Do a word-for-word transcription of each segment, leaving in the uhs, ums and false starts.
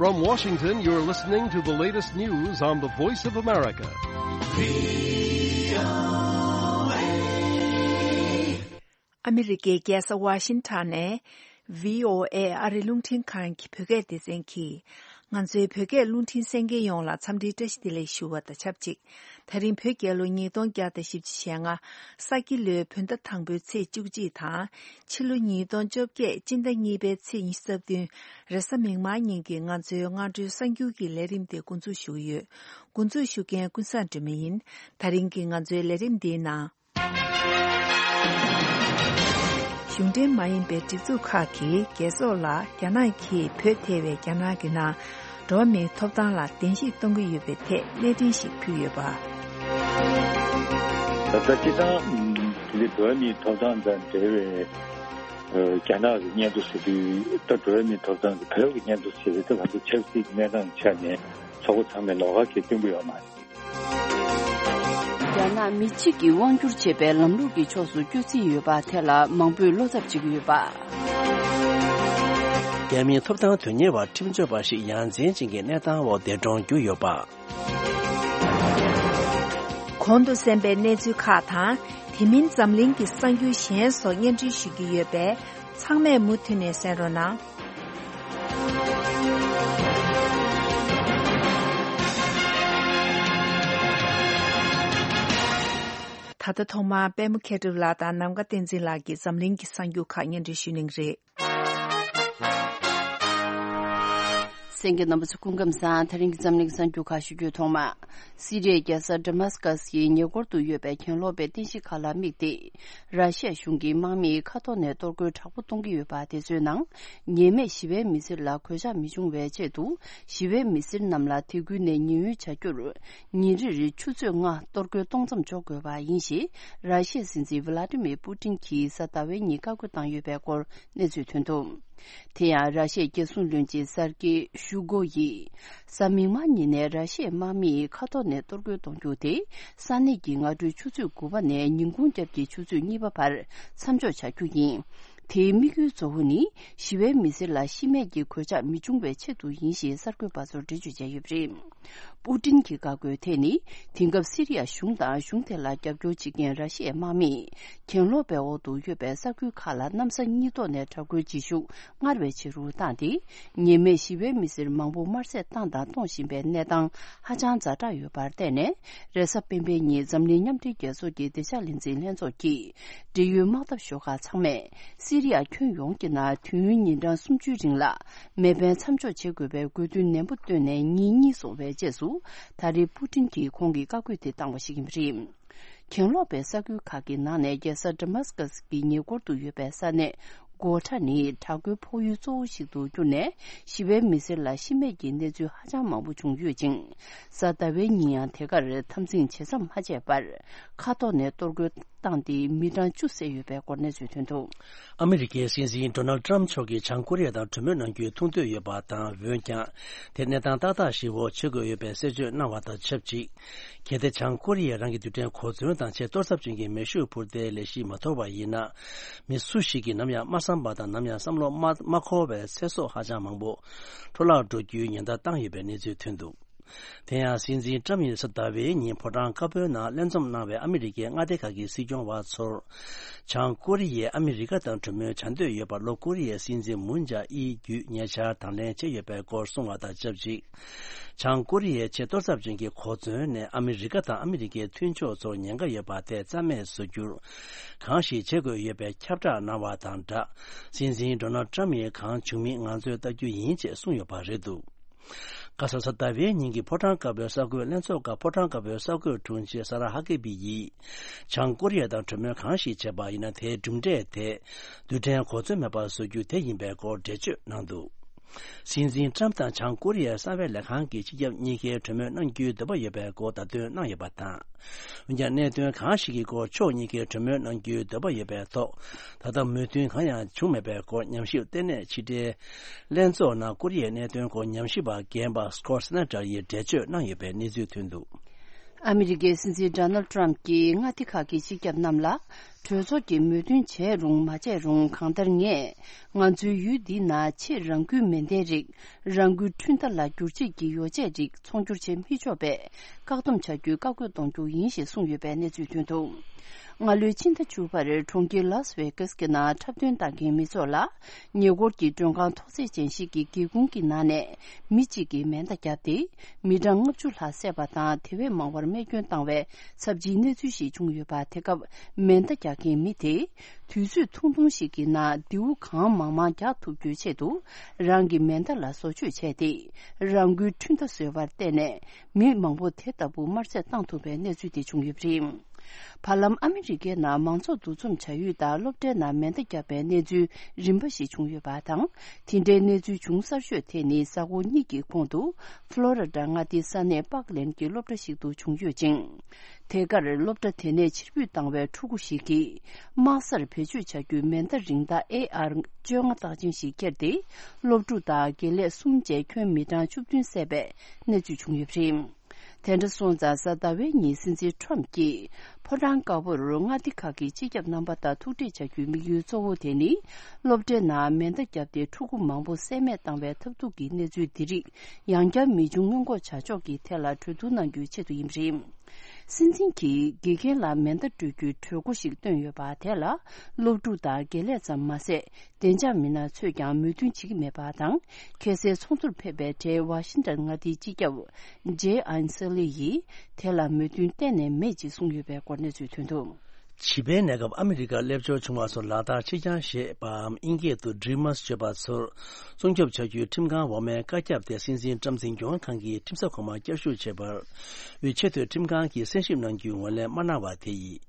From Washington, you're listening to the latest news on the Voice of America. ཨ་མི་རི་ཀའི་རྒྱལ་ས་ཝ་ཤིང་ཊོན་ནས་བྷི་ཨོ་ཨེ་ཨ་རི་རླུང་འཕྲིན་ཁང་གི་བོད་སྐད་སྡེ་ཚན་གྱིས། ང་ཚོའི་བོད་སྐད་རླུང་འཕྲིན་གསན་མཁན་ཡོངས་ལ་འཚམས་འདྲིའི་བཀྲ་ཤིས་བདེ་ལེགས་ཞུ་བ་དང་ཆབས་ཅིག་ད་རིང་བོད་རྒྱལ་ལོ་ཉིས་སྟོང་བརྒྱ་དང་བཞི་བཅུ་ཞེ་ལྔ། ས་ཁྱི་ལོའི་བོད་ཟླ་དང་པོའི་ཚེས་བཅུ་གཅིག་དང་། ཕྱི་ལོ་ཉིས་སྟོང་བཅོ་བརྒྱད་སྤྱི་ཟླ་གཉིས་པའི་ཚེས་ཉི་ཤུ་རྩ་བདུན། རེས་གཟའ་མིག་དམར་ཉིན་གྱི་ང་ཚོའི་སྔ་དྲོའི་གསར་འགྱུར་གྱི་ལས་རིམ་དེ་འགོ་འཛུགས་ཞུ་གི་ཡོད། འགོ་འཛུགས་ཞུ་མཁན་ཀུན་བཟང་སྒྲོལ་མ་ཡིན། ད་རིང་གི་ང་ཚོའི་ལས་རིམ་འདིའི་ནང་། གཞུང་འབྲེལ་མ་ཡིན་པའི་སྒྲིག་འཛུགས་ཁག་གིས་རྒྱལ་ཚོགས་ལ་རྒྱ་ནག་གིས་བོད་ཐེ་བའི་རྒྱ་ནག་གི་ནང་འགྲོ་བ་མིའི་ཐོབ་ཐང་ལ་གདན་ཞིག་གཏོང་གི་ཡོད་པའི་ཐད་གནས་འཕྲིན་ཞིག་ཕུལ་ཡོད་པ། ད་ལྟ་སྤྱི་བཏང་འདི་འགྲོ་བ་མིའི་ཐོབ་ཐང་དང་འབྲེལ་བའི་རྒྱ་ནག་གི་སྙན་ཐོ་ཟེར་དུས། ད་འགྲོ་བ་མིའི་ཐོབ་ཐང་གི་བོད་ཀྱི་སྙན་ཐོ་ཟེར་དུས། ད་ང་ཚོ་ཆབ་སྲིད་ཀྱི་གནས་སྟངས་ཆ་ནས་ཚོགས་པ་ཚང་མས་ལོགས་ཀ་གང་ཡང་སྟོན་གྱི་ཡོད་མ་རེད། རྒྱ་ནག་མི་གཅིག་གིས་དབང་བསྒྱུར་བྱེད་པའི་ལམ་ལུགས་ཀྱི་ཕྱོགས་སུ་བསྐྱོད་རྩིས་ཡོད་པ་དེ་ལ་མང་པོས་བློ་འཚབ་བྱེད་ཀྱི་ཡོད་པ། རྒྱ་མིའི་ཐོབ་ཐང་དོན་གཉེར་བ་ཁྲིམས་རྩོད་པ་ཞིག་ཡ་མཚན་ཅན་གྱི་གནས་སྟངས་འོག་འདས་གྲོངས་གྱུར་ཡོད་པ། གོང་དུ་གསན་པའི་གནས་ཚུལ་ཁག་དང་། དེ་མིན་འཛམ་གླིང་གི་གསར་འགྱུར་གཞན་སོགས་སྙན་སྒྲོན་ཞུ་རྒྱུ་ཡོད་པས། ཚང་མས་མུ་མཐུད་ནས་གསན་རོགས་གནང་། ད་ལྟ་ཐོག་མར་པད་མ་མཁས་གྲུབ་ལགས་དང་ནམ་མཁའ་བསྟན་འཛིན་ལགས་ཀྱིས་འཛམ་གླིང་གི་གསར་འགྱུར་ཁག་སྙན་སྒྲོན་ཞུ་གནང་གི་རེད། གསན་མཁན་རྣམ་པ་ཚོ་སྐུ་ཁམས་བཟང་། དེ་རིང་གི་འཛམ་གླིང་གི་གསར་འགྱུར་ཁག་ཞུ་རྒྱུའི་ཐོག་མ། སི་རི་ཡའི་རྒྱལ་ས་ཌ་མཱ་སི་ཀ་སི་ཡི་ཉེ་འཁོར་དུ་ཡོད་པའི་གྱེན་ལོག་པའི་རྟེན་གཞི་ཁག་ལ་དམིགས་ཏེ། ར་ཤི་ཡ་གཞུང་གིས་དམག་མིས་མཁའ་ཐོག་ནས་གཏོར་རྒོལ་དྲག་པོ་གཏོང་གི་ཡོད་པ་དེ་ཚོའི་ནང་། ཉེས་མེད་ཞི་བའི་མི་སེར་ལ་གོད་ཆག་མི་འབྱུང་བའི་ཆེད་དུ། ཞི་བའི་མི་སེར་རྣམས་ལ་དེ་ཁུལ་ནས་ཉེན་གཡོལ་བྱ་རྒྱུར། ཉིན་རེར་ཆུ་ཚོད་ལྔ་གཏོར་རྒོལ་གཏོང་མཚམས་འཇོག་དགོས་པ་ཡིན་ཞེས། ར་ཤི་ཡའི་སྲིད་འཛིན་ཝི་ལ་ཏི་མིར་པུ་ཏིན་གྱིས་གཟའ་ཟླ་བའི་ཉིན་བཀའ་བཀོད་བཏང་ཡོད་པའི་སྐོར་གནས་ཚུལ་ཐོན་འདུག་དེ་ཡང་། ར་ཤི་ཡའི་རྒྱལ་སྲུང་བློན་ཆེན་སར་ཀེ་ཤུ་གོ་ཡིས། གཟའ་མིག་དམར་ཉིན་ནས་ར་ཤི་ཡའི་དམག་མིས་མཁའ་ཐོག་ནས་གཏོར་རྒོལ་གཏོང་རྒྱུ་དེ། ས་གནས་ཀྱི་སྔ་དྲོའི་ཆུ་ཚོད་དགུ་པ་ནས་ཉིན་གུང་རྒྱབ་ཀྱི་ཆུ་ཚོད་གཉིས་པ་བར་མཚམས་འཇོག་བྱ་རྒྱུ་ཡིན། དེའི་དམིགས་ཡུལ་གཙོ་བོ་ནི། ཞི་བའི་མི་སེར་ལ་ཤི་རྨས་ཀྱི་གོད་ཆག་མི་འབྱུང་བའི་ཆེད་དུ་ཡིན་ཞེས་གསར་འགོད་པ་ཚོར་འགྲེལ་བརྗོད་བྱས་ཡོད་པ་རེད། པུ་ཏིན་གྱི་བཀའ་བཀོད་དེ་ནི། དེང་སྐབས་སི་རི་ཡ་གཞུང་དང་གཞུང་དེ་ལ་རྒྱབ་སྐྱོར་བྱེད་མཁན་ར་ཤི་ཡའི་དམག་མིས། གྱེན་ལོག་པའི་འོག་ཏུ་ཡོད་པའི་ས་ཁུལ་ཁག་ལ་གནམ་ས་གཉིས་ཐོག་ནས་དྲག་རྒོལ་བྱེད་ཤུགས་སྔར་བས་ཆེ་རུ་བཏང་སྟེ། ཉེས་མེད་ཞི་བའི་མི་སེར་མང་པོ་དམར་གསོད་བཏང་དང་གཏོང་བཞིན་པའི་གནས་སྟངས་ཧ་ཅང་ཛ་དྲག་ཡོད་པར་བརྟེན་ནས། རེས་གཟའ་སྤེན་པའི་ཉིན་འཛམ་གླིང་མཉམ་འབྲེལ་རྒྱལ་ཚོགས་ཀྱི་བདེ་འཇགས་ལས་འཛིན་ལྷན་ཚོགས་ཀྱིས། འབྲེལ་ཡོད་དམག་འཐབ་ཤོག་ཁག་ཚང་མས། སི་རི་ཡ་ཁྱོན་ཡོངས་ཀྱི་ནང་དུས་ཡུན་ཉིན་གྲངས་སུམ་ཅུའི་རིང་ལ། མེ་འཕེན་མཚམས་འཇོག་བྱེད་དགོས་པའི་དགོས་འདུན་ནན་པོ་བཏོན་ནས་ཉིན་གཉིས་སོང་བའི་རྗེས་སུ། ད་རེས་པུ་ཏིན་གྱིས་ཁོང་གི་བཀའ་བཀོད་དེ་བཏང་བ་ཞིག་ཡིན་པ་རེད། གྱེན་ལོག་པའི་ས་ཁུལ་ཁག་གི་ནང་ནས་རྒྱལ་ས་ཌ་མཱ་སི་ཀ་སི་གི་ཉེ་འཁོར་དུ་ཡོད་པའི་ས་གནས་གོ་ཁྲ་ནི་དྲག་རྒོལ་ཕོག་ཡུལ་གཙོ་བོ་ཞིག་ཏུ་གྱུར་ནས། ཞི་བའི་མི་སེར་ལ་ཤི་རྨས་ཀྱི་གནས་ཚུལ་ཧ་ཅང་མང་པོ་བྱུང་ཡོད་ཅིང་། གཟའ་ཟླ་བའི་ཉིན་ཡང་དེ་གར་འཐབ་འཛིང་ཇེ་མཚམས་མ་ཆད་པར། མཁའ་ཐོག་ནས་གཏོར་རྒོལ་བཏང་སྟེ་མི་གྲངས་བཅུ་བསད་ཡོད་པའི་སྐོར་གནས་ཚུལ་ཐོན་འདུག་ཨ་མི་རི་ཀའི་སྲིད་འཛིན་ཌོ་ནལ་ཊམ་མཆོག་གིས་བྱང་ཀོ་རི་ཡ་དང་གྲོས་མོལ་གནང་རྒྱུའི་ཐུགས་འདོད་ཡོད་པ་དང་། འོན་ཀྱང་། དེ་གནས་སྟངས་ཏག་ཏག་ཞིག་འོག་བྱེད་དགོས་ཡོད་པའི་གསལ་བརྗོད་གནང་བ་དང་ཆབས་ཅིག་གལ་ཏེ་བྱང་ཀོ་རི་ཡས་རང་གི་རྡུལ་ཕྲན་གོ་མཚོན་དང་ཆེས་གཏོར་ཚབས་ཅན་གྱི་མེ་ཤུགས་འཕུར་མདེལ་ལས་གཞི་མ་དོར་བ་ཡིན་ན། མི་སུ་ཞིག་གིས་ནམ་ཡང་མ་བསམ་པ་དང་ནམ་ཡང་བསམ་བློ་མ་མ་འཁོར་བའི་ཚེ་སྲོག་ཧ་ཅང་མང་པོ་འཕྲོ་བརླག་འགྲོ་རྒྱུའི་ཉེན་བརྡ་བཏང་ཡོད་པའི་གནས་ཚུལ་ཐོན་འདུག་དེ་ཡང་སྲིད་འཛིན་ཊམ་ཡིས་གཟའ་ཟླ་བའི་ཉིན་ཕོ་བྲང་དཀར་པོའི་ནང་ལྷན་འཛོམས་གནང་བའི་ཨ་མི་རི་ཀའི་མངའ་སྡེ་ཁག་གི་སྲིད་སྐྱོང་བ་ཚོར། བྱང་ཀོ་རི་ཡས་ཨ་མི་རི་ཀ་དང་གྲོས་མོལ་བྱ་འདོད་ཡོད་པར་ལྷོ་ཀོ་རི་ཡའི་སྲིད་འཛིན་མུན་ཇཱ་ཨིན་བརྒྱུད་ཉེ་ཆར་དང་ལེན་བྱས་ཡོད་པའི་སྐོར་གསུངས་བ་དང་ཆབས་ཅིག་བྱང་ཀོ་རི་ཡའི་ཆེས་གཏོར་ཚབས་ཅན་གྱི་གོ་མཚོན་ནས་ཨ་མི་རི་ཀ་དང་ཨ་མི་རི་ཀའི་མཐུན་ཕྱོགས་ཚོར་ཉེན་ཁ་ཡོད་པ་དེ་རྩ་མེད་བཟོ་རྒྱུར། གང་ཞིག་བྱེད་དགོས་ཡོད་པའི་ཁྱབ་བསྒྲགས་གནང་བ་དང་སྦྲགས། སྲིད་འཛིན་ཌོ་ནལ་ཊམ་ཡིས་གང་བྱུང་མིན་ང་ཚོས་ལྟ་རྒྱུ་ཡིན་ཅེས་གསུངས་ཡོད་པ་རེད་འདུག་ཁ་ས་གཟའ་ཟླ་བའི་ཉིན་གྱི་ཕོ་བྲང་དཀར་པོའི་གསར་འགོད་ལྷན་ཚོགས་སྐབས་ཕོ་བྲང་དཀར་པོའི་གསར་འགོད་དྲུང་ཆེ་ས་ར་ཧ་ཀེ་བི་ཡིས། བྱང་ཀོ་རི་ཡ་དང་གྲོས་མོལ་གང་ཞིག་བྱས་པ་ཡིན་ན་དེའི་གྲུབ་འབྲས་དེ། རྡུལ་ཕྲན་གོ་མཚོན་མེད་པར་བཟོ་རྒྱུ་དེ་ཡིན་པའི་སྐོར་འགྲེལ་བརྗོད་གནང་འདུག་སྲིད་འཛིན་ཊམ་དང་བྱང་ཀོ་རི་ཡའི་གསང་བའི་ལས་ཁང་གི་སྤྱི་ཁྱབ་གཉིས་ཀས་གྲོས་མོལ་གནང་རྒྱུའི་འདོད་པ་ཡོད་པའི་སྐོར་བརྡ་སྟོན་གནང་ཡོད་པ་དང་། འོན་ཀྱང་གནད་དོན་གང་ཞིག་གི་སྐོར་ཕྱོགས་གཉིས་ཀས་གྲོས་མོལ་གནང་རྒྱུའི་འདོད་པ་ཡོད་པའི་ཐོག་ད་ལྟ་མོས་མཐུན་གང་ཡང་བྱུང་མེད་པའི་སྐོར་ཉམས་ཞིབ་ལྟེ་གནས་ཕྱི་དྲིལ་ལྷན་ཚོགས་ནང་ཀོ་རི་ཡའི་གནད་དོན་སྐོར་ཉམས་ཞིབ་པ་རྒན་པ་སི་ཀོ་སི་ནེ་ཏྲ་ཡིས་འགྲེལ་བརྗོད་གནང་ཡོད་པའི་གནས་ཚུལ་ཐོན་འདུག་ཨ་མི་རི་ཀའི་སྲིད་འཛིན་ཌོ་ནལ་ཏྲམ་གྱིས་མངའ་སྡེ་ཁག་གི་སྤྱི་ཁྱབ་རྣམས་ལ། གྲོས་ཚོགས་ཀྱིས་མོས་མཐུན་བྱས་རུང་མ་བྱས་རུང་། གང་ལྟར་ངས་ང་ཚོའི་ཡུལ་འདི་ན་ཕྱིར་རང་འགུལ་མེ་མདའི་རིགས། རང་འགུལ་འཕྲུལ་མདའ་ལ་བསྒྱུར་བྱེད་ཀྱི་ཡོ་བྱད་རིགས་ཚོང་སྒྱུར་བྱེད་མི་ཆོག་པའི་བཀག་སྡོམ་བྱ་རྒྱུའི་བཀའ་བཀོད་གཏོང་རྒྱུ་ཡིན་ཞེས་གསུངས་ཡོད་པའི་གནས་ཚུལ་ཐོན་འདུག་སྔ་ལོའི་ཕྱི་ཟླ་བཅུ་པར་གྲོང་ཁྱེར་ལཱ་སི་ཝེ་ཀཱ་སི་གི་ནང་འཁྲབ་སྟོན་བཏང་མཁན་མི་ཚོགས་ལ། ཉེ་འཁོར་གྱི་མགྲོན་ཁང་ཐོག་བརྩེགས་ཅན་ཞིག་གི་སྒེའུ་ཁུང་གི་ནང་ནས་མི་གཅིག་གིས་མེ་མདའ་བརྒྱབ་སྟེ། མི་གྲངས་ལྔ་བཅུ་ལྷག་བསད་པ་དང་། དེ་བས་མང་བར་རྨས་སྐྱོན་བཏང་བའི་ཚབས་ཆེའི་གནས་ཚུལ་ཞིག་བྱུང་ཡོད་པ། དེ་སྐབས་མེ་མདའ་རྒྱག་མཁན་མི་དེས། དུས་ཚོད་ཐུང་ཐུང་ཞིག་གི་ནང་མདེའུ་གང་མང་མང་རྒྱག་ཐུབ་རྒྱུའི་ཆེད་དུ། རང་གི་མེ་མདའ་ལ་བཟོ་བཅོས་བྱས་ཏེ། རང་འགུལ་འཕྲུལ་མདའ་བཟོས་པར་བརྟེན་ནས། མི་མང་པོ་དེ་ལྟ་བུ་དམར་བསད་བཏང་ཐུབ་པའི་གནས་ཚུལ་དེ་བྱུང་ཡོད་པ་རེད། བར་ལམ་ཨ་མི་རི་ཀའི་ནང་མང་ཚོགས་འདུ་འཛོམས་བྱ་ཡུལ་དང་སློབ་གྲྭའི་ནང་མེ་མདའ་བརྒྱབ་པའི་གནས་ཚུལ་རིམ་པ་ཞིག་བྱུང་ཡོད་པ་དང་། དེ་འདྲའི་གནས་ཚུལ་བྱུང་གསར་ཤོས་དེ་ནི་གཟའ་འཁོར་གཉིས་ཀྱི་གོང་དུ་ཕློ་རི་ཌ་མངའ་སྡེའི་ས་གནས་པཱག་ལེན་གྱི་སློབ་གྲྭ་ཞིག་ཏུ་བྱུང་ཡོད་ཅིང་། དེ་གར་སློབ་གྲྭ་དེ་ནས་ཕྱིར་འབུད་བཏང་བའི་ཕྲུ་གུ་ཞིག་གིས་དམག་སར་བེད་སྤྱོད་བྱ་རྒྱུའི་མེ་མདའ་རིང་ཐག་ཨེ་ཨར་བཅོ་ལྔ་རྟགས་ཅན་ཞིག་ཁྱེར་ཏེ། སློབ་ཕྲུག་དང་དགེ་ལས་གསུམ་བཅས་ཁྱོན་མི་གྲངས་བཅུ་བདུན་བསད་པའི་གནས་ཚུལ་བྱུང་ཡོད་པ་རེད། དེ་འདྲ་སོང་ཙང་གཟའ་ཟླ་བའི་ཉིན་སྲིད་འཛིན་ཁྲོམ་གྱིས་ཕོ་བྲང་དཀར་པོར་མངའ་སྡེ་ཁག་གི་སྤྱི་ཁྱབ་རྣམ་པ་དང་ཐུག་འཕྲད་བྱ་རྒྱུའི་དམིགས་ཡུལ་གཙོ་བོ་དེ་ནི། སློབ་གྲྭའི་ནང་མེ་མདའ་བརྒྱབ་སྟེ་ཕྲུ་གུ་མང་པོ་བསད་རྨས་བཏང་བའི་ཐབས་སྡུག་གི་གནས་ཚུལ་འདི་རིགས་ཡང་བསྐྱར་མི་འབྱུང་སྔོན་འགོག་བྱ་ཕྱོགས་ཀྱི་ཐད་ལ་གྲོས་བསྡུར་གནང་རྒྱུའི་ཆེད་དུ་ཡིན་པ་རེད། སྲིད་འཛིན་གྱིས་དགེ་རྒན་ལ་མེ་མདའ་སྤྲོད་རྒྱུའི་གྲོས་འགོ་ཞིག་བཏོན་ཡོད་པ་དེ་ལ། སློབ་ཕྲུག་དང་དགེ་ལས་ཙམ་མ་ཟད། བདེ་འཇགས་མི་སྣ་ཚོས་ཀྱང་མོས་མཐུན་བྱེད་ཀྱི་མེད་པ་དང་། ཁ་སང་ཚོགས་འདུར་ཕེབས་པའི་གྲས་ཝ་ཤིང་ཏན་མངའ་སྡེའི་སྤྱི་ཁྱབ་ཇེ་ཨན་སེ་ལི་ཡིས་དེ་ལ་མོས་མཐུན་གཏན་ནས་མེད་ཅེས་གསུངས་ཡོད་པའི་སྐོར་གནས་ཚུལ་ཐོན་འདུག་བྱིས་པའི་གནས་སྐབས་ཨ་མི་རི་ཀར་སླེབས་འབྱོར་བྱུང་བ་ཚོར་ལག་བསྟར་ཕྱི་འགྱངས་ཞེས་པའམ་དབྱིན་སྐད་དུ་Dreamers་བརྗོད་པ་ཚོར་སྲུང་སྐྱོབ་བྱ་རྒྱུའི་ཁྲིམས་ཁང་འོག་མའི་བཀའ་ཁྱབ་དེ་སྲིད་འཛིན་ཀྲམ་འཛིན་སྐྱོང་ཁང་གིས་ཁྲིམས་ས་གོང་མར་བསྐྱར་ཞུ་བྱས་པར། དབུས་ཆེས་མཐོའི་ཁྲིམས་ཁང་གིས་གསན་ཞིབ་གནང་རྒྱུའི་ངོས་ལེན་མ་གནང་བ་དེ་ཡིས།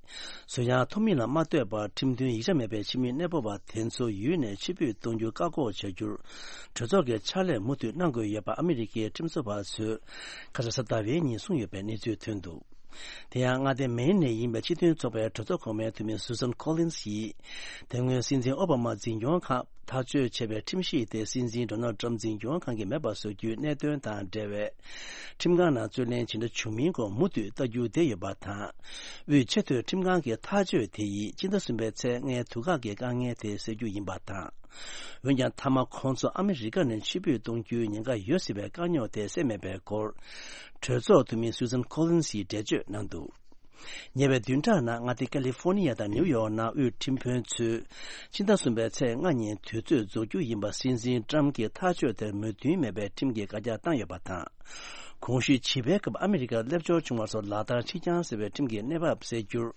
གཟུགས་ཡངས་ཐོབ་མིན་ལ་མ་ལྟོས་པར་ཁྲིམས་མཐུན་ཡིག་ཆ་མེད་པའི་ཕྱི་མི་གནས་སྤོ་བ་དེ་ཚོ་ཡུལ་ནས་ཕྱིར་འབུད་གཏོང་རྒྱུ་བཀག་འགོག་བྱ་རྒྱུར། གྲོས་ཚོགས་ཀྱི་ཕྱག་ལས་མུ་མཐུད་གནང་དགོས་ཡོད་པ་ཨ་མི་རི་ཀའི་ཁྲིམས་བཟོ་བ་ཚོས་ཁ་སང་གཟའ་ཟླ་བའི་ཉིན་གསུངས་ཡོད་པའི་གནས་ཚུལ་ཐོན་འདུག་དེ་ཡང་མངའ་སྡེ་མེན་ནས་ཡིན་པའི་སྤྱི་མཐུན་ཚོགས་པའི་གྲོས་ཚོགས་གོང་མའི་འཐུས་མི་Susan Collins་ཡིས། དེ་སྔོན་སྲིད་འཛིན་ཨོ་བྷ་མ་འཛིན་སྐྱོང་ཁག་ཐག་གཅོད་བྱས་པའི་ཁྲིམས་གཞི་དེ་སྲིད་འཛིན་Donald Trump་འཛིན་སྐྱོང་ཁང་གིས་མེད་པ་བཟོ་རྒྱུའི་གནད་དོན་དང་འབྲེལ་བའི་ཁྲིམས་ཁང་ནང་རྩོད་ལེན་ཇི་འདྲ་བྱུང་མིན་སྐོར་མུ་མཐུད་ལྟ་རྒྱུ་བསྡད་ཡོད་པ་དང་། དབུས་ཆེས་མཐོའི་ཁྲིམས་ཁང་གི་ཐག་གཅོད་དེ་ཡིས་སྤྱི་ཟླ་གསུམ་པའི་ཚེས་ལྔའི་དུས་བཀག་གི་དཀའ་ངལ་དེ་སེལ་རྒྱུ་ཡིན་པ་དང་། འོན་ཀྱང་མཐའ་མ་ཁོང་ཚོ་ཨ་མི་རི་ཀ་ནས་ཕྱིར་འབུད་གཏོང་རྒྱུའི་ཉེན་ཁ་ཡོད་སྲིད་པའི་དཀའ་རྙོག་དེ་སེལ་མེད་པའི་སྐོར། གྲོས་ཚོགས་འཐུས་མི་Susan Collins་ཡིས་འགྲེལ་བརྗོད་གནང་འདུག་ཉེ་བའི་བདུན་ཕྲག་ནང་མངའ་སྡེ་ཀ་ལི་ཧྥོ་ནི་ཡ་དང་ནིའུ་ཡོག་ནང་དབུས་ཁྲིམས་དཔོན་ཚོས་ཕྱི་ཟླ་གསུམ་པའི་ཚེས་ལྔ་ཉིན་དུས་ཚོད་རྫོགས་རྒྱུ་ཡིན་པ་སྲིད་འཛིན་ཀྲམ་གྱི་ཐག་གཅོད་དེར་མོས་མཐུན་མེད་པའི་ཁྲིམས་ཀྱི་བཀའ་རྒྱ་བཏང་ཡོད་པ་དང་། གོང་ཞུས་བྱིས་པའི་སྐབས་ཨ་མི་རི་ཀར་སླེབས་འབྱོར་བྱུང་བ་ཚོར་ལག་བསྟར་ཕྱི་འགྱངས་ཟེར་བའི་ཁྲིམས་ཀྱི་གནས་བབ་སེལ་རྒྱུར།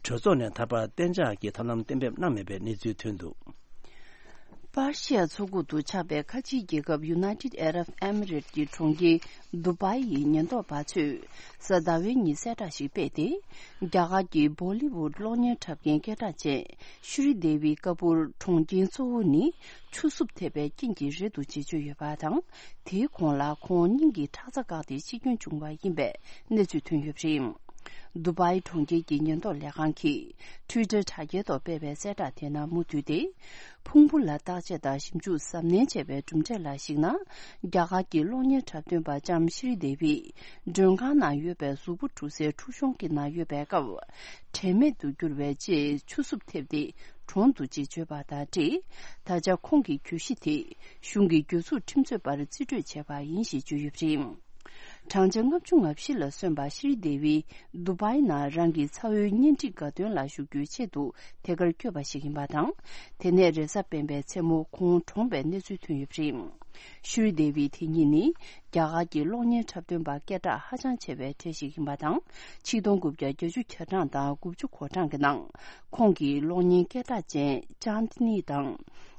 གྲོས་ཚོགས་ནས་ད་བར་གཏན་འཇགས་ཀྱི་ཐབས་ལམ་གཏན་འབེབས་གནང་མེད་པའི་གནས་ཚུལ་ཐོན་འདུག་པར་ཤི་ཡ་མཚོ་ཁུག་ཏུ་ཆགས་པའི་ཁ་ཆེའི་རྒྱལ་ཁབ་United Arab Emirates་ཀྱི་གྲོང་ཁྱེར་དུ་བྷའི་ཡི་ཉེན་རྟོག་པ་ཚོས་གཟའ་ཟླ་བའི་ཉིན་གསལ་བསྒྲགས་ཤིག་སྤེལ་ཏེ། རྒྱ་གར་གྱི་བོ་ལི་ཝུད་གློག་བརྙན་འཁྲབ་མཁན་སྐད་གྲགས་ཅན་ཤྲི་དེ་ཝི་ཀ་པུར་གྲོངས་རྐྱེན་གཙོ་བོ་ནི་ཆུ་སྲུབས་ཐེབས་པའི་རྐྱེན་གྱིས་རེད་འདུག་ཅེས་བརྗོད་ཡོད་པ་དང་། དེའི་གོང་ལ་ཁོང་སྙིང་གི་ཁྲག་རྩ་བཀག་སྟེ་འཆི་སྐྱོན་བྱུང་བ་ཡིན་པའི་གནས་ཚུལ་ཐོན་ཡོད་པ་རེད། དུ་བྷའི་གྲོང་ཁྱེར་གྱི་ཉེན་རྟོག་ལས་ཁང་གིས་Twitter་དྲ་རྒྱའི་ཐོག་སྤེལ་བའི་གསལ་བསྒྲགས་དེ་ནང་མུ་མཐུད་དེ། ཕུང་པོ་ལ་བརྟག་དཔྱད་དང་ཞིབ་འཇུག་གཟབ་ནན་བྱས་པའི་གྲུབ་འབྲས་ལ་གཞིགས་ན། རྒྱ་གར་གྱི་གློག་བརྙན་འཁྲབ་སྟོན་པ་ལྕམ་ཤྲི་དེ་ཝི་མགྲོན་ཁང་ནང་ཡོད་པའི་གཟུགས་པོ་འཁྲུ་སའི་འཁྲུ་གཞོང་གི་ནང་ཡོད་པའི་སྐབས། དྲན་མེད་དུ་གྱུར་བའི་རྗེས་ཆུ་སྲུབས་ཐེབས་ཏེ་གྲོངས་འདུག་ཅེས་བརྗོད་པ་དང་འབྲེལ། ད་ཆ་ཁོང་གི་གྱོད་གཞི་དེ་གཞུང་གི་གྱོད་འཛུགས་ཁྲིམས་རྩོད་པར་རྩིས་སྤྲོད་བྱས་པ་ཡིན་ཞེས་བརྗོད་ཡོད་པ་རེད། བགྲང་བྱ་ལྔ་བཅུ་ང་བཞི་ལ་སོན་པ་ཤྲི་དེ་ཝི་དུ་བྷའི་ནང་རང་གི་ཚ་བོའི་གཉེན་སྒྲིག་དགའ་སྟོན་ལ་ཞུགས་རྒྱུའི་ཆེད་དུ་དེ་གར་བསྐྱོད་པ་ཞིག་ཡིན་པ་དང་། དེ་ནས་རེས་གཟའ་སྤེན་པའི་མཚན་མོ་ཁོང་གྲོངས་པའི་གནས་ཚུལ་ཐོན་ཡོད་པ་རེད། ཤྲི་དེ་ཝི་དེ་ཉིད་ནི་རྒྱ་གར་གྱི་གློག་བརྙན་འཁྲབ་སྟོན་པ་སྐད་གྲགས་ཧ་ཅང་ཆེ་བའི་གྲས་ཤིག་ཡིན་པ་དང་། ཆིག་སྟོང་དགུ་བརྒྱ་བརྒྱད་ཅུ་གྱ་གྲངས་དང་དགུ་བཅུ་གོ་གྲངས་ཀྱི་ནང་། ཁོང་གིས་གློག་བརྙན་སྐད་གྲགས་ཅན་ཅཱན་ཏི་ནི་དང་།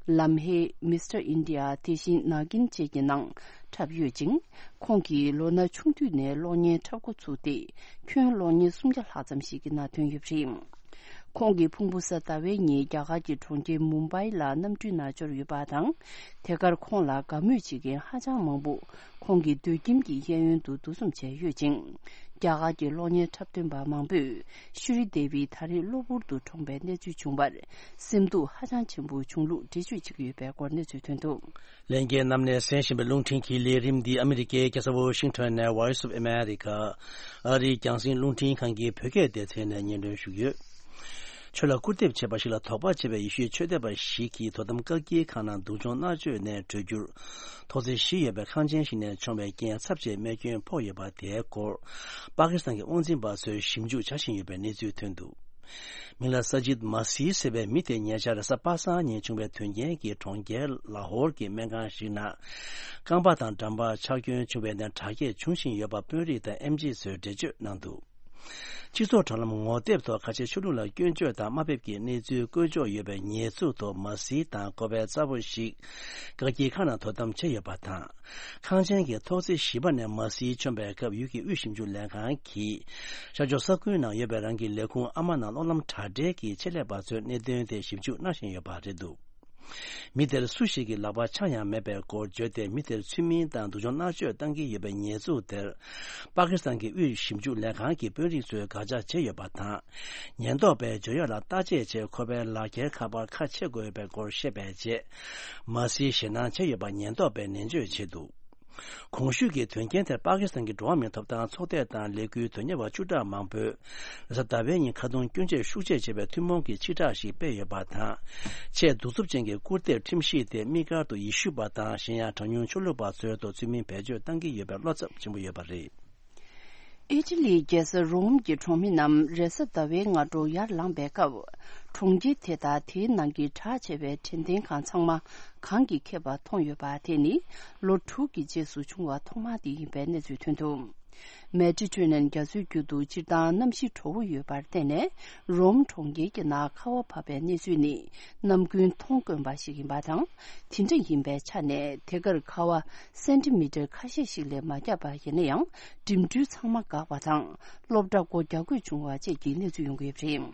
ལམ་ཧེ། མི་སི་ཊར་ཨིན་ཌི་ཡ། དེ་བཞིན་ནཱ་གིན་བཅས་ཀྱི་ནང་འཁྲབ་ཡོད་ཅིང་། ཁོང་གིས་ལོ་ན་ཆུང་དུས་ནས་གློག་བརྙན་འཁྲབ་འགོ་ཚུགས་ཏེ། ཁྱོན་གློག་བརྙན་སུམ་བརྒྱ་ལྷག་ཙམ་ཞིག་གི་ནང་ཐོན་ཡོད་པ་རེད། ཁོང་གི་ཕུང་པོ་གཟའ་ཟླ་བའི་ཉིན་རྒྱ་གར་གྱི་གྲོང་ཁྱེར་མུམ་བྷའི་ལ་གནམ་གྲུའི་ནང་འབྱོར་ཡོད་པ་དང་། དེ་གར་ཁོང་ལ་དགའ་མོས་བྱེད་མཁན་ཧ་ཅང་མང་པོ་ཁོང་གི་སྡོད་ཁྱིམ་གྱི་གཡས་གཡོན་དུ་འདུ་འཛོམས་བྱས་ཡོད་ཅིང་། རྒྱ་གར་གྱི་གློག་བརྙན་འཁྲབ་སྟོན་པ་མང་པོས་ཤུ་རི་དེ་བི་ད་རེས་གློ་བུར་དུ་གྲོངས་པའི་གནས་ཚུལ་བྱུང་བར་སེམས་སྡུག་ཧ་ཅང་ཆེན་པོ་བྱུང་ལུགས་འགྲེལ་བརྗོད་བྱེད་ཀྱི་ཡོད་པའི་སྐོར་གནས་ཚུལ་ཐོན་འདུག་ལྷན་རྒྱས་རྣམས་ནས་གསན་བཞིན་པའི་རླུང་འཕྲིན་གྱི་ལས་རིམ་འདི་ཨ་མི་རི་ཀའི་རྒྱལ་ས་ཝོ་ཤིང་ཊོན་ནས་Voice of America་ཨ་རིའི་རྒྱང་སྲིང་རླུང་འཕྲིན་ཁང་གི་བོད་སྐད་སྡེ་ཚན་ནས་སྙན་སྒྲོན་ཞུས་ཡོད། ཆོས་ལ་སྐུར་འདེབས་བྱེད་པ་ཞིག་ལ་དོགས་པ་བྱེད་པའི་ཡེ་ཤུའི་ཆོས་དད་པ་ཞིག་གིས་དོ་དམ་བཀག་སྐྱིལ་ཁང་ནང་སྡུག་སྦྱོང་མནར་གཅོད་ནས་གྲོལ་རྒྱུར། ཐོག་བརྩེགས་བཞི་ཡོད་པའི་ཁང་ཆེན་ཞིག་ནས་མཆོངས་པའི་རྐྱེན་ཚབས་ཆེའི་རྨས་སྐྱོན་ཕོག་ཡོད་པ་དེའི་སྐོར། པ་ཀི་སི་ཐན་གྱི་དབང་འཛིན་པ་ཚོས་ཞིབ་འཇུག་བྱ་བཞིན་ཡོད་པའི་གནས་ཚུལ་ཐོན་འདུག་མིང་ལ་ས་ཇིད་མ་སི་ཟེར་བའི་མི་དེ་ཉེ་ཆར་རེས་གཟའ་པ་སངས་ཉིན་བྱུང་བའི་དོན་རྐྱེན་གྱིས་གྲོང་ཁྱེར་ལ་ཧོར་གྱི་སྨན་ཁང་ཞིག་ནང་རྐང་པ་དང་འགྲམ་པར་ཆག་སྐྱོན་བྱུང་བའི་ནད་དྲག་སྐྱེད་འབྱུང་བཞིན་ཡོད་པ་དཔོན་རིགས་དང་ཨེམ་ཆི་ཚོས་འགྲེལ་བརྗོད་གནང་འདུག་སྤྱི་ཚོགས་དྲ་ལམ་ངོ་དེབ་ཐོག་ཁ་ཆེ་ཆོས་ལུགས་ལ་སྐྱོན་བརྗོད་དང་དམའ་འབེབས་ཀྱི་གནས་ཚུལ་བཀོད་འཇོག་ཡོད་པའི་ཉེས་འཛུགས་ཐོག་མ་སིའི་དང་ཁོ་པའི་ཚ་བོ་ཞིག་བཀག་སྐྱིལ་ཁང་ནང་དོ་དམ་བྱས་ཡོད་པ་དང་། ཁང་ཆེན་གྱི་ཐོག་བརྩེགས་བཞི་པ་ནས་མ་སིའི་མཆོངས་པའི་སྐབས་ཡུལ་གྱི་དབུས་ཞིབ་འཇུག་ལས་ཁང་གིས་ཤར་ཕྱོགས་ས་ཁུལ་ནང་ཡོད་པའི་རང་གི་ལས་ཁུངས་ཨ་མ་ནང་གློག་ལམ་དྲ་སྦྲེལ་གྱི་ཆེད་ལས་པ་ཚོས་གནད་དོན་དེ་ཞིབ་འཇུག་གནང་བཞིན་ཡོད་པ་རེད་འདུག་མི་དེར་སུ་ཞིག་གིས་ལག་པ་འཆང་ཡང་མེད་པའི་སྐོར་བརྗོད་དེ། མི་དེར་ཚུལ་མིན་དང་སྡུག་སྦྱོང་མནར་གཅོད་བཏང་གི་ཡོད་པའི་ཉེས་འཛུགས་དེར། པ་ཀི་སི་ཐན་གྱི་དབུས་ཞིབ་འཇུག་ལས་ཁང་གི་དཔོན་རིགས་ཚོས་དགག་བྱ་བྱས་ཡོད་པ་དང་། ཉེན་རྟོག་པས་བརྗོད་ཡག་ལ་བརྟག་དཔྱད་བྱས། ཁོ་པའི་ལག་འཁྱེར་ཁ་པར་ཁ་ཕྱེ་དགོས་པའི་སྐོར་བཤད་པའི་རྗེས། མ་སིའི་ཞེད་སྣང་བྱས་ཡོད་པ་ཉེན་རྟོག་པས་ནན་བརྗོད་བྱས་འདུག་གོང་ཞུས་ཀྱི་དོན་རྐྱེན་དེར་པ་ཀི་སི་ཐན་གྱི་འགྲོ་བ་མིའི་ཐོབ་ཐང་ཚོགས་སྡེ་དང་ལས་འགུལ་དོན་གཉེར་བ་བཅུ་ཕྲག་མང་པོས་རེས་གཟའ་ཟླ་བའི་ཉིན་ཁ་རྡུང་སྐྱོན་བརྗོད་ཤུགས་ཆེ་བྱས་པའི་ཐུན་མོང་གི་ཕྱིར་བསྒྲགས་ཤིག་སྤེལ་ཡོད་པ་དང་། ཆེས་གདུག་རྩུབ་ཅན་གྱི་སྐུར་འདེབས་ཁྲིམས་གཞི་དེ་དམིགས་བཀར་དུ་ཡེ་ཤུ་པ་དང་གཞན་ཡང་གྲངས་ཉུང་ཆོས་ལུགས་པ་ཚོའི་ཐོག་ཚུལ་མིན་བེད་སྤྱོད་བཏང་གི་ཡོད་པའི་བློ་འཚབ་ཆེན་པོ་ཡོད་པ་རེད། ཨི་ཊ་ལིའི་རྒྱལ་ས་རོམ་གྱི་གྲོང་མི་རྣམས་རེས་གཟའ་ཟླ་བའི་སྔ་དྲོ་ཡར་ལངས་པའི་སྐབས། གྲོང་ཁྱེར་དེ་དང་དེའི་ནང་གི་གྲགས་ཆེ་བའི་དྲན་རྟེན་ཁང་ཚང་མ་གངས་ཀྱིས་ཁེབས་པ་མཐོང་ཡོད་པ་དེ་ནི་ལོ་དྲུག་གི་རྗེས་སུ་བྱུང་བ་ཐོག་མ་དེ་ཡིན་པའི་གནས་ཚུལ་ཐོན་འདུག་མེ་ཌི་ཊེ་རེ་ནན་རྒྱ་མཚོའི་རྒྱུད་དུ་སྤྱིར་བཏང་གནམ་གཤིས་དྲོ་པོ་ཡོད་པར་བརྟེན་ནས། རོམ་གྲོང་ཁྱེར་གྱི་ནང་ཁ་བ་བབས་པའི་གནས་ཚུལ་ནི་ནམ་རྒྱུན་མཐོང་དཀོན་པ་ཞིག་ཡིན་པ་དང་། དེ་འདྲ་ཡིན་པའི་ཆ་ནས། དེ་གར་ཁ་བ་སེན་ཏི་མི་ཊར་ཁ་ཤས་ཤིག་ལས་མ་བརྒྱབ་པ་ཡིན་ན་ཡང་། འགྲིམ་འགྲུལ་ཚང་མ་འགག་པ་དང་། སློབ་གྲྭ་སྒོ་རྒྱག་དགོས་བྱུང་བ་བཅས་ཀྱི་གནས་ཚུལ་ཡོང་གི་ཡོད་པ་རེད།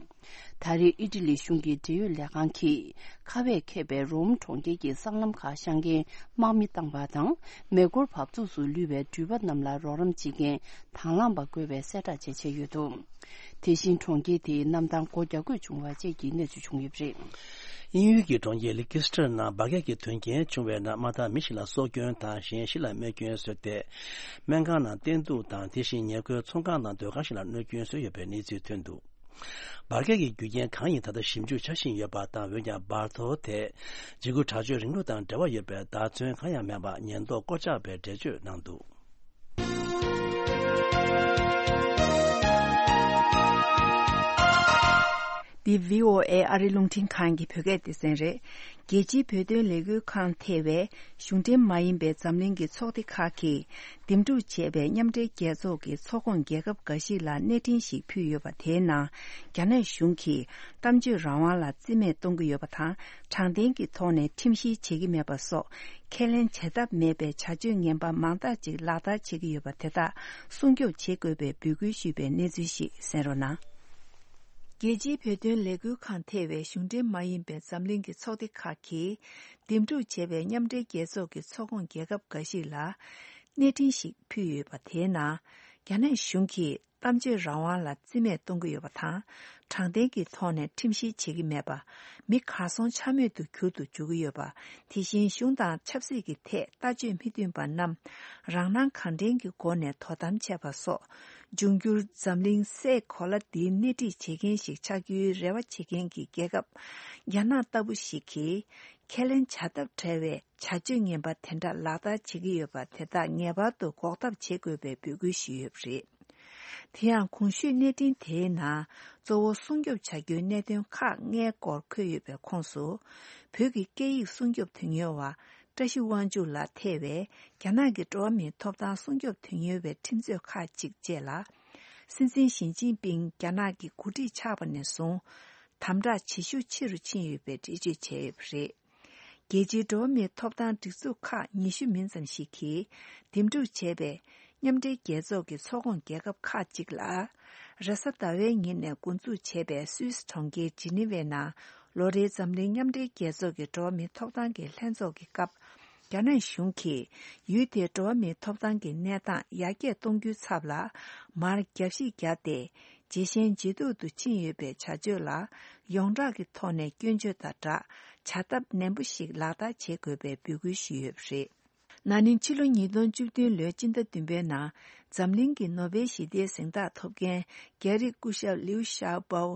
ད་རེས་ཨི་ཊ་ལི་གཞུང་གི་འབྲེལ་ཡོད་ལས་ཁང་གིས། ཁ་བས་ཁེབས་པའི་རོམ་གྲོང་ཁྱེར་གྱི་སྲང་ལམ་ཁག་བཤང་འགན་དམག་མིས་བཏང་བ་དང་། མེ་འཁོར་བབས་ཚུགས་སུ་ལུས་པའི་འགྲུལ་པ་རྣམས་ལ་རོགས་རམ་བྱེད་མཁན་དང་བླངས་པ་དགོས་པའི་གསལ་བསྒྲགས་བཅས་བྱས་ཡོད་འདུག་དེ་བཞིན་གྲོང་ཁྱེར་དེའི་གནམ་ཐང་སྒོ་རྒྱག་དགོས་བྱུང་བ་བཅས་ཀྱི་གནས་ཚུལ་བྱུང་ཡོད་པ་རེད། དབྱིན་ཡུལ་གྱི་གྲོང་ཁྱེར་ལི་ཀི་སི་ཏྲར་ནང་འབར་གས་ཀྱི་དོན་རྐྱེན་བྱུང་བའི་ནང་། མ་མཐའ་མི་ཞིག་ལ་སྲོག་སྐྱོན་དང་། གཞན་བཞི་ལ་རྨས་སྐྱོན་བཟོས་ཏེ། སྨན་ཁང་ནང་བསྟེན་གཏུག་དང་། དེ་བཞིན་ཉེ་འཁོར་ཚོང་ཁང་དང་སྡོད་ཁང་ཞིག་ལ་གནོད་སྐྱོན་བཟོས་ཡོད་པའི་གནས་ཚུལ་ཐོན་འདུག་འབར་གས་ཀྱི་རྒྱུ་རྐྱེན་གང་ཡིན་ད་ལྟ་ཞིབ་འཇུག་བྱ་བཞིན་ཡོད་པ་དང་། འོན་ཀྱང་འབར་གཏོར་དེ་འཇིགས་སྐུལ་དྲག་སྤྱོད་རིང་ལུགས་དང་འབྲེལ་བ་ཡོད་པའི་བརྡ་མཚོན་གང་ཡང་མེད་པར། ཉེན་རྟོག་བསྐོ་བཞག་པའི་འགྲེལ་བརྗོད་གནང་འདུག་འདི་བྷི་ཨོ་ཨེ་ཨ་རི་རླུང་འཕྲིན་ཁང་གི་བོད་སྐད་སྡེ་ཚན་རེད། རྒྱལ་སྤྱིའི་བོད་དོན་ལས་འགུལ་ཁང་ཐེ་བའི་གཞུང་འབྲེལ་མ་ཡིན་པའི་འཛམ་གླིང་གི་ཚོགས་སྡེ་ཁག་གིས། འདེམས་སྒྲུག་བྱས་པའི་མཉམ་འབྲེལ་རྒྱལ་ཚོགས་ཀྱི་ཚོགས་ཁོངས་རྒྱལ་ཁབ་འགའ་ཞིག་ལ་གནས་འཕྲིན་ཞིག་ཕུལ་ཡོད་པ། དེའི་ནང་རྒྱ་ནག་གཞུང་གིས་གཏམ་བརྗོད་རང་དབང་ལ་བརྩི་མེད་གཏོང་གི་ཡོད་པ་དང་། དྲང་བདེན་གྱི་ཐོག་ནས་ཁྲིམས་བཤེར་བྱེད་ཀྱི་མེད་པ་སོགས་ཁས་ལེན་བྱ་ཐབས་མེད་པའི་བྱ་སྤྱོད་ངན་པ་མང་དག་ཅིག་ལག་བསྟར་བྱེད་ཀྱི་ཡོད་པ་དེ་དག་སྲུང་སྐྱོབ་བྱེད་དགོས་པའི་འབོད་སྐུལ་ཞུས་པའི་གནས་ཚུལ་ཞིག་གསན་རོགས་གནང་། རྒྱལ་སྤྱིའི་བོད་དོན་ལས་འགུལ་ཁང་ཐེ་བའི་གཞུང་འབྲེལ་མ་ཡིན་པའི་འཛམ་གླིང་གི་ཚོགས་སྡེ་ཁག་གིས་འདེམས་སྒྲུག་བྱས་པའི་མཉམ་འབྲེལ་རྒྱལ་ཚོགས་ཀྱི་ཚོགས་ཁོངས་རྒྱལ་ཁབ་འགའ་ཞིག་ལ་གནས་འཕྲིན་ཞིག་ཕུལ་ཡོད་པ། དེའི་ནང་རྒྱ་ནག་གཞུང་གིས་གཏམ་བརྗོད་རང་དབང་ལ་བརྩི་མེད་གཏོང་གི་ཡོད་པ་དང་། དྲང་བདེན་གྱི་ཐོག་ནས་ཁྲིམས་བཤེར་བྱེད་ཀྱི་མེད་པ། མི་གར་སོང་ཆ་མེད་དུ་གྱུར་དུ་འཇུག་གི་ཡོད་པ། དེ་བཞིན་གཞུང་དང་ཆབ་སྲིད་ཀྱི་ཐད་ལྟ་སྤྱོད་མི་མཐུན་པ་རྣམས་རང་སྣང་གང་དྲན་གྱི་སྒོ་ནས་དོ་དམ་བྱས་པ་སོགས། འབྱུང་འགྱུར་འཛམ་གླིང་སའི་གོ་ལ་འདིའི་སྣེ་ཁྲིད་བྱེད་མཁན་ཞིག་ཆགས་རྒྱུའི་རེ་བ་བྱེད་མཁན་གྱི་རྒྱལ་ཁབ་རྒྱ་ནག་ལྟ་བུ་ཞིག་གིས་ཁས་ལེན་བྱ་ཐབས་བྲལ་བའི་བྱ་སྤྱོད་ངན་པ་དེ་འདྲ་ལག་བསྟར་བྱེད་ཀྱི་ཡོད་པ་དེ་དག་ངེས་པར་དུ་འགོག་ཐབས་བྱེད་དགོས་པའི་འབོད་སྐུལ་ཞུས་ཡོད་པ་རེད། དེ་ཡང་གོང་ཞུས་གནས་འཕྲིན་དེའི་ནང་གཙོ་བོ་སྲུང་སྐྱོབ་བྱ་རྒྱུའི་གནད་དོན་ཁག་ལྔའི་སྐོར་འཁོད་ཡོད་པའི་ཁོངས་སུ། བོད་ཀྱི་སྐད་ཡིག་སྲུང་སྐྱོབ་དོན་གཉེར་བ་བཀྲ་ཤིས་དབང་ཕྱུག་ལགས་ཐེ་བའི་རྒྱ་ནག་གི་འགྲོ་བ་མིའི་ཐོབ་ཐང་སྲུང་སྐྱོབ་དོན་གཉེར་བའི་ཁྲིམས་རྩོད་ཁག་ཅིག་བཅས་ལ། སྲིད་འཛིན་ཞི་ཅིན་ཕིང་རྒྱ་ནག་གི་འགོ་ཁྲིད་ཆགས་པ་ནས་བཟུང་། དམ་དྲག་བྱེད་ཤུགས་ཆེ་རུ་ཕྱིན་ཡོད་པའི་འགྲེལ་བརྗོད་བྱས་ཡོད་པ་རེད། རྒྱལ་སྤྱིའི་འགྲོ་བ་མིའི་ཐོབ་ཐང་སྒྲིག་འཛུགས་ཁག་ཉི་ཤུ་མིན་ཙམ་ཞིག་གིས་འདེམས་སྒྲུག་བྱས་པའི་མཉམ་འབྲེལ་རྒྱལ་ཚོགས་ཀྱི་ཚོགས་ཁོངས་རྒྱལ་ཁབ་ཁག་ཅིག་ལ། རེས་གཟའ་ཟླ་བའི་ཉིན་ནས་འགོ་འཛུགས་བྱས་པའི་སུད་སི་གྲོང་ཁྱེར་ཇི་ནི་ཝའི་ནང་ལོ་རེའི་འཛམ་གླིང་མཉམ་འབྲེལ་རྒྱལ་ཚོགས་ཀྱི་འགྲོ་བ་མིའི་ཐོབ་ཐང་གི་ལྷན་ཚོགས་ཀྱི་སྐབས། རྒྱ་ནག་གཞུང་གིས་ཡུལ་དེའི་འགྲོ་བ་མིའི་ཐོབ་ཐང་གི་གནས་སྟངས་ཡར་རྒྱས་གཏོང་རྒྱུའི་ཚབ་ལ་མར་རྒྱབ་བཤིག་བརྒྱབ་སྟེ། ཇེ་ཞན་ཇེ་སྡུག་ཏུ་ཕྱིན་ཡོད་པའི་བྱ་སྤྱོད་ལ་ཡོངས་གྲགས་ཀྱི་ཐོག་ནས་སྐྱོན་བརྗོད་དང་སྦྲགས། བྱ་ཐབས་ནན་པོ་ཞིག་ལག་བསྟར་བྱེད་དགོས་པའི་འབོད་སྐུལ་ཞུས་ཡོད་པ་རེད། ན་ནིང་ཕྱི་ལོ་ཉིས་སྟོང་བཅུ་བདུན་ལོའི་སྤྱི་ཟླ་བདུན་པའི་ནང་འཛམ་གླིང་གི་ནོ་བེལ་ཞི་བདེའི་གཟེངས་རྟགས་ཐོབ་མཁན་རྒྱ་རིགས་སྐུ་ཞབས་ལིའུ་ཤའོ་པའོ།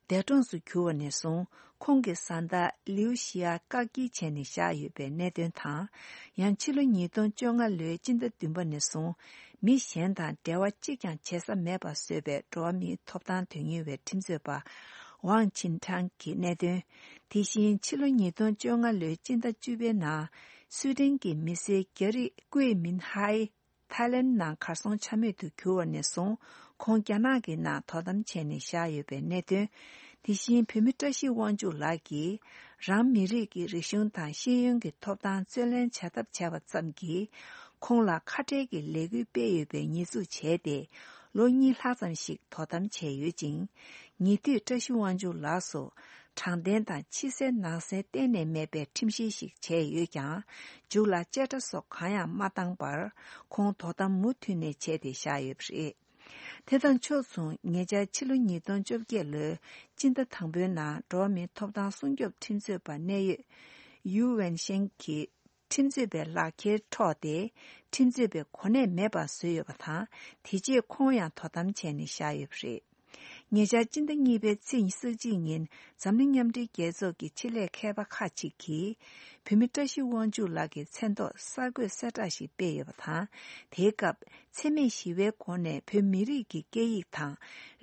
འདས་གྲོངས་སུ་གྱུར་བ་ནས་བཟུང་ཁོང་གི་བཟའ་ཟླ་ལིའུ་ཞི་ཡ་བཀག་སྐྱིལ་བྱས་ནས་བཞག་ཡོད་པའི་གནད་དོན་དང་། ཡང་ཕྱི་ལོ་ཉིས་སྟོང་བཅོ་ལྔ་ལོའི་སྤྱི་ཟླ་བདུན་པ་ནས་བཟུང་མི་གཞན་དང་འབྲེལ་བ་གཅིག་ཀྱང་བྱེད་ས་མེད་པ་བཟོས་པའི་འགྲོ་བ་མིའི་ཐོབ་ཐང་དོན་གཉེར་བའི་ཁྲིམས་རྩོད་པ་ཝང་ཆིན་ཁྲང་གི་གནད་དོན། དེ་བཞིན་ཕྱི་ལོ་ཉིས་སྟོང་བཅོ་ལྔ་ལོའི་སྤྱི་ཟླ་བཅུ་པའི་ནང་སུའེ་ཏེན་གྱི་མི་སེར་རྒྱ་རིགས་ཀུའེ་མིན་ཧའེ་ཐའི་ལེན་ནང་གར་སོང་ཆ་མེད་དུ་གྱུར་བ་ནས་བཟུང་ཁོང་རྒྱ་ནག་གི་ནང་དོ་དམ་བྱས་ནས་བཞག་ཡོད་པའི་གནད་དོན། དེ་བཞིན་བོད་མི་བཀྲ་ཤིས་དབང་ཕྱུག་ལགས་ཀྱིས་རང་མི་རིགས་ཀྱི་རིག་གཞུང་དང་ཤེས་ཡོན་གྱི་ཐོབ་ཐང་རྩོད་ལེན་བྱ་ཐབས་བྱས་པ་ཙམ་གྱིས་ཁོང་ལ་ཁ་བྲལ་གྱི་ལས་འགུལ་སྤེལ་ཡོད་པའི་ཉེས་འཛུགས་བྱས་ཏེ་ལོ་གཉིས་ལྷག་ཙམ་ཞིག་དོ་དམ་བྱས་ཡོད་ཅིང་། ཉེ་དུས་བཀྲ་ཤིས་དབང་ཕྱུག་ལགས་སུ་དྲང་བདེན་དང་ཕྱི་གསལ་ནང་གསལ་གཏན་ནས་མེད་པའི་ཁྲིམས་བཤེར་ཞིག་བྱས་ཡོད་ཀྱང་། མཇུག་ལ་བཅད་ཁྲ་སོགས་གང་ཡང་མ་བཏང་བར་ཁོང་དོ་དམ་མུ་མཐུད་ནས་བྱས་ཏེ་བཞག་ཡོད་པ་རེད། དེ་དང་ཕྱོགས་མཚུངས་ཉེ་ཆར་ཕྱི་ལོ་ཉིས་སྟོང་བཅོ་བརྒྱད་ལོའི་སྤྱི་ཟླ་དང་པོའི་ནང་འགྲོ་བ་མིའི་ཐོབ་ཐང་སྲུང་སྐྱོབ་ཁྲིམས་རྩོད་པ་གནད་ཡོད་ཡུའུ་ཝེན་ཤེང་གིས་ཁྲིམས་རྩོད་པའི་ལག་འཁྱེར་འཕྲོག་སྟེ་ཁྲིམས་རྩོད་པའི་གོ་གནས་མེད་པར་བཟོས་ཡོད་པ་དང་། དེ་རྗེས་ཁོང་ཡང་དོ་དམ་བྱས་ནས་བཞག་ཡོད་པ་རེད། ཉེ་ཆར་སྤྱི་ཟླ་གཉིས་པའི་ཚེས་ཉི་ཤུ་རྩ་གཅིག་ཉིན་འཛམ་གླིང་མཉམ་འབྲེལ་རྒྱལ་ཚོགས་ཀྱི་ཆེད་ལས་མཁས་པ་ཁག་ཅིག་གིས་བོད་མི་བཀྲ་ཤིས་དབང་ཕྱུག་ལགས་ཀྱི་མཚན་ཐོག་གསར་འགོད་གསལ་བསྒྲགས་ཤིག་སྤེལ་ཡོད་པ་དང་། དེའི་སྐབས་འཚེ་མེད་ཞི་བའི་སྒོ་ནས་བོད་མི་རིགས་ཀྱི་སྐད་ཡིག་དང་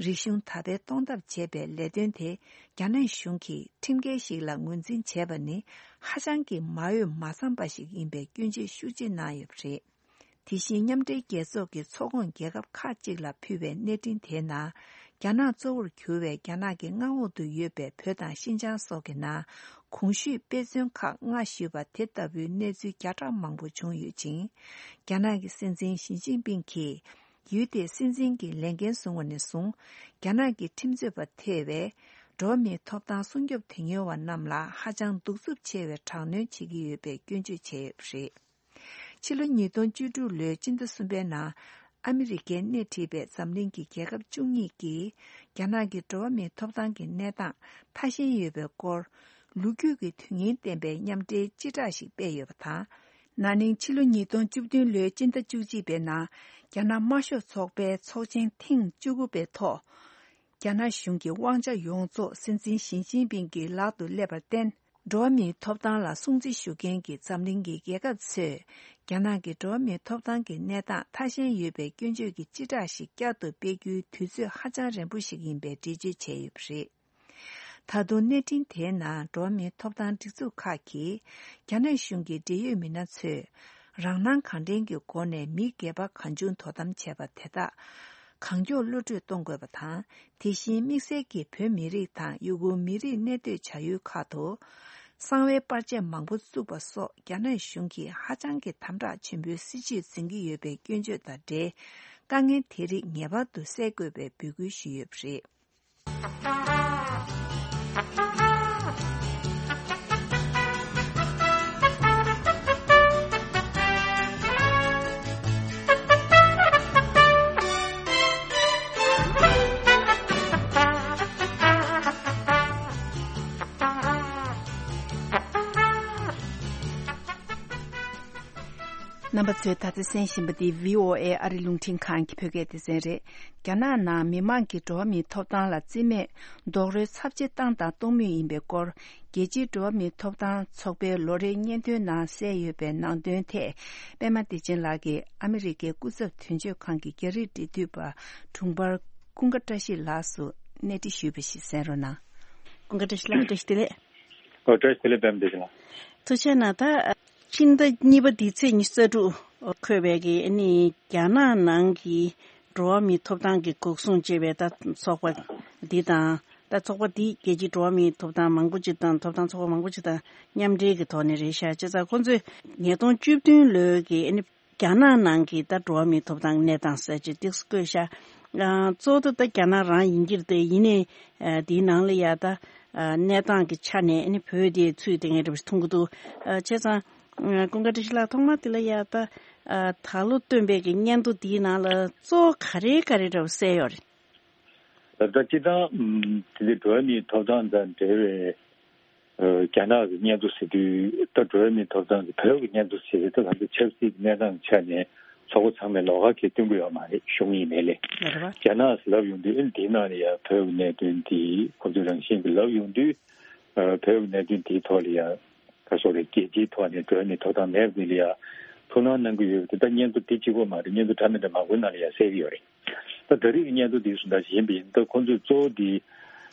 རིག་གཞུང་དར་སྤེལ་གཏོང་ཐབས་བྱེད་པའི་ལས་དོན་དེ་རྒྱ་ནག་གཞུང་གིས་ཁྲིམས་འགལ་ཞིག་ལ་ངོས་འཛིན་བྱས་པ་ནི་ཧ་ཅང་གི་མ་འོས་མ་འཚམས་པ་ཞིག་ཡིན་པའི་སྐྱོན་བརྗོད་ཤུགས་ཆེ་གནང་ཡོད་པ་རེད། དེ་བཞིན་མཉམ་འབྲེལ་རྒྱལ་ཚོགས་ཀྱི་ཚོགས་ཁོངས་རྒྱལ་ཁབ་ཁག་ཅིག་ལ་ཕུལ་བའི་གནས་འཕྲིན་དེའི་ནང་། རྒྱ་ནག་གཙོ་བོར་གྱུར་བའི་རྒྱ་ནག་གི་མངའ་འོག་ཏུ་ཡོད་པའི་བོད་དང་ཤིན་ཅང་སོགས་ཀྱི་ནང་གོང་ཞུས་དཔེ་མཚོན་ཁག་ལྔ་ཞུས་པ་དེ་ལྟ་བུའི་གནས་ཚུལ་བརྒྱ་ཕྲག་མང་པོ་བྱུང་ཡོད་ཅིང་། རྒྱ་ནག་གི་སྲིད་འཛིན་ཞི་ཅིན་ཕིང་གིས་ཡུལ་དེའི་སྲིད་འཛིན་གྱི་ལས་འགན་བཟུང་བ་ནས་བཟུང་། རྒྱ་ནག་གི་ཁྲིམས་རྩོད་པ་ཐེ་བའི་འགྲོ་བ་མིའི་ཐོབ་ཐང་སྲུང་སྐྱོབ་དོན་གཉེར་བ་རྣམས་ལ་ཧ་ཅང་གདུག་རྩུབ་ཆེ་བའི་དྲག་གནོན་བྱེད་ཀྱི་ཡོད་པའི་སྐྱོན་བརྗོད་བྱས་ཡོད་པ་རེད། ཕྱི་ལོ་ཉིས་སྟོང་བཅུ་དྲུག་ལོའི་སྤྱི་ཟླ་གསུམ་པའི་ནང་ཨ་མི་རི་ཀས་སྣེ་ཁྲིད་པའི་འཛམ་གླིང་གི་རྒྱལ་ཁབ་བཅུ་གཉིས་ཀྱིས་རྒྱ་ནག་གི་འགྲོ་བ་མིའི་ཐོབ་ཐང་གི་གནས་སྟངས་ཐ་ཞན་ཡོད་པའི་སྐོར་ལོ་རྒྱུས་ཀྱི་དོན་སྙིང་ལྡན་པའི་མཉམ་འབྲེལ་སྤྱི་བསྒྲགས་ཤིག་སྤེལ་ཡོད་པ་དང་། ན་ནིང་ཕྱི་ལོ་ཉིས་སྟོང་བཅུ་བདུན་ལོའི་སྤྱི་ཟླ་བཅུ་གཅིག་པའི་ནང་རྒྱ་ནག་དམར་ཤོག་ཚོགས་པའི་ཚོགས་ཆེན་ཐེངས་བཅུ་དགུ་པའི་ཐོག་རྒྱ་ནག་གཞུང་གི་དབང་ཆ་ཡོངས་རྫོགས་སྲིད་འཛིན་ཞི་ཅིན་ཕིང་གི་ལག་ཏུ་སླེབས་པར་བརྟེན། འགྲོ་བ་མིའི་ཐོབ་ཐང་ལ་སྲུང་བརྩི་ཞུ་མཁན་གྱི་འཛམ་གླིང་གི་རྒྱལ་ཁབ་ཚོས་རྒྱ་ནག་གི་འགྲོ་བ་མིའི་ཐོབ་ཐང་གི་གནས་སྟངས་ཐ་ཞན་ཡོད་པའི་སྐྱོན་བརྗོད་ཀྱི་སྤྱི་བསྒྲགས་ཤིག་བསྐྱར་དུ་སྤེལ་རྒྱུའི་དུས་ཚོད་ཧ་ཅང་རན་པོ་ཞིག་ཡིན་པའི་འགྲེལ་བརྗོད་བྱས་ཡོད་པ་རེད། ད་དུང་གནས་འཕྲིན་དེའི་ནང་འགྲོ་བ་མིའི་ཐོབ་ཐང་སྒྲིག་འཛུགས་ཁག་གིས་རྒྱ་ནག་གཞུང་གི་འབྲེལ་ཡོད་མི་སྣ་ཚོས་རང་སྣང་གང་དྲན་གྱི་སྒོ་ནས་མི་སྒེར་པ་གང་བྱུང་དོ་དམ་བྱས་པ་དེ་དག་གང་མགྱོགས་གློད་བཀྲོལ་གཏོང་དགོས་པ་དང་། དེ་བཞིན་དམིགས་བསལ་གྱིས་བོད་མི་རིགས་དང་ཡུ་གུར་མི་རིགས་གནས་སྡོད་བྱ་ཡུལ་ཁག་ཏུ་གསང་བའི་པར་ཆས་མང་པོ་བཙུགས་པ་སོགས་རྒྱ་ནག་གཞུང་གིས་ཧ་ཅང་གི་དམ་དྲག་ཆེན་པོའི་སྲིད་བྱུས་འཛིན་གྱི་ཡོད་པའི་སྐྱོན་བརྗོད་དང་འབྲེལ་དཀའ་ངལ་དེ་རིགས་ངེས་པར་དུ་སེལ་དགོས་པའི་འབོད་སྐུལ་ཞུས་ཡོད་པ་རེད། རྣམ་པ་ཚོས་ད་ལྟ་གསན་བཞིན་པ་འདི་བྷི་ཨོ་ཨེ་ཨ་རི་རླུང་འཕྲིན་ཁང་གི་བོད་སྐད་སྡེ་ཚན་རེད། རྒྱ་ནག་ནང་མི་མང་གི་འགྲོ་བ་མིའི་ཐོབ་ཐང་ལ་བརྩི་མེད་རྡོག་རོལ་ཚབས་ཆེ་བཏང་དང་གཏོང་མུས་ཡིན་པའི་སྐོར། རྒྱལ་སྤྱིའི་འགྲོ་བ་མིའི་ཐོབ་ཐང་ཚོགས་པའི་ལོ་རེའི་སྙན་ཐོའི་ནང་གསལ་ཡོད་པའི་ནང་དོན་ཐད། པད་མ་བདེ་ཆེན་ལགས་ཀྱིས་ཨ་མི་རི་ཀའི་སྐུ་ཚབ་དོན་གཅོད་ཁང་གི་རྒྱ་རིགས་འབྲེལ་མཐུད་པ་དྲུང་འཕར་ཀུན་དགའ་བཀྲ་ཤིས་ལགས་སུ་གནས་འདྲི་ཞུས་པ་ཞིག་གསན་རོགས་གནང་། ཀུན་དགའ་བཀྲ་ཤིས་ལགས་བཀྲ་ཤིས་བདེ་ལེགས། ཨོ་བཀྲ་ཤིས་བདེ་ལེགས་པད་མ་བདེ་ཆེན་ལགས། ཐུགས་རྗེ་གནང་། ད་ཕྱི་ཟླ་གཉིས་པ་འདིའི་ཚེས་ཉི་ཤུ་རྩ་དྲུག་འཁོད་པའི་གི་ཨ་ནི་རྒྱ་ནག་ནང་གི་འགྲོ་བ་མིའི་ཐོབ་ཐང་གི་འགོག་སྲུང་ཅེས་པའི་ད་ཚོགས་པ་འདི་དང་། ད་ཚོགས་པ་འདི་རྒྱལ་སྤྱིའི་འགྲོ་བ་མིའི་ཐོབ་ཐང་མང་པོ་ཅིག་དང་ཐོབ་ཐང་ཚོགས་པ་མང་པོ་ཅིག་དང་མཉམ་འབྲེལ་གྱི་ཐོག་ནས་རེད་ཤག་བྱས་ཙང་ཁོང་ཚོས་ཉིས་སྟོང་བཅུ་བདུན་ལོའི་གི་ཨ་ནི་རྒྱ་ནག་ནང་གི་ད་འགྲོ་བ་མིའི་ཐོབ་ཐང་གནས་སྟངས་ཟེར་ཅིག་ཏོག་ཙམ་བཀོད་ཤག་ཨ་གཙོ་བོ་ད་རྒྱ་ནག་རང་ཡིན་གྱི་རེད་དེ། ཡིན་ནའི་ཨ་དེའི་ནང་ལ་ཡ་ད་ཨ་གནས་སྟངས་ཀྱི་ཆ་ནས་ཨ་ནི་བོད་དེ་ཚུད་དེ་ངས་འདྲ་པོ་ཞིག་མཐོང་གི་འདུག་ཨ་བྱས་ཙང་ཨ་ཀུན་དགའ་བཀྲ་ཤིས་ལགས་ཐོག་མ་དེ་ལ་ཡ་ད་ཨ་ད་ལོ་བཏོན་པའི་གི་སྙན་ཐོ་དེའི་ནང་ལ་གཙོ་བོ་ག་རེ་ག་རེ་འདྲ་པོ་གསལ་ཡོད་རེད། ད་ལྟ་སྤྱིར་བཏང་ཨམ་དེ་འདྲའི་འགྲོ་བ་མིའི་ཐོབ་ཐང་དང་འབྲེལ་བའི་ཨ་རྒྱ་ནག་གི་སྙན་ཐོ་ཟེར་དུས། ད་འགྲོ་བ་མིའི་ཐོབ་ཐང་གི་བོད་ཀྱི་སྙན་ཐོ་ཟེར་དུས། ད་ང་ཚོ་ཆབ་སྲིད་ཀྱི་གནས་སྟངས་ཆ་ནས་ ཚོགས་པ་ཚང་མས་ལོགས་ཀ་གང་ཡང་སྟོན་གྱི་ཡོད་མ་རེད། གཞུང་ཡིན་ནའི་ལས། རེད་པ། རྒྱ་ནག་ལབ་ཡོང་དུས་ཨ་ནི་དེའི་ནང་ལ་ཡ་བོད་ཀྱི་གནད་དོན་དེ་ཁོ་ཚོའི་རང་བཞིན་གྱི་ལབ་ཡོང་དུས། ཨ། བོད་ཀྱི་གནད་དོན་དེའི་ཐོག་ལ་ཡ། ག་སོགས་རེད། རྒྱལ་སྤྱིའི་ཐོག་ནས་འགྲོ་བ་མིའི་ཐོབ་ཐང་མེད་པ་དེ་ལ་ཡ་ཐུགས་སྣང་གནང་གི་ཡོད་པ་དེ། ད་སྙན་ཐོ་དེ་གཅིག་པོ་མ་རེད། སྙན་ཐོ་འདྲ་མི་འདྲ་མང་པོའི་ནང་ལ་ཡ་གསལ་གྱི་ཡོད་རེད། ད་ད་རེས་ཀྱི་སྙན་ཐོ་འདི་གསུང་སྟངས་ཤིག་ཡིན་པ་ཡིན་ད། ཁོང་ཚོས་གཙོ་བོ་འདི་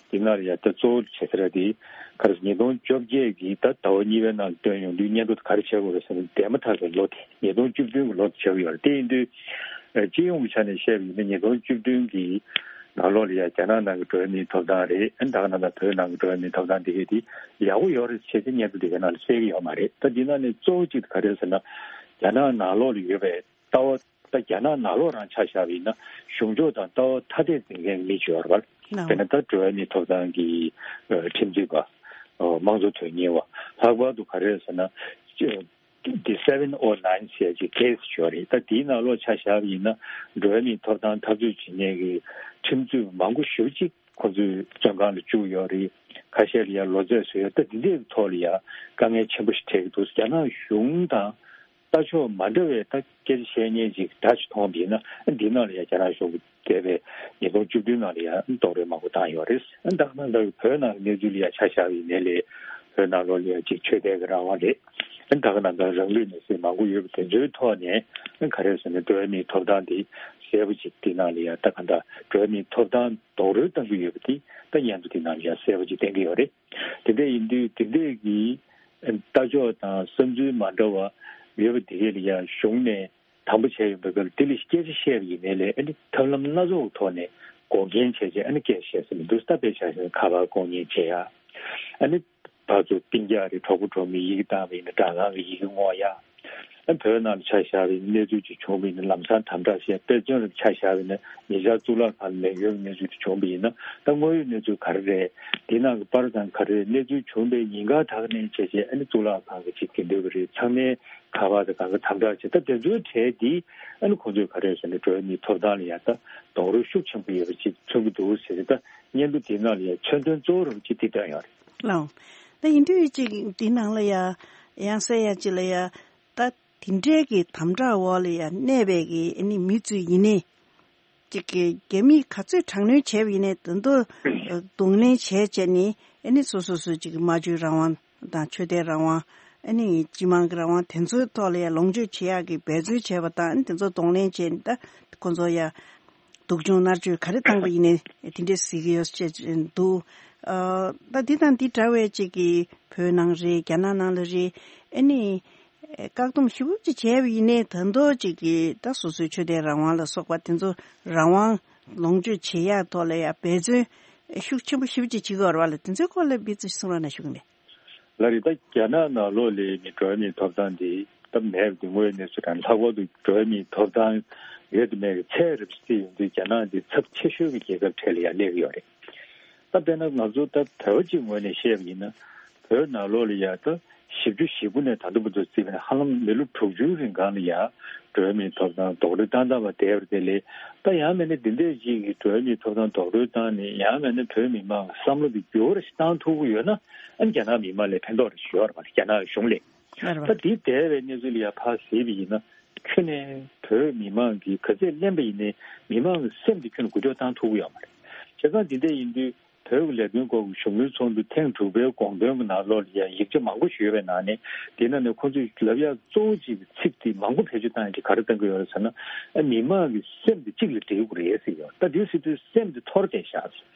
འདི་ནང་ལ་ཡ་ད་གཙོ་བོ་བྱེད་ས་ར་འདི་ག་རེ་ཟེར། ཉིས་སྟོང་བཅོ་བརྒྱད་ཀྱི་ད་ཟླ་བ་གཉིས་པའི་ནང་ལ་བཏོན་ཡོང་དུས། སྙན་ཐོ་དེ་ག་རེ་བྱེད་དགོས་རེད་ཟེར་ན། འདས་མ་ཐག་པའི་ལོ་དེ་ཉིས་སྟོང་བཅུ་བདུན་གྱི་ལོ་དེ་བྱེད་ཀྱི་ཡོད་རེད། དེ་ཡིན་དུས་ཨ། སྤྱི་ཡོངས་ཀྱི་ཆ་ནས་བཤད་པ་ཡིན་ན། ཉིས་སྟོང་བཅུ་བདུན་གྱི་ནང་ལོགས་ལ་ཡ་རྒྱ་ནག་ནང་གི་འགྲོ་བ་མིའི་ཐོབ་ཐང་རེད། ཨ། ད་ག་ནང་ལྟར་བོད་ནང་གི་འགྲོ་བ་མིའི་ཐོབ་ཐང་དེ་གས་དེ་ཡག་པོ་ཡོད་རེད་ཟེར་ཏེ་སྙན་ཐོ་དེ་ནང་ལ་གསལ་གྱི་ཡོད་མ་རེད། ད་འདི་ནང་ནས་གཙོ་བོ་གཅིག་ག་རེ་རེད་ཟེར་ན། རྒྱ་ནག་ནང་ལོགས་ལ་ཡོད་པའི་ལྟ་བ། ད་རྒྱ་ནག་ནང་ལོགས་རང་ཆ་བཞག་པ་ཡིན་ན། གཞུང་ཕྱོགས་དང་ལྟ་བ་ཐ་དད་འཛིན་མཁན་མི་གཅིག་ཡོད་རེད་པ། ལགས། དཔེར་ན་ད་འགྲོ་བ་མིའི་ཐོབ་ཐང་གི་ཨ། ཁྲིམས་རྩོད་པ། ཨ། དམངས་གཙོ་དོན་གཉེར་བ། ལྷག་པར་དུ་ག་རེ་རེད་ཟེར་ན། ཨ། འདི་seven oh nine ཟེར་ཅིག་ཀེ་སི་ཅིག་ཡོད་རེད། ད་དེའི་ནང་ལོགས་ཆ་བཞག་པ་ཡིན་ན། འགྲོ་བ་མིའི་ཐོབ་ཐང་འཐབ་རྩོད་བྱེད་མཁན་གྱི་ཁྲིམས་རྩོད་པ་མང་པོ་ཞེ་པོ་ཅིག་ཁོ་ཚོའི་བཙོན་ཁང་ལ་བཅུག་ཡོད་རེད། ཁ་ཤས་ལ་ཡ་ལོ་ཚད་བཟོས་ཡོད། ད་འདི་འདྲའི་ཐོག་ལ་ཡ་དཀའ་ངལ་ཆེན་པོ་ཞིག་འཕྲད་ཀྱི་འདུག་རྒྱ་ནག་གཞུང་དང་ལྟ་ཕྱོགས་མ་འདྲ་བའི་ད་སྐད་ཆ་བཤད་མཁན་ཅིག་འདྲ་ཅིག་མཐོང་བ་ཡིན་ན། འདི་ནང་ལ་ཡ་རྒྱ་ནག་གཞུང་གི་འདས་པའི་ཉིས་སྟོང་བཅུ་བདུན་ནང་ལ་ཡ་རྡོག་རོལ་མང་པོ་བཏང་ཡོད་རེད། ད་ག་ནང་ལྟར་བོད་ནང་གི་གནས་ཚུལ་ལ་ཡ་ཆ་བཞག་པ་ཡིན་ནའི་ལས། བོད་ནང་ལོགས་ལ་ཡ་ཅིག་ཆོས་དད་ཀྱི་རང་དབང་རེད། ད་ག་ནང་ལྟར་རང་ལུས་མེར་སྲེག་མང་པོ་ཡོད་པ་དེ་ཚོའི་ཐོག་ནས་ག་རེ་ཟེར་ན། འགྲོ་བ་མིའི་ཐོབ་ཐང་དེ་གསལ་པོ་ཅིག་དེ་ནང་ལ་ཡ་ད་ག་འདྲ་འགྲོ་བ་མིའི་ཐོབ་ཐང་རྡོག་རོལ་བཏང་གི་ཡོད་པ་དེ་ད་སྙན་ཐོ་དེ་ནང་ལ་ཡ་གསལ་པོ་ཅིག་བསྟན་གྱི་ཡོད་རེད། དེ་འདྲ་ཡིན་དུས་དེ་འདྲས་ཀྱི་ལྟ་ཕྱོགས་དང་བསམ་ཚུལ་མ་འདྲ་བ་ཡོད་པ་དེ་གས་ལ་ཡ་གཞུང་ནས་དམ་པོ་བྱས་ཡོང་པའི་སྐབས་ལ། དེ་ལ་སྐད་ཆ་བཤད་པ་ཡིན་ནའི་ལས། ཨ་ནི་ཐབས་ལམ་སྣ་ཚོགས་ཀྱི་ཐོག་ནས་འགོག་རྐྱེན་བྱས་བྱས་ཨ་ནི་སྐད་ཆ་བཤད་ས་མི་འདུག་ད་དཔེ་ཆ་བཞག་ན་ཁ་པར་ལྐོག་ཉན་བྱེད་ཡ། ཨ་ནི་ཕར་ཚུར་སྤུན་ཀྱག་རེད། གྲོགས་པོ་གྲོགས་མོའི་ཡི་གེ་བཏང་བ་ཡིན་ན་སྦྲག་ཁང་གི་ཡི་གེ་སྔོག་ཡ། ཨ། བོད་ནང་ལ་ཆ་བཞག་པའི་གནས་ཚུལ་ཅིག་བྱུང་བ་ཡིན་ན་ལམ་སང་དམ་དྲག་བྱས། དཔེ་མཚོན་ལ་ཆ་བཞག་པ་ཡིན་ན་ཉེ་ཆར་གཙུག་ལག་ཁང་ལ་ལས་ཡོད་པའི་གནས་ཚུལ་དེ་བྱུང་བ་ཡིན་ན། ད་དངོས་ཡོད་གནས་ཚུལ་ག་རེ་རེད། འདི་ནང་གི་པར་དང་ག་རེ་རེད། གནས་ཚུལ་བྱུང་བའི་ཉིན་གང་དག་ནས་བྱས་བྱས་ཨ་ནི་གཙུག་ལག་ཁང་གི་ཅིག་དེ་འདོད་པ་རེད། ཚང་མའི་ཁ་པར་དང་གང་ག་དམ་དྲག་བྱས། ད་དེ་ཚོའི་གྲས་འདི་ཨ་ནི་ཁོང་ཚོས་ག་རེ་ཟེར་ན། འགྲོ་བ་མིའི་ཐོབ་ཐང་ལ་ཡ་ད་རྡོག་རོལ་ཤུགས་ཆེན་པོ་ཡོད་པ་ཅིག་མཚོན་གྱི་འདུག་ཟེར་ཏེ། ད་སྙན་ཐོ་དེའི་ནང་ལ་ཡ་མཚོན་དོན་གཙོ་བོ་རུ་ཅིག་དེ་བཏོན་ཡོད་རེད། ལགས། ད་ཡིན་དུས་ཅིག་འདི་ནང་ལ་ཡ་ཡང་གསལ་ཡ་ཅིག་ལ་ཡ། ད་དེ་འདྲའི་གི་དམ་དྲག་འོག་ལ་ཡ་གནས་པའི་གི་ཨ་ནི་མི་ཚོས་ཡིན་ནའི། ཅིག་གི་རྒྱ་མིས་ག་ཚོད་དྲག་གནོན་བྱས་པ་ཡིན་ནའི་དོན་དུ་གདོང་ལེན་བྱས་བྱས་ནས། ཨ་ནི་སོ་སོ་སོ་ཅིག་གི་སྨྲ་བརྗོད་རང་དབང་དང་ཆོས་དད་རང་དབང་། ཨ་ནི་སྤྱི་དམངས་ཀྱི་རང་དབང་དེ་ཚོའི་ཐོག་ལ་ཡ་ལོངས་སྤྱོད་བྱེད་ཡག་གི་འབད་བརྩོན་བྱས་པ་དང་། ཨ་ནི་དེ་ཚོ་གདོང་ལེན་བྱས་ནས་ད་ཁོ་ཚོ་ཡ་སྡུག་སྦྱོང་མནར་གཅོད་ག་རེ་བཏང་པ་ཡིན་ནའི་དེ་འདྲས་གཟིགས་ཀྱི་ཡོད་ཅེས་འདུག་ཨ། ད་འདི་དང་འདི་འདྲ་བའི་ཅིག་གི་བོད་ནང་རེད། རྒྱ་ནག་ནང་ལ་རེད། ཨ་ནི་བཀག་སྡོམ་ཞེ་པོ་ཅིག་བྱས་པ་ཡིན་ནའི་ད་དུང་ཅིག་གི་ད་སོ་སོའི་ཆོས་དད་རང་དབང་ལ་སོགས་པ་དེ་ཚོ་རང་དབང་ལོངས་སྤྱོད་བྱེད་ཡག་ཐོག་ལ་ཡ་འབད་བརྩོན་ཤུགས་ཆེན་པོ་ཞེ་པོ་ཅིག་བྱེད་ཀྱི་ཡོད་རེད་པ་ལགས། དེ་ཚོའི་སྐོར་ལ་དཔེ་ཅིག་གསུང་རོགས་གནང་ཞུ་གི་ཡིན། ལགས་རེད། ད་རྒྱ་ནག་ནང་ལོགས་ལ་ནི་འགྲོ་བ་མིའི་ཐོབ་ཐང་འདི་སྟབས་མེད་པ་འདི་དངོས་ཡོད་གནས་ཚུལ་རང་། ལྷག་པར་དུ་འགྲོ་བ་མིའི་ཐོབ་ཐང་ཡོད་དང་མེད་ཀྱི་ཚད་རིམ་བརྩིས་ཡོང་དུས་རྒྱ་ནག་འདི་ཚབས་ཆེ་ཤོས་ཀྱི་རྒྱལ་ཁབ་གྲས་ལ་ཡང་སླེབས་ཀྱི་ཡོད་རེད། ད་དཔེར་ན་ང་ཚོ་ད་བོད་པ་གཅིག་ངོས་ནས་བཤད་པ་ཡིན་ན། བོད་ནང་ལོགས་ལ་ཡ་ད་བཞི་བཅུ་ཞེ་དགུ་ནས་ད་ལྟ་བར་དུ་བརྩིས་པ་ན་ཧ་ལམ་མི་ལོ་དྲུག་ཅུའི་རིང་གང་ལ་ཡ་འགྲོ་བ་མིའི་ཐོབ་ཐང་རྡོག་རོལ་བཏང་བཏང་བ་བསྡད་པ་དེ་ལས། ད་ཡང་མིན་ན་འདི་འདྲས་ཅིག་གིས་འགྲོ་བ་མིའི་ཐོབ་ཐང་རྡོག་རོལ་བཏང་ནས། ཡང་མིན་ན་བོད་མི་མང་གི་བསམ་བློ་འདི་འགྱུར་བ་ཞིག་བཏང་ཐུབ་ཀྱི་ཡོད་ན། ཨ་ནི་རྒྱ་ནག་མི་མང་ལ་ཕན་ཐོགས་རེ་ཞིག་ཡོད་རེད་པ། རྒྱ་ནག་གཞུང་ལ། ལགས་རེད་པ། ད་འདི་འདས་པའི་གནས་ཚུལ་ལ་ཡ་ཕར་གཟིགས་པ་ཡིན་ན། ཁྱོན་ནས་བོད་མི་མང་གིས་ག་ཚད་གླེན་པ་ཡིན་ནའི་མི་མང་གི་སེམས་དེ་ཁྱོན་ནས་འགུལ་སྐྱོད་བཏང་ཐུབ་ཀྱི་ཡོད་མ་རེད། བྱས་ཙང་འདི་འདྲ་ཡིན་དུས་བོད་ཀྱི་ལས་དོན་སྐོར་གྱི་བཞུགས་མོལ་ཚོགས་འདུ་ཐེངས་དྲུག་པའི་དགོངས་དོན་གྱི་ནང་ལོགས་ལ་ཡང་ཡིག་ཆ་མང་པོ་ཞིག་ཡོད་པའི་ནང་ནས། དེ་ནང་ནས་ཁོང་ཚོས་ལབ་ཡག་གཙོ་བོ་གཅིག་གི་ཚིག་དེ་མང་པོ་བེད་སྤྱོད་བཏང་ཡག་གི་ག་རེ་བཏང་གི་ཡོད་རེད་ཟེར་ན། ཨ། མི་མང་གི་སེམས་དེ་གཅིག་ལ་སྦྲེལ་དགོས་རེད་ཟེར་ཡོད། ད་དེ་ཟེར་དུས་སེམས་དེ་འཐོར་བསྡད་ཤག་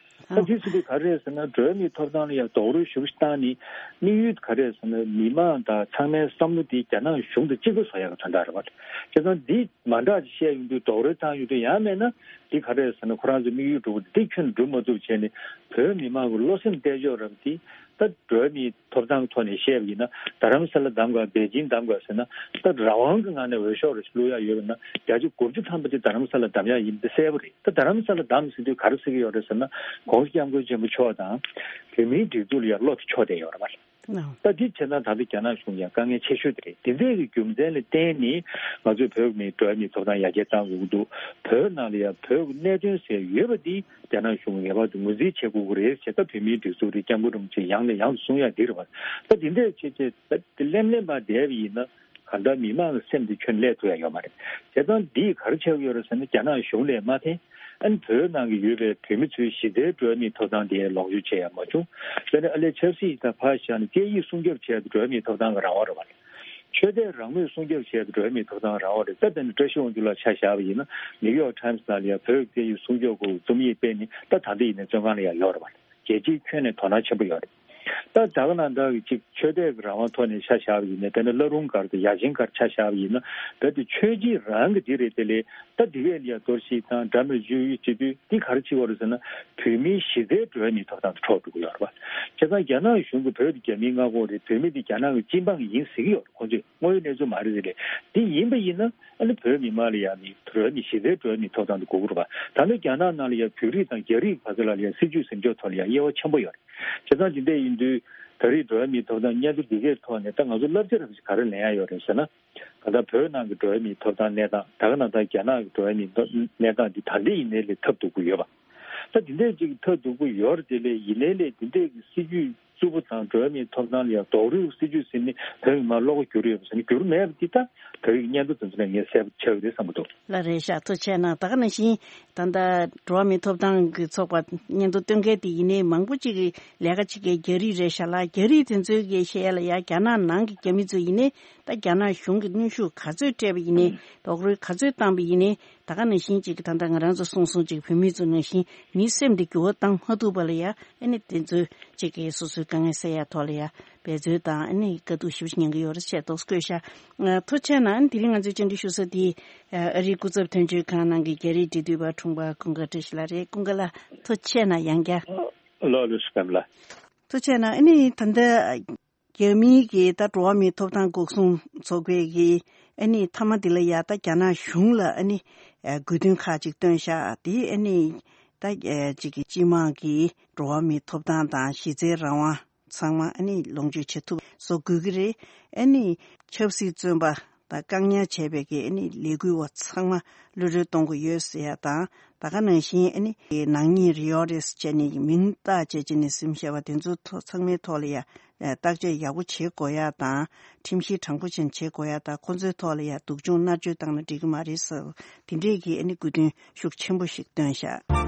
ཟེར། ད་དེ་ཟེར་དུས་ག་རེ་རེད་ཟེར་ན། འགྲོ་བ་མིའི་ཐོབ་ཐང་ལ་ཡང་རྡོག་རོལ་ཞེ་པོ་ཞིག་བཏང་ནས། དམིགས་ཡུལ་ག་རེ་རེད་ཟེར་ན། མི་མང་དང་ཚང་མའི་བསམ་བློ་དེ་རྒྱ་ནག་གཞུང་དང་གཅིག་པ་བཟོ་ཡག་གི་དོན་དག་རེད་པ། བྱས་ཙང་འདི་མ་འདྲ་ཅིག་བཤད་ཡོང་དུས། རྡོག་རོལ་བཏང་ཡོང་དུས། ཡང་མིན་ན་འདི་ག་རེ་རེད་ཟེར་ན། ཁོ་རང་ཚོའི་དམིགས་ཡུལ་འགྲུབ་པ་འདི་ཁྱོན་ནས་འགྲུབ་མ་ཐུབ་བྱས་ནས། བོད་མི་མང་གི་བློ་སེམས་གཏད་ཕྱོགས་རབ་དེ། ད་འགྲོ་བ་མིའི་ཐོབ་ཐང་ཐོག་ནས་བཤད་པ་ཡིན་ན། རྡ་རམ་ས་ལ་བདམས་དགོས། པེ་ཅིང་བདམས་དགོས་ཟེར་ན། ད་རང་དབང་གི་ངང་ནས་འོས་ཤོག་རེ་ཞིག་བླུག་ཡག་ཡོད་པ་ན། བརྒྱ་ཆ་དགུ་བཅུ་ཐམ་པ་དེ་རྡ་རམ་ས་ལ་བདམས་ཡག་ཡིན་པ་དེ་གསལ་པོ་རེད། ད་རྡ་རམ་ས་ལ་བདམས་ཟེར་དུས་ག་རེ་ཟེར་གྱི་ཡོད་རེད་ཟེར་ན། ༸གོང་ས་༸སྐྱབས་མགོན་ཆེན་པོ་མཆོག་དང་བོད་མིའི་སྒྲིག་འཛུགས་ལ་ཡང་བློ་དེ་ཕྱོགས་བསྡད་ཡོད་རེད་པ། ད་འདི་བྱས་ན་ད་ལྟ་རྒྱ་ནག་གཞུང་ཡང་དཀའ་ངལ་ཆེ་ཤོས་དེ་རེད། དེ་འདྲའི་གི་རྒྱུ་མཚན་ལ་བརྟེན་ནས་ང་ཚོས་བོད་མིའི་འགྲོ་བ་མིའི་ཐོབ་ཐང་ཡར་རྒྱས་གཏང་དགོས་ཀྱི་འདུག་བོད་ནང་ལ་ཡང་བོད་ཀྱི་གནད་དོན་ཟེར་ཡོད་པ་འདི་རྒྱ་ནག་གཞུང་ངེས་པར་དུ་ངོས་འཛིན་བྱེད་དགོས་ཀྱི་རེད་ཟེར། ད་བོད་མིའི་སྒྲིག་འཛུགས་རེད།༸སྐྱབས་མགོན་རིན་པོ་ཆེ་ཡང་ནས་ཡང་དུ་གསུང་ཡག་འདི་རེད་པ། ད་འདི་འདྲས་བྱས་བྱས་ད་འདི་གླེན་གླེན་པ་བསྡད་པ་ཡིན་ན། གང་ལྟར་མི་མང་གི་སེམས་དེ་ཁྱོན་ནས་བརླག་ཐུབ་ཡ་ཡོད་མ་རེད། བྱས་ཙང་འདིས་ག་རེ་བྱས་ཡོད་རེད་ཟེར་ན། རྒྱ་ནག་གཞུང་ལ་མ་འཐེན། ཨ་ནི་བོད་ནང་གི་ཡོད་པའི་བོད་མི་ཚོའི་གཞི་རྩའི་འགྲོ་བ་མིའི་ཐོབ་ཐང་དེ་ལོངས་སྤྱོད་བྱེད་ཡ་མ་བྱུང་། དཔེར་ན་ཨ་ལས་ཆབ་སྲིད་དང་ཕར་བཞག་ནས་སྐད་ཡིག་སྲུང་སྐྱོབ་བྱེད་ཡ་དེ་འགྲོ་བ་མིའི་ཐོབ་ཐང་གི་རང་དབང་རེད་བ། ཆོས་དད་རང་མོས་སྲུང་སྐྱོབ་བྱེད་ཡ་དེ་འགྲོ་བ་མིའི་ཐོབ་ཐང་རང་དབང་རེད། ད་དེ་ནི་བཀྲ་ཤིས་དབང་ཕྱུག་ལགས་ཆ་བཞག་པ་ཡིན་ན། ནིའུ་ཡོག་ཊའིམ་སི་ནང་ལ་ཡ་བོད་ཀྱི་སྐད་ཡིག་སྲུང་སྐྱོབ་སྐོར་རྩོམ་ཡིག་སྤེལ་ནས། ད་ད་ལྟ་ཡིན་ནའི་བཙོན་ཁང་ལ་ཡ་ཡོད་རེད་བ། རྒྱལ་སྤྱིའི་ཁྱོན་ནས་དོ་སྣང་ཆེན་པོ་ཡོད་རེད། ད་ད་ག་ནང་ལྟར་གྱི་ཅིག་ཆོས་དད་ཀྱི་རང་དབང་ཐོག་ནས་ཆ་བཞག་པ་ཡིན་ནའི། དཔེར་ན་བླ་རུང་སྒར་དང་ཡ་ཆེན་སྒར་ཆ་བཞག་པ་ཡིན་ན། རྦད་དེ་ཆོས་བརྒྱུད་རང་གི་འདི་རེད། དེ་ལས་ད་འདི་གས་ལ་ཡ་གཏོར་བཤིག་དང་འདྲ་མོ་བྱེད་ཡུལ་བྱེད་དུས། འདི་ག་རེ་བྱེད་ཀྱི་ཡོད་རེད་ཟེར་ན། བོད་མིའི་གཞི་རྩའི་འགྲོ་བ་མིའི་ཐོབ་ཐང་དེ་འཕྲོག་འགྲོ་གི་ཡོད་རེད་བ། བྱས་ཙང་རྒྱ་ནག་གཞུང་གིས་བོད་དེ་རྒྱ་མིའི་མངའ་ཁོངས་རེད། བོད་མི་དེ་རྒྱ་ནག་གི་སྤྱི་འབངས་ཡིན་ཟེར་གྱི་ཡོད་རེད། ཁོང་ཚོས་དངོས་ཡོད་གནས་ཚུལ་མ་རེད་ཟེར་རེད། འདི་ཡིན་པ་ཡིན་ན། ཨ་ནི་བོད་མི་མང་ལ་ཡ་ནི་འགྲོ་བ་མིའི་གཞི་རྩའི་འགྲོ་བ་མིའི་ཐོབ་ཐང་དེ་དགོས་ཀྱི་རེད་བ། ད་ནི་རྒྱ་ནག་ནང་ལ་ཡ་བོད་རིགས་དང་རྒྱ་རིགས་བར་དུ་ལ་ཡ་སྲིད་བྱུས་ཟིན་འཇོག་ཐོག་ལ་ཡ་དབྱེ་བ་ཆེན་པོ་ཡོད་རེད། བྱས་ཙང་དེ་འདྲ་ཡིན་དུས། ད་རེས་འགྲོ་བ་མིའི་ཐོབ་ཐང་སྙན་ཐོ་འདི་གའི་ཐོག་ནས་ད་ང་ཚོ་བསླབ་བྱ་རབ་ཞིག་ག་རེ་ལེན་ཡ་ཡོད་རེད་ཟེར་ན། གང་ལྟར་བོད་ནང་གི་འགྲོ་བ་མིའི་ཐོབ་ཐང་གནས་སྟངས། ད་ག་ནང་ལྟར་རྒྱ་ནག་གི་འགྲོ་བ་མིའི་གནས་སྟངས་འདི་ད་འདྲ་ཡིན་ནའི་ལས་ཐབས་སྡུག་པོ་ཡོད་པ། ད་དེ་འདྲ་ཅིག་ཐབས་སྡུག་པོ་ཡོད་རེད། དེ་ལས་ཡིན་ནའི་ལས་དེ་འདྲའི་གི་སྲིད་བྱུས་རྩུབ་པོ་དང་འགྲོ་བ་མིའི་ཐོབ་ཐང་ལ་ཡང་རྡོག་རོལ་སྲིད་བྱུས་ཟིན་ནས་བོད་མི་མང་བློ་ཁ་འགྱུར་ཡོད་པ་ཟེར་ན། འགྱུར་མེད་པ་འདི་ད་ད་རེས་སྙན་ཐོ་དེ་ཚོ་ནས་ངས་གསལ་པོ་ཆགས་ཀྱི་རེད་བསམ་གྱི་འདུག་ལགས་རེད་ཤག་ཐུགས་རྗེ་གནང་། ད་ག་ནང་བཞིན་ད་ལྟ་འགྲོ་བ་མིའི་ཐོབ་ཐང་གི་ཚོགས་པ་སྙན་ཐོ་སྟོན་མཁན་དེ་ཡིན་ནའི་མང་པོ་ཅིག་གིས་ལས་ཀ་བྱེད་མཁན་རྒྱ་རིགས་རེད་ཤག་ལ། རྒྱ་རིགས་དེ་ཚོའི་གི་བཤད་ཡ་ལ་ཡ། རྒྱ་ནག་ནང་གི་རྒྱ་མི་ཚོ་ཡིན་ནའི་ད་རྒྱ་ནག་གཞུང་གིས་གནོན་ཤུགས་ག་ཚོད་སྤྲད་པ་ཡིན་ནའི། རྡོག་རོལ་ག་ཚོད་བཏང་པ་ཡིན་ནའི། ད་ག་ནང་བཞིན་ཅིག་ད་ལྟ་ང་རང་ཚོ་གསུངས་སོང་ཅིག་བོད་མི་ཚོ་ནང་བཞིན་མིའི་སེམས་དེ་འགྱུར་བ་བཏང་མ་ཐུབ་པ་ལ་ཡ། ཨ་ནི་དེ་ཚོ་ཅིག་གིས་སོ་སོའི་དཀའ་ངལ་སེལ་ཡ་ཐོག་ལ་ཡ་འབད་རྩོལ་དང་། ཨ་ནི་དཀའ་སྡུག་ཞེ་པོ་ཅིག་མྱངས་ཀྱི་ཡོད་རེད་ཅེས་དོགས་བཀོད་ཤག་ཨ། ཐུགས་རྗེ་གནང་། ཨ་ནི་དེ་རིང་ང་ཚོའི་བཅར་འདྲི་ཞུ་ས་དེ་ཨ་རིའི་སྐུ་ཚབ་དོན་གཅོད་ཁང་ནང་གི་རྒྱ་རིགས་འབྲེལ་མཐུད་པ་དྲུང་པ་ཀུན་དགའ་བཀྲ་ཤིས་ལགས་རེད། ཀུན་དགའ་ལགས་ཐུགས་རྗེ་གནང་ཡང་བསྐྱར། ལགས་ལགས་སོ། བཀྲ་ཤིས་ལགས། ཐུགས་རྗེ་གནང་། ཨ་ནི་ད་ལྟ་རྒྱ་མིའི་གི་ད་འགྲོ་བ་མིའི་ཐོབ་ཐང་འགོག་སྲུང་ཚོགས་པའི་གི་ཨ་ནི་མཐའ་མ་འདི་ལ་ཡ་ད་རྒྱ་ནག་གཞུང་ལ་ཨ་ནི་ཨ་དགོས་འདུན་ཁག་ཅིག་བཏོན་ཤག་དེ་ཨ་ནི་ད་ཨ་ཅིག་གི་སྤྱི་དམངས་ཀྱི་འགྲོ་བ་མིའི་ཐོབ་ཐང་དང་གཞི་རྩའི་རང་དབང་ཚང་མ་ཨ་ནི་ལོངས་སྤྱོད་བྱེད་ཐུབ་བཟོ་དགོས་ཀྱི་རེད། ཨ་ནི་ཆབ་སྲིད་བཙོན་པ་དང་བཀག་ཉར་བྱས་པའི་གི་ཨ་ནི་ལས་འགུལ་བ་ཚང་མ་གློད་གྲོལ་གཏོང་དགོས་ཡོད་ཟེར་ཡ་དང་། ད་ག་ནང་བཞིན་ཨ་ནི་ནག་ཉེས་རེད་ཡོད་རེད་ཟེར་བྱས་ནས་མིང་བཏགས་བྱས་བྱས་ནས་ཟིན་བཞག་པ་དེ་ཚོ་ཐོག་ཚང་མའི་ཐོག་ལ་ཡ་བརྟག་དཔྱད་ཡག་པོ་བྱེད་དགོས་ཡ་དང་། ཁྲིམས་གཞི་དྲང་པོ་ཅན་བྱེད་དགོས་ཡ་དང་། ཁོ་ཚོའི་ཐོག་ལ་ཡ་སྡུག་སྦྱོང་མནར་གཅོད་བཏང་ན་འགྲིག་གི་མ་རེད་ཟེར། དེ་འདྲས་ཀྱི་ཨ་ནི་དགོས་འདུན་ཤུགས་ཆེན་པོ་ཞིག་བཏོན་ཤག་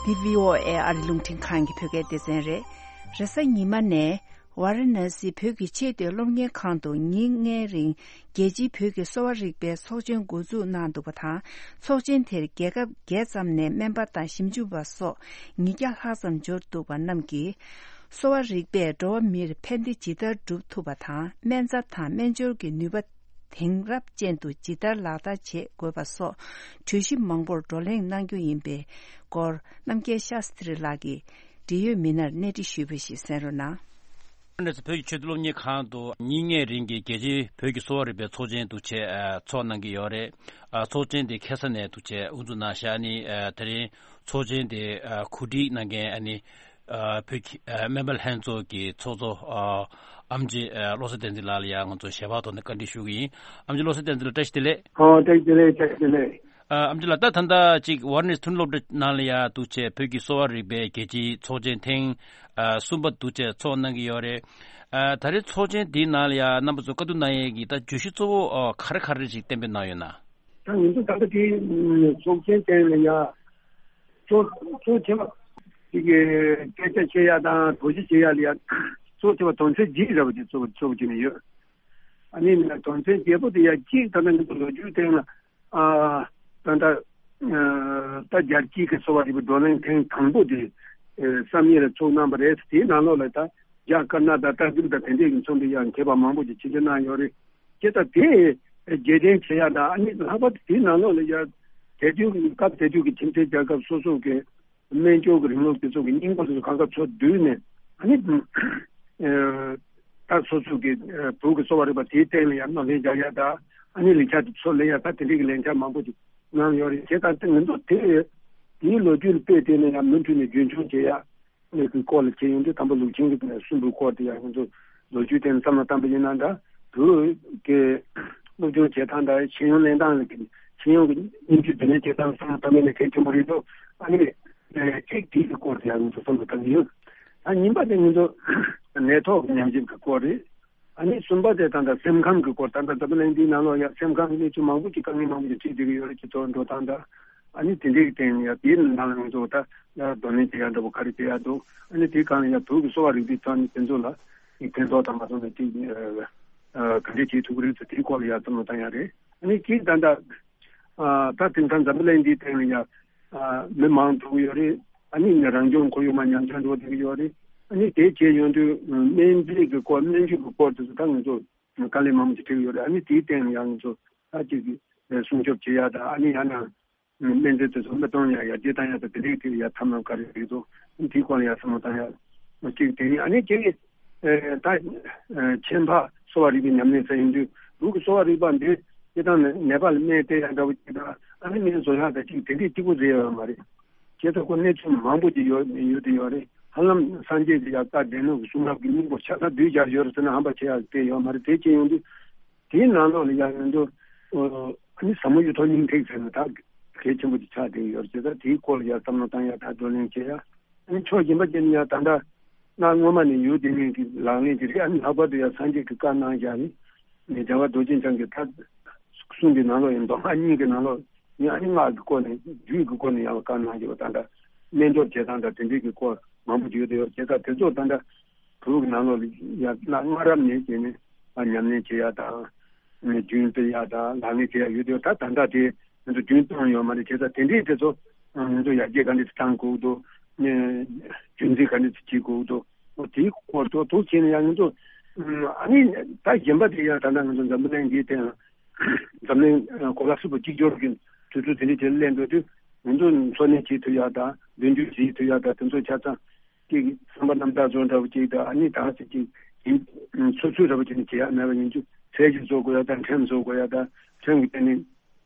འདི་བྷི་ཨོ་ཨེ་ཨ་རི་རླུང་འཕྲིན་ཁང་གི་བོད་སྐད་སྡེ་ཚན་རེད། རེས་གཟའ་ཉི་མ་ནས། ཝཱ་ར་ཎ་སི་བོད་ཀྱི་ཆེས་མཐོའི་སློབ་གཉེར་ཁང་དུ་ཉིན་ལྔའི་རིང་རྒྱལ་སྤྱིའི་བོད་ཀྱི་གསོ་བ་རིག་པའི་ཚོགས་ཆེན་འགོ་འཛུགས་གནང་འདུག་པ་དང་། ཚོགས་ཆེན་དེར་རྒྱལ་ཁབ་བརྒྱད་ཙམ་ནས་སྨན་པ་དང་ཞིབ་འཇུག་པ་སོགས་ཉིས་བརྒྱ་ལྷག་ཙམ་འབྱོར་འདུག་པ་རྣམས་ཀྱིས། གསོ་བ་རིག་པས་འགྲོ་བ་མིར་ཕན་བདེ་ཇི་ལྟར་སྒྲུབ་ཐུབ་པ་དང་། སྨན་རྩྭ་དང་སྨན་སྦྱོར་གྱི་ནུས་པ་དེང་རབས་ཅན་དུ་ཇི་ལྟར་ལག་བསྟར་བྱེད་དགོས་པ་སོགས་གྲོས་གཞི་མང་པོར་བགྲོ་གླེང་གནང་རྒྱུ་ཡིན་པའི་སྐོར། རྣམ་རྒྱལ་ཤཱསྟྲི་ལགས་ཀྱིས་འབྲེལ་ཡོད་མི་སྣར་གནས་འདྲི་ཞུས་པ་ཞིག་གསན་རོགས་གནང་། ཨ་ནི་བོད་ཀྱི་ཆེས་མཐོའི་སློབ་གཉེར་ཁང་དུ་ཉིན་ལྔའི་རིང་གི་རྒྱལ་སྤྱིའི་བོད་ཀྱི་གསོ་བ་རིག་པའི་ཚོགས་ཆེན་འདུག་བྱས་ཨ་ཚོགས་གནང་གི་ཡོད་རེད། ཨ་ཚོགས་ཆེན་དེ་ཁ་ས་ནས་འདུག་བྱས་དབུ་འཛུགས་གནང་ཤག་ཨ་ནི་ཨ་དེ་རིང་ཚོགས་ཆེན་དེ་ཨ་གོ་སྒྲིག་གནང་མཁན་ཨ་ནི་ཨ་བོད་ཀྱི་ཨ་སྨན་པ་ལྷན་ཚོགས་ཀྱི་ཚོགས་གཙོ་ཨ་ཨེམ་ཆི་ཨ་བློ་བཟང་བསྟན་འཛིན་ལགས་ལ་ཡང་ང་ཚོ་ཞལ་པར་ཐོག་ནས་བཀའ་འདྲི་ཞུ་གི་ཡིན། ཨེམ་ཆི་བློ་བཟང་བསྟན་འཛིན་ལགས་བཀྲ་ཤིས་བདེ་ལེགས། ཨོ་བཀྲ་ཤིས་བདེ་ལེགས། བཀྲ་ཤིས་བདེ་ལེགས། ཨ་ཨེམ་ཆི་ལགས། ད་ད་ལྟ་ཅིག་ཝཱ་ར་ཎ་སི་ཐོན་སློབ་གྲྭ་ནང་ལ་ཡ་འདུག་བྱས་བོད་ཀྱི་གསོ་བ་རིག་པའི་རྒྱལ་སྤྱིའི་ཚོགས་ཆེན་ཐེངས་ཨ་གསུམ་པ་འདུག་བྱས་ཚོགས་གནང་གི་ཡོད་རེད། ཨ་ད་རེས་ཚོགས་ཆེན་འདིའི་ནང་ལ་ཡ་རྣམ་པ་ཚོ་བཀའ་བསྡུར་གནང་ཡས་ཀྱི་ད་བརྗོད་གཞི་གཙོ་བོ་ཨ་ག་རེ་ག་རེ་ཞིག་གཏན་འབེབས་གནང་ཡོད་ན། ད་ང་ཚོ་ད་ལྟ་དེ་ཚོགས་ཆེན་སྟེང་ལ་ཡ་གཙོ་གཙོ་ཆེ་བ་དེ་གི་སྐད་ཆ་བཤད་ཡ་དང་དོགས་གཞི་བཤད་ཡ་ལ་ཡ་གཙོ་ཆེ་བ་དོན་ཚན་བརྒྱད་རེད་བ། དེ་གཙོ་བོ་གཙོ་བོ་བྱས་ནས་ཡོད། ཨ་ནི་དོན་ཚན་བརྒྱད་པོ་དེ་ཡ་གཅིག་ད་ལྟ་ང་ཚོ་ལོ་རྒྱུས་སྟེང་ལ། ཨ་ད་ལྟ་ཨ་ད་རྒྱལ་སྤྱིའི་གི་གསོ་བ་རིག་པའི་བགྲོ་གླེང་ཐེངས་དང་པོ་དེ་ཨ་བསམ་ཡས་ལ་ཚོགས་གནང་བ་རེད། དེའི་ནང་ལོགས་ལ་ད་རྒྱ་དཀར་ནག་དང་ཏཱ་ཀི་རུ་དང་དེ་འདྲས་ཀྱི་མཚོན་པའི་ཡང་མཁས་པ་མང་པོ་ཞིག་ཆིབས་བསྒྱུར་གནང་ཡོད་རེད། དེ་ད་དེ་རྒྱལ་ཕྲན་བྱེད་ཡ་དང་། ཨ་ནི་ལྷག་པར་དུ་དེའི་ནང་ལོགས་ལ་ཡ་དེ་དུས་སྐབས་དེ་དུས་ཀྱི་ཁྱིམ་མཚེས་རྒྱལ་ཁབ་སོ་སོ་གི་སྨན་སྦྱོར་གྱི་རིང་ལུགས་དེ་ཚོ་གི་སྙིང་པོ་དེ་ཚོ་གང་ག་ཚུར་བསྡུས་ནས། ཨ་ནི་ཨ་ད་སོ་སོ་གི་ཨ་བོད་ཀྱི་གསོ་བ་རིག་པ་དེའི་སྟེང་ལ་ཡང་སྣེ་ལེན་རྒྱག་ཡ་དང་། ཨ་ནི་ལས་འཆར་དེ་ཚུར་ལེན་ཡ་དང་། དེ་འདྲའི་གི་ལས་འཆར་མང་པོ་ཅིག་གནང་ཡོད་རེད། བྱས་ཙང་ང་ཚོ་དེ་དེའི་ལོ་རྒྱུས་ལ་དཔེ་བལྟས་ནས་ཡང་མུ་མཐུད་ནས་རྒྱུན་འཁྱོངས་བྱེད་ཡ། གནས་ཚུལ་སྐོར་ལ་བྱས་ཡོང་དུས་དང་པོ་ལུགས་ཆེན་གྱི་གསུམ་པའི་སྐོར་དེ་ཡང་ང་ཚོ་ལོ་རྒྱུས་སྟེང་བསམ་བློ་བཏང་པ་ཡིན་ན་འདྲ། བོད་ཀྱི་སློབ་སྦྱོང་བྱེད་སྟངས་དང་ཤེས་ཡོན་ལེན་སྟངས་ལ་ཤེས་ཡོན་གྱི་སྙིང་བཅུད་འདྲ་མིན་བྱེད་སྟངས་བསམ་བློ་བཏང་པ་ཡིན་ན་གལ་ཆེན་པོ་རེད་འདུག་ཨ་ནི་གཅིག་དེའི་སྐོར་དེ་ཡང་ང་ཚོ་བསམ་བློ་བཏང་གི་ཡོད། ཨ་གཉིས་པ་དེ་ང་ཚོ་ནད་ཐོག་གི་ཉམས་ཞིབ་ཀྱི་སྐོར་རེད། ཨ་ནི་གསུམ་པ་དེ་ད་ལྟ་སེམས་ཁམས་ཀྱི་སྐོར། ད་ལྟ་འཛམ་བུ་གླིང་འདིའི་ནང་ལོགས་ཡ་སེམས་ཁམས་ཀྱི་གནས་ཚུལ་མང་པོ་ཅིག་དཀའ་ངལ་མང་པོ་ཅིག་འཕྲད་བསྡད་ཀྱི་ཡོད་རེད། སྤྱི་ཚོགས་འགྲོ་སྟངས་དང་། ཨ་ནི་དེ་འདྲའི་སྟེང་ནས་ཡ་དེའི་ནང་ལ་ང་ཚོ་ད་ཡ་གདོང་ལེན་བྱེད་ཡ་འདྲ་པོ་ག་རེ་བྱེད་ཡ་འདུག་ཨ་ནི་དེའི་སྒང་ལ་ཡ་བོད་ཀྱི་གསོ་བ་རིག་པའི་ཐོག་ནས་དེ་ཚོ་ལ་ཕན་ཐོགས་དང་མ་ཐོགས་ནས་ཅིག་ག་འདྲས་བྱེད་ཐུབ་ཀྱི་རེད་ཟེར། དེའི་སྐོར་ལ་ཡ་བསམ་བློ་བཏང་ཡ་རེད། ཨ་ནི་གཅིག་ད་ལྟ་ཨ་ད་དེང་སང་འཛམ་བུ་གླིང་འདིའི་སྟེང་ལ་ཡ་ཨ་མི་མང་འགྲོ་གི་ཡོད་རེད། ཨ་ནི་ནི་རང་སྐྱོང་ཁོར་ཡུག་མར་ཉམས་ཆག་འགྲོ་བསྡད་ཀྱི་ཡོད་རེད། ཨ་ནི་དེ་བྱས་ཡོང་དུས་སྨན་རྫས་ཀྱི་སྐོར་སྨན་བཅོས་ཀྱི་སྐོར་དེ་ཚོ་ད་ང་ཚོ་དཀའ་ལས་མང་པོ་ཞིག་འཕྲད་ཀྱི་ཡོད་རེད། ཨ་ནི་དེའི་སྟེང་ལ་ཡང་ང་ཚོ་ད་ཅིག་སྲུང་སྐྱོབ་བྱེད་ཡ་དང་། ཨ་ནི་ཡང་ན་སྨན་རྫས་དེ་ཚོ་མི་གཏོང་ཡ་ཡར་རྒྱས་བཏང་ཡ་དང་། དེ་འདྲའི་ཐད་ཡ་ཐབས་ལམ་ག་རེ་རེད་འདུག་དེའི་སྐོར་ལ་ཡ་བསམ་བློ་བཏང་ཡ་གཅིག་དེ་ཡིན། ཨ་ནི་གཅིག་ཨེ་ད་ཨེ་ཁྱད་འཕགས་གསོ་བ་རིག་པའི་ཉམས་ལེན་ཟེར་ཡོང་དུས་བོད་ཀྱི་གསོ་བ་རིག་པ་འདི་སྤྱིར་བཏང་ནས་ནད་པ་ལ་སྨན་སྟེར་ཡ་འདྲ་བོ་ཅིག་དང་། ཨ་ནི་སྨན་བཟོ་ཡ་དང་ཅིག་དེ་འདྲའི་གཅིག་པུ་རེད་ཡོད་མ་རེད། བྱས་ཙང་ཁོ་གནས་ཚུལ་མང་པོ་ཅིག་ཡོད་ཡོད་དེ་ཡོད་རེད། ཧ་ལམ་སངས་རྒྱས་ཀྱི་ཡ་བཀའ་སྡེ་སྣོད་ཀྱི་གསུང་རབ་ཀྱི་སྙིང་པོ་ཆ་ཚང་བསྡུས་སྦྱར་ཡོད་རེད་ཟེར་ན་ཧམ་པ་བྱེད་ཡ་དེ་ཡོད་མ་རེད། དེ་བྱས་ཡོང་དུས་དེའི་ནང་ལོགས་ལ་ཡ་ང་ཚོ་ཨ་ནི་ཟབ་མོ་གཡུ་ཐོག་སྙིང་ཐིག་ཟེར་ན་ད་གལ་ཆེན་པོ་ཅིག་ཆགས་བསྡད་ཡོད་རེད། བྱས་ཙང་དེའི་སྐོར་ལ་ཡ་བསམ་བློ་བཏང་ཡ་དང་བགྲོ་གླེང་བྱེད་ཡ། ཨ་ནི་ཕྱོགས་གཞན་པ་ཅན་ཡང་ད་ལྟ་གནའ་སྔོན་མ་ནས་ཡོད་བསྡད་མཁན་གྱི་ལག་ལེན་ཅིག་རེད། ཨ་ནི་ལྷག་པར་དུ་ཡང་སངས་རྒྱས་ཀྱི་བཀའ་གནང་བཞག་ནི་རྒྱལ་བ་རྡོ་རྗེ་འཆང་གི་ད་གསུང་གི་ནང་ལོགས་ཡིན། མདོ་སྔགས་གཉིས་ཀྱི་ནང་ལོགས་ཡིན། ཨ་ནི་སྔགས་ཀྱི་སྐོར་ནས་རྒྱུད་ཀྱི་སྐོར་ནས་ཡང་བཀའ་གནང་བཞག་པ། ད་ལྟ་སྨན་སྦྱོར་བྱེད་སྟངས་དང་དེ་འདྲའི་གི་སྐོར་མང་པོ་ཅིག་ཡོད་དེ་ཡོད། བྱས་ཙང་དེ་ཚོ་ད་ལྟ་བོད་ཀྱི་ནང་ལོགས་ལ་ཡང་གནའ་སྔ་རབས་ནས་བྱས་ནས་ཨ་ཉམས་ལེན་བྱེད་ཡ་དང་། རྒྱུན་སྤེལ་ཡ་དང་ལག་ལེན་བྱེད་ཡ་ཡོད་དུས་ད་ད་ལྟ་དེ་ང་ཚོ་རྒྱུན་གཏོང་ཡོད་མ་རེད། བྱས་ཙང་དེ་འདྲའི་དེ་ཚོ་ང་ཚོ་ཡར་རྒྱས་ག་འདྲས་བཏང་དགོས་འདུག་རྒྱུན་འཛིན་ག་འདྲས་བྱེད་དགོས་འདུག་དེའི་སྐོར་ཐོག་ཐུགས་བྱས་ནས་ཡང་ང་ཚོ་ཨ་ནི་ད་གཞན་པ་དེ་ཡང་ད་ལྟ་ང་ཚོ་འཛམ་བུ་གླིང་འདིའི་སྟེང་འཛམ་གླིང་གོ་ལ་ཧྲིལ་པོ་གཅིག་གྱུར་གྱི་དུས་ཚོད་དེ་འདྲའི་དེ་སླེབས་འགྲོ་དུས་ང་ཚོ་འཚོ་གནས་བྱེད་ཐུབ་ཡ་དང་མདུན་སྐྱོད་བྱེད་ཐུབ་ཡ་དང་དེ་ཚོ་ཆ་ཚང་། ཅིག་བསམ་པ་རྣམ་དག་བཟོ་འདྲ་བོ་ཅིག་དང་། ཨ་ནི་ད་ཅིག་ཅིག་ཡིན་སོ་སོའི་འདྲ་བོ་ཅིག་ནི་བྱེད་ཡག་མེད་པ་ཡིན་དུས་ཚད་གཞི་བཟོ་དགོས་ཡག་དང་ཁྲིམས་བཟོ་དགོས་ཡག་དང་། ཁྲིམས་ཀྱི་སྟེང་ནས་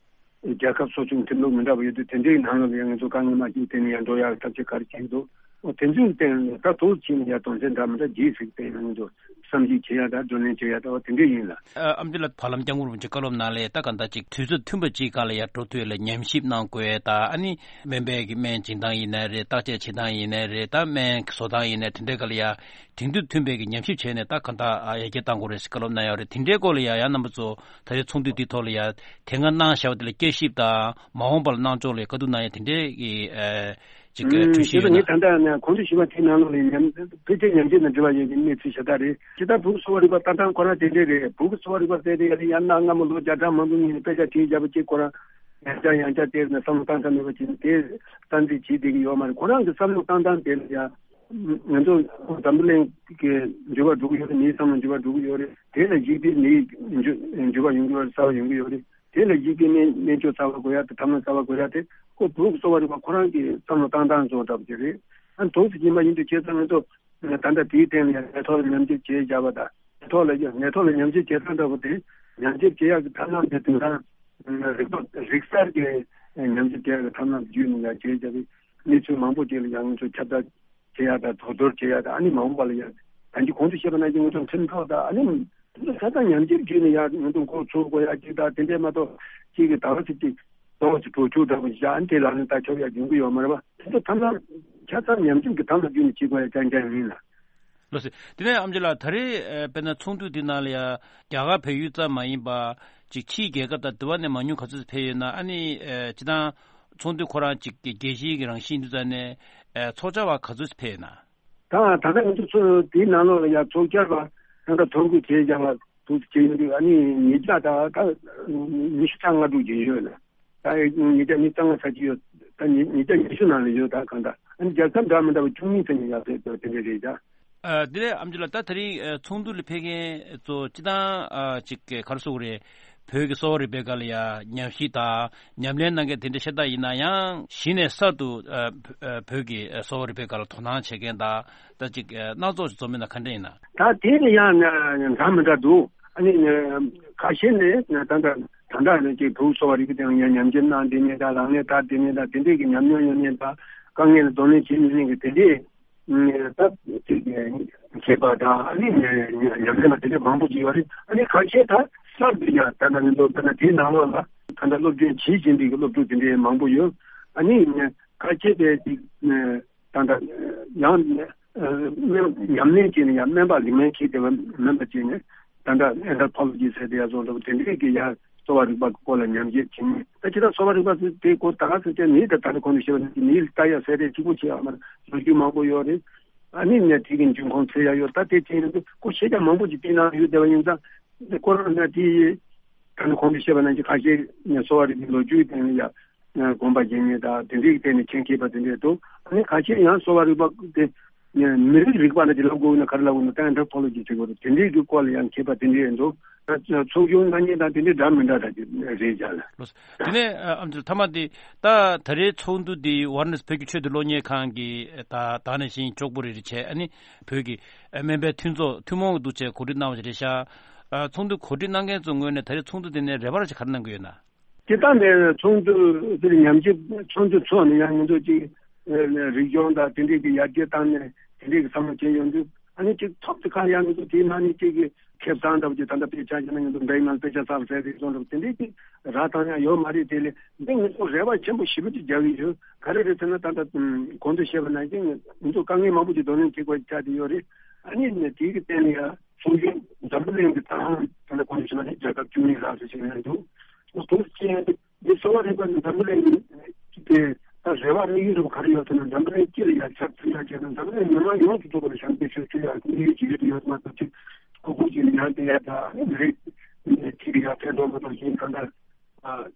རྒྱལ་ཁབ་ཚོགས་ཆུང་ཁྲིམས་ལུགས་མི་འདྲ་བ་ཡོད་དུས་དེ་འདྲའི་ནང་ལ་ཡང་ང་ཚོ་དཀའ་ངལ་མ་སྐྱེས་སྟེང་ནས་ཡང་འགྲོ་ཡག་ཐབས་ཤེས་ག་རེ་བྱེད་ཀྱི་འདུག་འོ་དེ་ཚོའི་སྟེང་ནས་ད་ཐུགས་ཕྱིན་ནས་ཡང་དོན་ཚན་འདྲ་མི་འདྲ་བརྗེས་ཟིག་སྟེང་ནས་ང་ཚོ་བསམ་གཞིག་བྱེད་ཡག་དང་བགྲོ་གླེང་བྱེད་ཡག་དང་འོ་དེ་འདྲའི་ཡིན་ལ། ཨ་ཨམ་ཆི་ལགས། བར་ལམ་སྐྱབས་མགོན་རིན་པོ་ཆེ་བཀའ་སློབ་གནང་ལས་ད་ག་འདྲ་ཅིག་དུས་ཚོད་མཐུན་པ་ཅིག་སྒང་ལ་ཡ་འགྲོ་ཐུབ་ལ་ཉམས་ཞིབ་གནང་དགོས་ད། ཨ་ནི་སྨན་པའི་གི་སྨན་སྦྱིན་སྟངས་ཡིན་ནའི་རེད། བརྟག་དཔྱད་བྱེད་སྟངས་ཡིན་ནའི་རེད། ད་སྨན་བཟོ་སྟངས་ཡིན་ནའི་དེ་འདྲའི་སྒང་ལ་ཡ་དེང་དུས་མཐུན་པའི་གི་ཉམས་ཞིབ་བྱས་ནས་ད་ག་འདྲ་ཡར་རྒྱས་གཏང་དགོས་རེད་ཟེར་བཀའ་སློབ་གནང་ཡོད་རེད། དེ་འདྲའི་སྐོར་ལ་ཡ་ཡང་རྣམ་པ་ཚོ་ད་ལྟའི་ཚོགས་འདུ་འདིའི་ཐོག་ལ་ཡ་དེ་སྔ་གནང་བཞག་པ་དེ་ལ་བསྐྱར་ཞིབ་དང་མ་འོངས་པ་ལ་གནང་ཕྱོགས་ལ་བཀའ་བསྡུར་གནང་ཡ་དེ་འདྲའི་གི་ཨ་ཅིག་གི་ཨུམ། གྲོས་གཞི་ཡོད་ན། ད་ངས་ད་ལྟ་ནས་གོང་དུ་ཞུས་པ་དེའི་ནང་ལོགས་ལ་ཉམས་ཕལ་ཆེར་ཉམས་ཞིབ་དང་འབྲེལ་བ་ཡོད་པའི་གནས་ཚུལ་ཞེ་དྲག་རེད། ཇི་ལྟར་བོད་ཀྱི་གསོ་བ་རིག་པ་ལྟ་སྟངས་ཁོ་རང་དེ་འདྲས་རེད། བོད་ཀྱི་གསོ་བ་རིག་པ་ཟེར་དེ་ཡ་ལ་ཡང་གནའ་སྔ་མོ་ལོ་བརྒྱ་ཕྲག་མང་པོའི་སྔོན་ནས་དཔེ་ཆ་བྲིས་བཞག་པ་གཅིག་ཁོ་རང་ཡང་བསྐྱར་ཡང་བསྐྱར་དེ་ནས་བསམ་བློ་བཏང་ཐབས་མེད་པ་བྱས་ནས་དེ་གཏན་འཁེལ་བྱེད་བསྡད་ཀྱི་ཡོད་མ་རེད། ཁོ་རང་གི་བསམ་བློ་བཏང་སྟངས་དེ་ལ་ཡང་ང་ཚོ་འཛམ་བུ་གླིང་གི་འགྱུར་བ་འགྲོ་གི་ཡོད་རེད། མིའི་བསམ་བློ་འགྱུར་བ་འགྲོ་གི་ཡོད་རེད། དེ་ལ་གཞིགས་ཏེ་མིའི་འགྱུར་འགྱུར་བ་ཡོང་གི་ཡོད་རེད། གསར་བ་ཡོང་གི་ཡོད་རེད། དེ་ལ་གཞིགས་ཏེ་སྨན་སྨན་བཅོས་གསར་བ་དགོས་ཡ་དེ། ཐབས་ལམ་གསར་བ་དགོས་ཡ་དེ་ཁོ་བོད་ཀྱི་གསོ་བ་རིག་པ་ཁོ་རང་གི་བསམ་བློ་བཏང་སྟངས་བཟོ་འདྲ་པོ་ཅིག་རེད། ཨ་ནི་དུས་སུ་ཡིན་པ་ཡིན་དུས་བྱས་ཙང་ང་ཚོ་ད་ལྟ་དེའི་སྟེང་ལ་ཡང་ནད་ཐོག་ལ་ཉམས་ཞིབ་བྱས་བཞག་པ་དང་། ནད་ཐོག་ལ་ཡང་ནད་ཐོག་ལ་ཉམས་ཞིབ་བྱེད་སྟངས་འདྲ་པོ་དེ་ཉམས་ཞིབ་བྱེད་ཡག་གི་ཐབས་ལམ་དེ་དེང་སང་རིག་པ་རིག་གསར་གྱི་ཉམས་ཞིབ་བྱེད་ཡག་གི་ཐབས་ལམ་བརྒྱུད་ནས་ཡང་བྱས་བཞག་པའི་གནས་ཚུལ་མང་པོ་ཅིག་ལ་ཡང་ང་ཚོ་ཁྱབ་བསྒྲགས་བྱེད་ཡག་དང་དོ་སྣང་བྱེད་ཡག་དང་། ཨ་ནི་མ་འོངས་པ་ལ་ཡང་ད་གིན་གོང་དུ་བཤད་པ་ནང་བཞིན་ང་ཚོ་ཁྲིམས་ཐོག་དང་། ཨ་ནི་དེ་ཚོ་ཆ་ཚང་ཉམས་ཞིབ་བརྒྱུད་ནས་ཡང་ང་ཚོ་འགོ་ཚུགས་དགོས་ཡ་གཅིག་དང་། དེ་འདྲས་མ་གཏོགས་གཅིག་གིས་ད་བ་ཚིག་གཅིག་ཏོག་ཙམ་བྲོ་བཅུག་འདྲ་པོ་བཞག་ཨ་ནི་དེ་ལག་ལེན་བསྟར་ཆོག་ཡ་ཡོང་གི་ཡོད་མ་རེད་པ། དེ་ཚོ་ཐམས་ཅད་ཆ་ཚང་ཉམས་ཞིབ་ཀྱི་ཐབས་ལ་བརྒྱུད་ནས་བྱེད་དགོས་ཡ་རྐྱང་རྐྱང་ཡིན་ལ། ལགས་སོ། དེ་ནས་ཨམ་ཆི་ལགས། ད་རེས་ཨ་དཔེར་ན་ཚོགས་འདུ་འདི་ནང་ལ་ཡ་རྒྱ་གར་བལ་ཡུལ་ཙམ་མ་ཡིན་པ་ཅིག་ཕྱིའི་རྒྱལ་ཁབ་དང་དེ་བ་ནས་མང་ཉུང་ག་ཚོད་ཕེབས་ཡོད་ན། ཨ་ནི་ཨ་སྤྱིར་བཏང་ཚོགས་འདུ་ཁོ་རང་ཅིག་གི་རྒྱལ་སྤྱིའི་གི་རང་བཞིན་དུ་ཙམ་ནས་ཨ་ཚོགས་བཅར་བ་ག་ཚོད་ཕེབས་ཡོད་ན། ད་ད་ལྟ་ང་ཚོ་ཚོ་དེའི་ནང་ལོགས་ལ་ཡ་ཚོགས་བཅར་བ་ད་ལྟ་ཐོ་འགོད་བྱས་བཞག་པ་དུ་བྱས་ཡོང་དུས་ཨ་ནི་ཉིས་བརྒྱ་དང་ད་ཉི་ཤུ་རྩ་ལྔ་དྲུག་ཅིག་ཡོད་ལ། ད་ཉིས་བརྒྱ་ཉི་ཤུ་རྩ་ལྔ་ཚར་གྱི་ཡོད། ད་ཉིས་ཉིས་བརྒྱ་ཉི་ཤུ་ནང་ལ་ཡོད། ད་གང་ལྟར་ཨ་ནི་རྒྱལ་ཁབ་འདྲ་མི་འདྲ་བ་བཅུ་གཉིས་ཙམ་ཡང་ཕེབས་འདུག་དེ་འདྲ་རེད་ད། ཨ་དེ་ནས་ཨམ་ཆི་ལགས། ད་དེ་རིང་ཨ་ཚོགས་འདུ་ལ་ཕེབས་མཁན་ཚོ་སྤྱིར་བཏང་ཨ་ཅིག་ག་རེ་ཟེར་དགོས་རེད། བོད་ཀྱི་གསོ་བ་རིག་པའི་སྒང་ལ་ཡ་ཉམས་ཞིབ་དང་ཉམས་ལེན་གནང་མཁན་དེ་འདྲ་ཤ་སྟག་ཡིན་ན་ཡང་། གཞི་ནས་གསར་དུ་ཨ་བོད་ཀྱི་གསོ་བ་རིག་པའི་སྒང་ལ་དོ་སྣང་བྱེད་མཁན་དང་། ད་ཅིག་སྣ་ཚོགས་ཤིག་འཛོམས་མིན་ན་ག་འདྲ་ཡིན་ན། ད་དེ་ནི་ཡང་འདྲ་མི་འདྲ་འདུག་ཨ་ནི་ཁ་ཤས་ནས་ད་ལྟ་ད་ལྟ་ནས་ཅིག་བོད་གསོ་བ་རིག་པའི་སྟེང་ཡང་ཉམས་ཞིབ་གནང་བསྡད་མཁན་དང་། ལག་ལེན་བསྟར་བསྡད་མཁན་དང་། དེ་འདྲས་ཀྱི་ཉམས་མྱོང་ཡོད་མཁན་དང་། དཀའ་ངལ་ལ་གདོང་ལེན་བྱེད་མྱོང་མཁན་གྱི་དེ་འདྲས་ ད་མཁས་པ་དང་ཨ་ནི་ཉམས་ལེན་པ་དེ་འདྲ་མང་པོ་ཅིག་ཡོད་རེད། ཨ་ནི་ཁ་ཤས་ད་གསར་དུ་ཡང་ད་ལྟ་ང་ཚོ་ད་ལྟ་དེའི་ནང་ལོགས་ལ་ད་ལྟ་སློབ་སྦྱོང་བྱེད་བཞིན་པའི་སློབ་ཕྲུག་དེ་འདྲའི་མང་པོ་ཡོད། ཨ་ནི་ཁ་ཤས་དེ་ད་ལྟ་ཡང་ཉམས་ལེན་བྱས་ནས་ཡང་སྨན་པ་ལིག་སྨན་མཁས་བསྡད་པ་མིན་པ་བྱས་ནས་ད་ལྟ་ཨེན་ཐྲོ་པོ་ལོ་ཇི་ཟེར་དེ་ཡ་བཟོ་འདྲ་པོ་དེ་འདྲའི་གི་ཡ་གསོ་བ་རིག་པ་གི་སྐོར་ལ་ཉམས་ཞིབ་བྱེད་མཁན། ད་ཅི་ལྟར་གསོ་བ་རིག་པ་ཟེར་དེའི་སྐོར་ད་ག་ཟེར་ཏེ་མིའི་ད་ད་ནི་གོང་དུ་བཤད་པ་ནང་བཞིན་མིའི་ལྟ་ཡ་ཟེར་དེ་གཅིག་པོ་ཆེ་ཡ་མ་རེད། ལོ་རྒྱུས་མང་པོ་ཡོད་རེད། ཨ་ནི་ནས་དེ་གི་འབྱུང་ཁུངས་འཚོལ་ཡ་ཡོད། ད་དེ་དེ་ཡིན་དུས་ཁོ་ཤེས་བྱ་མང་པོ་ཅིག་དེའི་ནང་ཡོད་བསྡད་པ་ཡིན་ཙང་ཁོ་རང་ན་དེ་ཡི་ད་ནི་གོང་དུ་བཤད་པ་ནང་བཞིན་ཁ་ཤས་ནས་གསོ་བ་རིག་པའི་ལོ་རྒྱུས་སྟེང་ནས་ཡ་དགོངས་པ་བཞེས་མཁན་དང་དེ་འདྲའི་སྟེང་ནས་མཁྱེན་མཁས་པ་དེ་འདྲས་འདུག་ཨ་ནི་ཁ་ཤས་ཡང་གསོ་བ་རིག་པ་དེ་མི་རིགས་རིག་པ་ལ་དེ་ལབ་དགོས་ན་ག་རེ་ལབ་དགོས་ན་ད་ཨེན་ཐྲོ་པོ་ལོ་ཇི་ཟེར་དགོས་རེད། དེ་འདྲའི་གི་སྐོར་ལ་ཡང་མཁས་པ་དེ་འདྲས་འདུག་ད་ཚོགས་ཆུང་གནང་མཁན་དང་དེ་འདྲའི་འདྲ་མི་འདྲ་ད་དེ་རེད་བཞག་ལ། ལགས་སོ། དེ་ནས་ཨ་ཨམ་ཆི་ལགས་མཐའ་མ་དེ་ད་ད་རེས་ཚོགས་འདུ་འདི་ཝཱ་ར་ཎ་སི་བོད་ཀྱི་ཆོས་དང་གློག་བརྙན་ཁང་གི་ད་ད་ནང་བཞིན་ལྕོགས་པོ་རེ་རེ་བྱས་ཨ་ནི་བོད་ཀྱི་སྨན་པའི་མཐུན་ཚོགས་ཐུན་མོང་གི་འདུག་བྱས་གོ་སྒྲིག་གནང་བ་ཞིག་རེད་ཤག་ཨ་ཚོགས་འདུ་གོ་སྒྲིག་གནང་མཁན་ཚོའི་ངོས་ནས་ད་རེས་ཚོགས་འདུ་དེ་ནས་རེ་བ་ར་ཞིག་ག་རེ་གནང་གི་ཡོད་ན། དེ་ལྟར་ནས་ཚོགས་འདུ་དེར་ཉམས་ཞིབ་ཚོགས་འདུ་ཚོགས་ནས་ཡང་ང་ཚོ་ཅིག་རིག་གཞུང་དང་དེ་འདྲས་ཀྱི་ཡར་རྒྱས་བཏང་ནས་དེ་འདྲས་ཀྱི་བསམ་བློ་བྱས་ཡོང་དུས་ཨ་ནི་ཅིག་ཐོབ་དེ་ག་ཡང་ང་ཚོ་དེའི་ནང་ནས་ཅིག་གི་ཁེ་བཟང་འདྲ་པོ་ཅིག་ད་ལྟ་དཔེ་ཆ་བཞག་ན་ང་ཚོ་འབྲེག་ནང་དཔེ་ཆ་ཚར་ཟེར་རེད་སོང་འདྲ་པོ་དེ་འདྲས་ཀྱི་ར་བཏང་ཡང་ཡོད་མ་རེད། དེ་ལས་འདི་ང་ཚོ་རེ་བ་ཆེན་པོ་ཞེ་པོ་ཅིག་རྒྱག་གི་ཡོད། ག་རེ་རེད་ཟེར་ན་ད་ལྟ་གོང་དུ་བཤད་པ་ནང་བཞིན་ང་ཚོ་དཀའ་ངལ་མང་པོ་ཅིག་གདོང་ལེན་བྱེད་དགོས་ཆགས་བསྡད་ཡོད་རེད། ཨ་ནི་ནས་དེའི་གི་སྟེང་ནས་ཡང་ཚོགས་ཆུང་འཛམ་བུ་གླིང་གི་ཐང་ད་ལྟ་གོང་དུ་བཤད་པ་ནི་རྒྱལ་ཁབ་བཅུ་གཉིས་ལྷག་ཙམ་ཞིག་ཡོད་འདུག་ཚོགས་ཆེན་འདི་གསོ་བ་རིག་པ་ནི་འཛམ་བུ་གླིང་གི་དེ་ད་རེ་བ་རེ་ཡོད་རུང་ག་རེ་ཡོད་ཟེར་ན་འཛམ་བུ་གླིང་སྤྱི་ལ་ཡང་ཁྱབ་ཚུལ་ཡང་བྱས་ན་འཛམ་བུ་གླིང་མི་མང་ཡོངས་སུ་རྫོགས་པར་ཞབས་འདེགས་ཞུ་ཚུལ་ཡང་དེ་འདྲའི་ཅིག་ཡོད་དུ་ཡོད་མ་གཏོགས་ཅིག་ཁོ་ཁོ་ཅིག་ནི་ཡང་དེ་ཡང་ད་རེད་ཅིག་ཡང་ཕན་ཐོགས་མ་གཏོགས་ཅིག་གང་ལྟར་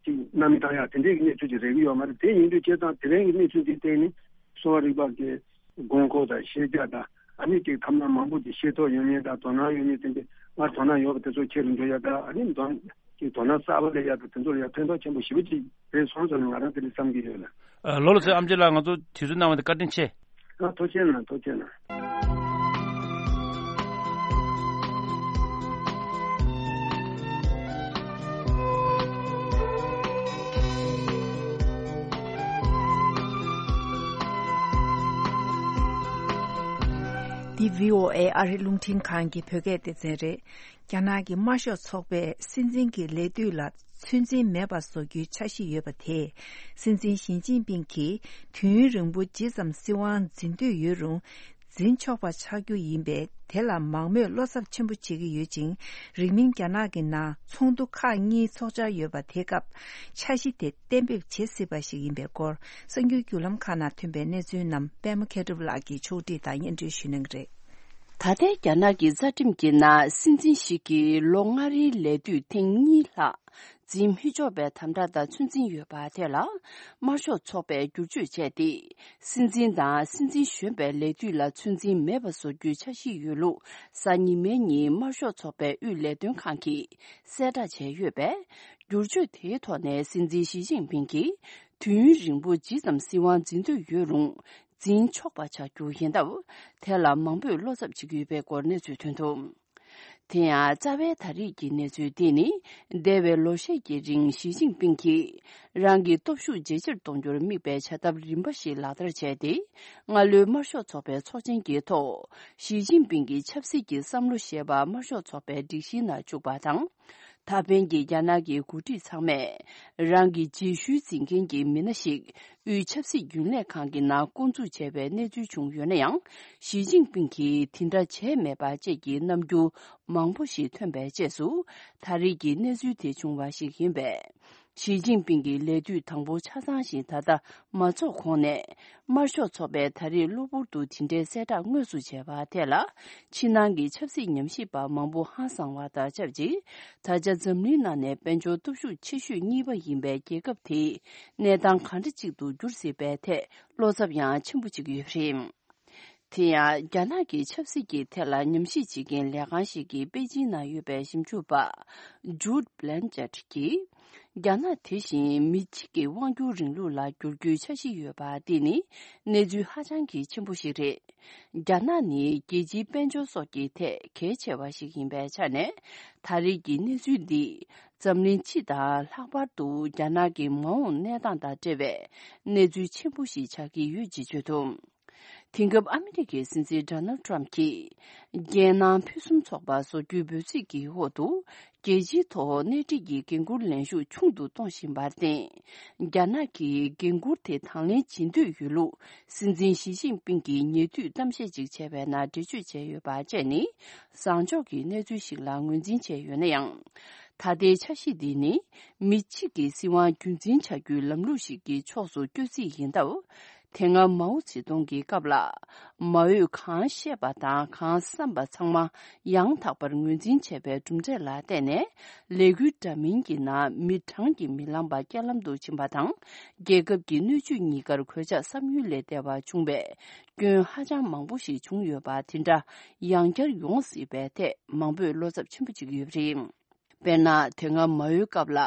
ཅིག་གནའ་མི་བཏང་ཡང་དེ་འདྲའི་གནས་ཚུལ་ཅིག་རེག་གི་ཡོད་མ་རེད། དེ་ཡིན་དུས་བྱས་ཙང་དེ་རིང་གི་གནས་ཚུལ་འདི་བལྟས་ནས་གསོ་བ་རིག་པ་གི་དགོས་མཁོ་དང་ཤེས་བྱ་དང་ཨ་ནི་ཅིག་ཐབས་ལམ་མང་པོ་ཅིག་ཤེས་རྟོགས་ཡོད་མཁན་དང་དོ་སྣང་ཡོད་མཁན་དེ་འདྲ་སྔར་དོ་སྣང་ཡོད་པ་དེ་ཚོ་ཆེ་རུ་འགྲོ་ཡ་དང་ཨ་ནི་དོ་ཅིག་དོ་སྣང་གསར་པ་སླེབས་ཡ་དང་དེ་ཚོ་ལ་ཡང་ཕན་ཐོགས་ཆེན་པོ་ཞེ་པོ་ཅིག་རེད་སོང་ཙང་ང་རང་དེ་འདྲ་བསམ་གྱི་ཡོད་ལ། ཨ་ལོ་ལགས་སོ། ཨམ་ཆི་ལགས་ང་ཚོ་དུས་ཚོད་གནང་བ་དེ་བཀའ་དྲིན་ཆེ། ཨ་ཐུགས་རྗེ་གནང་། ཐུགས་རྗེ་གནང་། འདི་བྷི་ཨོ་ཨེ་ཨ་རི་རླུང་འཕྲིན་ཁང་གི་བོད་སྐད་སྡེ་ཚན་རེད། རྒྱ་ནག་གི་དམར་ཤོག་ཚོགས་པས་སྲིད་འཛིན་གྱི་ལས་དུས་ལ་ཚོད་འཛིན་མེད་པ་བཟོ་རྒྱུའི་འཆར་གཞི་ཡོད་པ་དེས། སྲིད་འཛིན་ཞི་ཅིན་ཕིང་གིས་དུས་ཡུན་རིང་པོ་ཇི་ཙམ་སྲིད་དབང་འཛིན་འདོད་ཡོད་རུང་། འཛིན་ཆོག་པ་ཆགས་རྒྱུ་ཡིན་པས། དེ་ལ་མང་མོས་བློ་འཚབ་ཆེན་པོ་བྱེད་ཀྱི་ཡོད་ཅིང་། རིང་མིན་རྒྱ་ནག་གི་ནང་ཚོགས་འདུ་ཁག་གཉིས་ཚོགས་འཆར་ཡོད་པ། དེ་སྐབས་འཆར་གཞི་དེ་གཏན་འབེབས་བྱེད་སྲིད་པ་ཞིག་ཡིན་པའི་སྐོར། གསར་འགྱུར་བརྒྱུད་ལམ་ཁག་ནང་ཐོན་པའི་གནས་ཚུལ་རྣམས་པད་མ་མཁས་གྲུབ་ལགས་ཀྱིས་ཕྱོགས་སྒྲིག་དང་སྙན་སྒྲོན་ཞུ་གནང་གི་རེད། ད་ལྟའི་རྒྱ་ནག་གི་རྩ་ཁྲིམས་ཀྱི་ནང་སྲིད་འཛིན་ཞིག་གིས་ལོ་ལྔ་རེའི་ལས་དུས་ཐེངས་གཉིས་ལྷག་འཛིན་མི་ཆོག་པའི་དམ་བསྒྲགས་དང་ཚོད་འཛིན་ཡོད་པ་དེ་ལ་དམར་ཤོག་ཚོགས་པས་བསྒྱུར་བཅོས་བྱས་ཏེ། སྲིད་འཛིན་དང་སྲིད་འཛིན་གཞོན་པའི་ལས་དུས་ལ་ཚོད་འཛིན་མེད་པ་བཟོ་རྒྱུའི་འཆར་གཞི་ཡོད་ལུགས་གཟའ་ཉི་མའི་ཉིན་དམར་ཤོག་ཚོགས་པའི་དབུས་ལས་དོན་ཁང་གིས་གསལ་བསྒྲགས་བྱས་ཡོད་པས། བསྒྱུར་བཅོས་དེའི་ཐོག་ནས་སྲིད་འཛིན་ཞི་ཅིན་ཕིང་གིས་དུས་ཡུན་རིང་པོ་ཇི་ཙམ་སྲིད་དབང་འཛིན་འདོད་ཡོད་རུང་། འཛིན་ཆོག་པ་ཆགས་རྒྱུ་ཡིན་སྟབས། དེ་ལ་མང་པོས་བློ་འཚབ་བྱེད་ཀྱི་ཡོད་པའི་སྐོར་གནས་ཚུལ་ཐོན་འདུག་དེ་ཡང་རྩ་བའི་ད་རེས་ཀྱི་གནས་ཚུལ་འདི་ནི། འདས་པའི་ལོ་ཤས་ཀྱི་རིང་ཞི་ཅིན་ཕིང་གིས་རང་གི་སྟོབས་ཤུགས་ཇེ་ཆེར་གཏོང་རྒྱུར་དམིགས་པའི་བྱ་ཐབས་རིམ་པ་ཞིག་ལག་བསྟར་བྱས་ཏེ། སྔ་ལོའི་དམར་ཤོག་ཚོགས་པའི་ཚོགས་ཆེན་གྱི་ཐོག་ཞི་ཅིན་ཕིང་གི་ཆབ་སྲིད་ཀྱི་བསམ་བློ་ཞེས་པ་དམར་ཤོག་ཚོགས་པའི་སྒྲིག་གཞིའི་ནང་བཅུག་པ་དང་། ད་ཕན་གྱི་རྒྱ་ནག་གི་འགོ་ཁྲིད་ཚང་མས་རང་གི་རྗེས་ཤུལ་འཛིན་མཁན་གྱི་མི་སྣ་ཞིག་དབུས་ཆབ་སྲིད་རྒྱུན་ལས་ཁང་གི་ནང་བསྐོ་འཛུགས་བྱས་པའི་གནས་ཚུལ་བྱུང་ཡོད་ན་ཡང་། ཞི་ཅིན་ཕིང་གིས་དེ་འདྲ་བྱས་མེད་པ་བཅས་ཀྱི་རྣམ་འགྱུར་མང་པོ་ཞིག་ཐོན་པའི་རྗེས་སུ། ད་རེས་ཀྱི་གནས་ཚུལ་དེ་བྱུང་བ་ཞིག་ཡིན་པས། ཞི་ཅིན་ཕིང་གི་ལས་དུས་དང་པོ་ཆ་ཚང་ཞིག་ད་ལྟ་མ་རྫོགས་གོང་ནས། དམར་ཤོག་ཚོགས་པས་ད་རེས་གློ་བུར་དུ་དེ་འདྲའི་གསལ་བསྒྲགས་དངོས་སུ་བྱས་པ་དེ་ལ། ཕྱི་ནང་གི་ཆབ་སྲིད་ཉམས་ཞིབ་པ་མང་པོ་ཧང་སངས་པ་དང་ཆབས་ཅིག་ད་ཆ་འཛམ་གླིང་ནང་ནས་དཔལ་འབྱོར་སྟོབས་ཤུགས་ཆེ་ཤོས་གཉིས་པ་ཡིན་པའི་རྒྱལ་ཁབ་དེའི་གནས་སྟངས་ག་འདྲ་ཅིག་ཏུ་འགྱུར་སྲིད་པའི་ཐད་བློ་འཚབ་ཡང་ཆེན་པོ་བྱེད་ཀྱི་ཡོད་པ་རེད། དེ་ཡང་རྒྱ་ནག་གི་ཆབ་སྲིད་ཀྱི་ཐད་ལ་ཉམས་ཞིབ་བྱེད་མཁན་ལས་ཁང་ཞིག་གི་པེ་ཅིན་ནང་ཡོད་པའི་ཞིབ་འཇུག་པ་ཇུད་བྷི་ལན་ཅེཊ་གྱིས། རྒྱ་ནག་དེ་བཞིན་མི་གཅིག་གི་དབང་སྒྱུར་རིང་ལུགས་ལ་བསྒྱུར་རྒྱུའི་འཆར་གཞི་ཡོད་པ་འདི་ནི་གནས་ཚུལ་ཧ་ཅང་གི་ཆེན་པོ་ཞིག་རེད། རྒྱ་ནག་ནི་རྒྱལ་སྤྱིའི་དཔལ་འབྱོར་སོགས་ཀྱི་ཐད་གལ་ཆེ་བ་ཞིག་ཡིན་པའི་ཆ་ནས། ད་རེས་ཀྱི་གནས་ཚུལ་འདིས་འཛམ་གླིང་སྤྱི་དང་ལྷག་པར་དུ་རྒྱ་ནག་གི་མ་འོངས་གནས་སྟངས་དང་འབྲེལ་བའི་གནས་ཚུལ་ཆེན་པོ་ཞིག་ཆགས་ཀྱི་ཡོད་ཅེས་བརྗོད་འདུག་དེང་སྐབས་ཨ་མི་རི་ཀའི་སྲིད་འཛིན་ཌོ་ནལ་ཊམ་གྱིས། རྒྱལ་ནང་ཕུན་སུམ་ཚོགས་པ་བཟོ་རྒྱུའི་འབོད་ཚིག་གི་འོག་ཏུ། རྒྱལ་སྤྱིའི་ཐོག་སྣེ་ཁྲིད་ཀྱི་འགན་འཁུར་ལེན་ཤུགས་ཆུང་དུ་གཏོང་བཞིན་པར་བརྟེན། རྒྱ་ནག་གིས་འགན་འཁུར་དེ་དང་ལེན་བྱེད་འདོད་ཡོད་ལུགས། སྲིད་འཛིན་ཞི་ཅིན་ཕིང་གིས་ཉེ་དུས་གཏམ་བཤད་ཅིག་བྱས་པའི་ནང་འགྲེལ་བརྗོད་བྱས་ཡོད་པ་བཅས་ནི། བཟང་ཕྱོགས་ཀྱི་གནས་ཚུལ་ཞིག་ལ་ངོས་འཛིན་བྱས་ཡོད་ན་ཡང་། ད་ལྟའི་འཆར་གཞི་འདི་ནི། མི་གཅིག་གི་སྲིད་དབང་རྒྱུན་འཛིན་བྱ་རྒྱུའི་ལམ་ལུགས་ཤིག་གི་ཕྱོགས་སུ་བསྐྱོད་རྩིས་ཡིན་སྟབས། དེ་སྔ་མའོ་ཙེ་ཏུང་གི་སྐབས་ལ། མ་འོས་གང་བཤད་པ་དང་གང་བསམ་པ་ཚང་མ་ཡང་དག་པར་ངོས་འཛིན་བྱས་པའི་གྲུབ་འབྲས་ལ་བརྟེན་ནས། ལས་འགུལ་འདྲ་མིན་གྱི་ནང་མི་གྲངས་ཀྱིས་མི་ལངས་པ་རྐྱེན་ལམ་དུ་ཕྱིན་པ་དང་། རྒྱལ་ཁབ་ཀྱི་སྣོད་བཅུད་གཉིས་ཀར་གོད་ཆག་བསམ་ཡུལ་ལས་འདས་པ་བྱུང་བས། སྐྱོན་ཧ་ཅང་མང་པོ་ཞིག་བྱུང་ཡོད་པ་དེ་འདྲ་ཡང་བསྐྱར་ཡོང་སྲིད་པའི་ཐད། མང་པོས་བློ་འཚབ་ཆེན་པོ་བྱེད་ཀྱི་ཡོད་པ་རེད། དཔེར་ན། དེ་སྔ་མ་འོའི་སྐབས་ལ།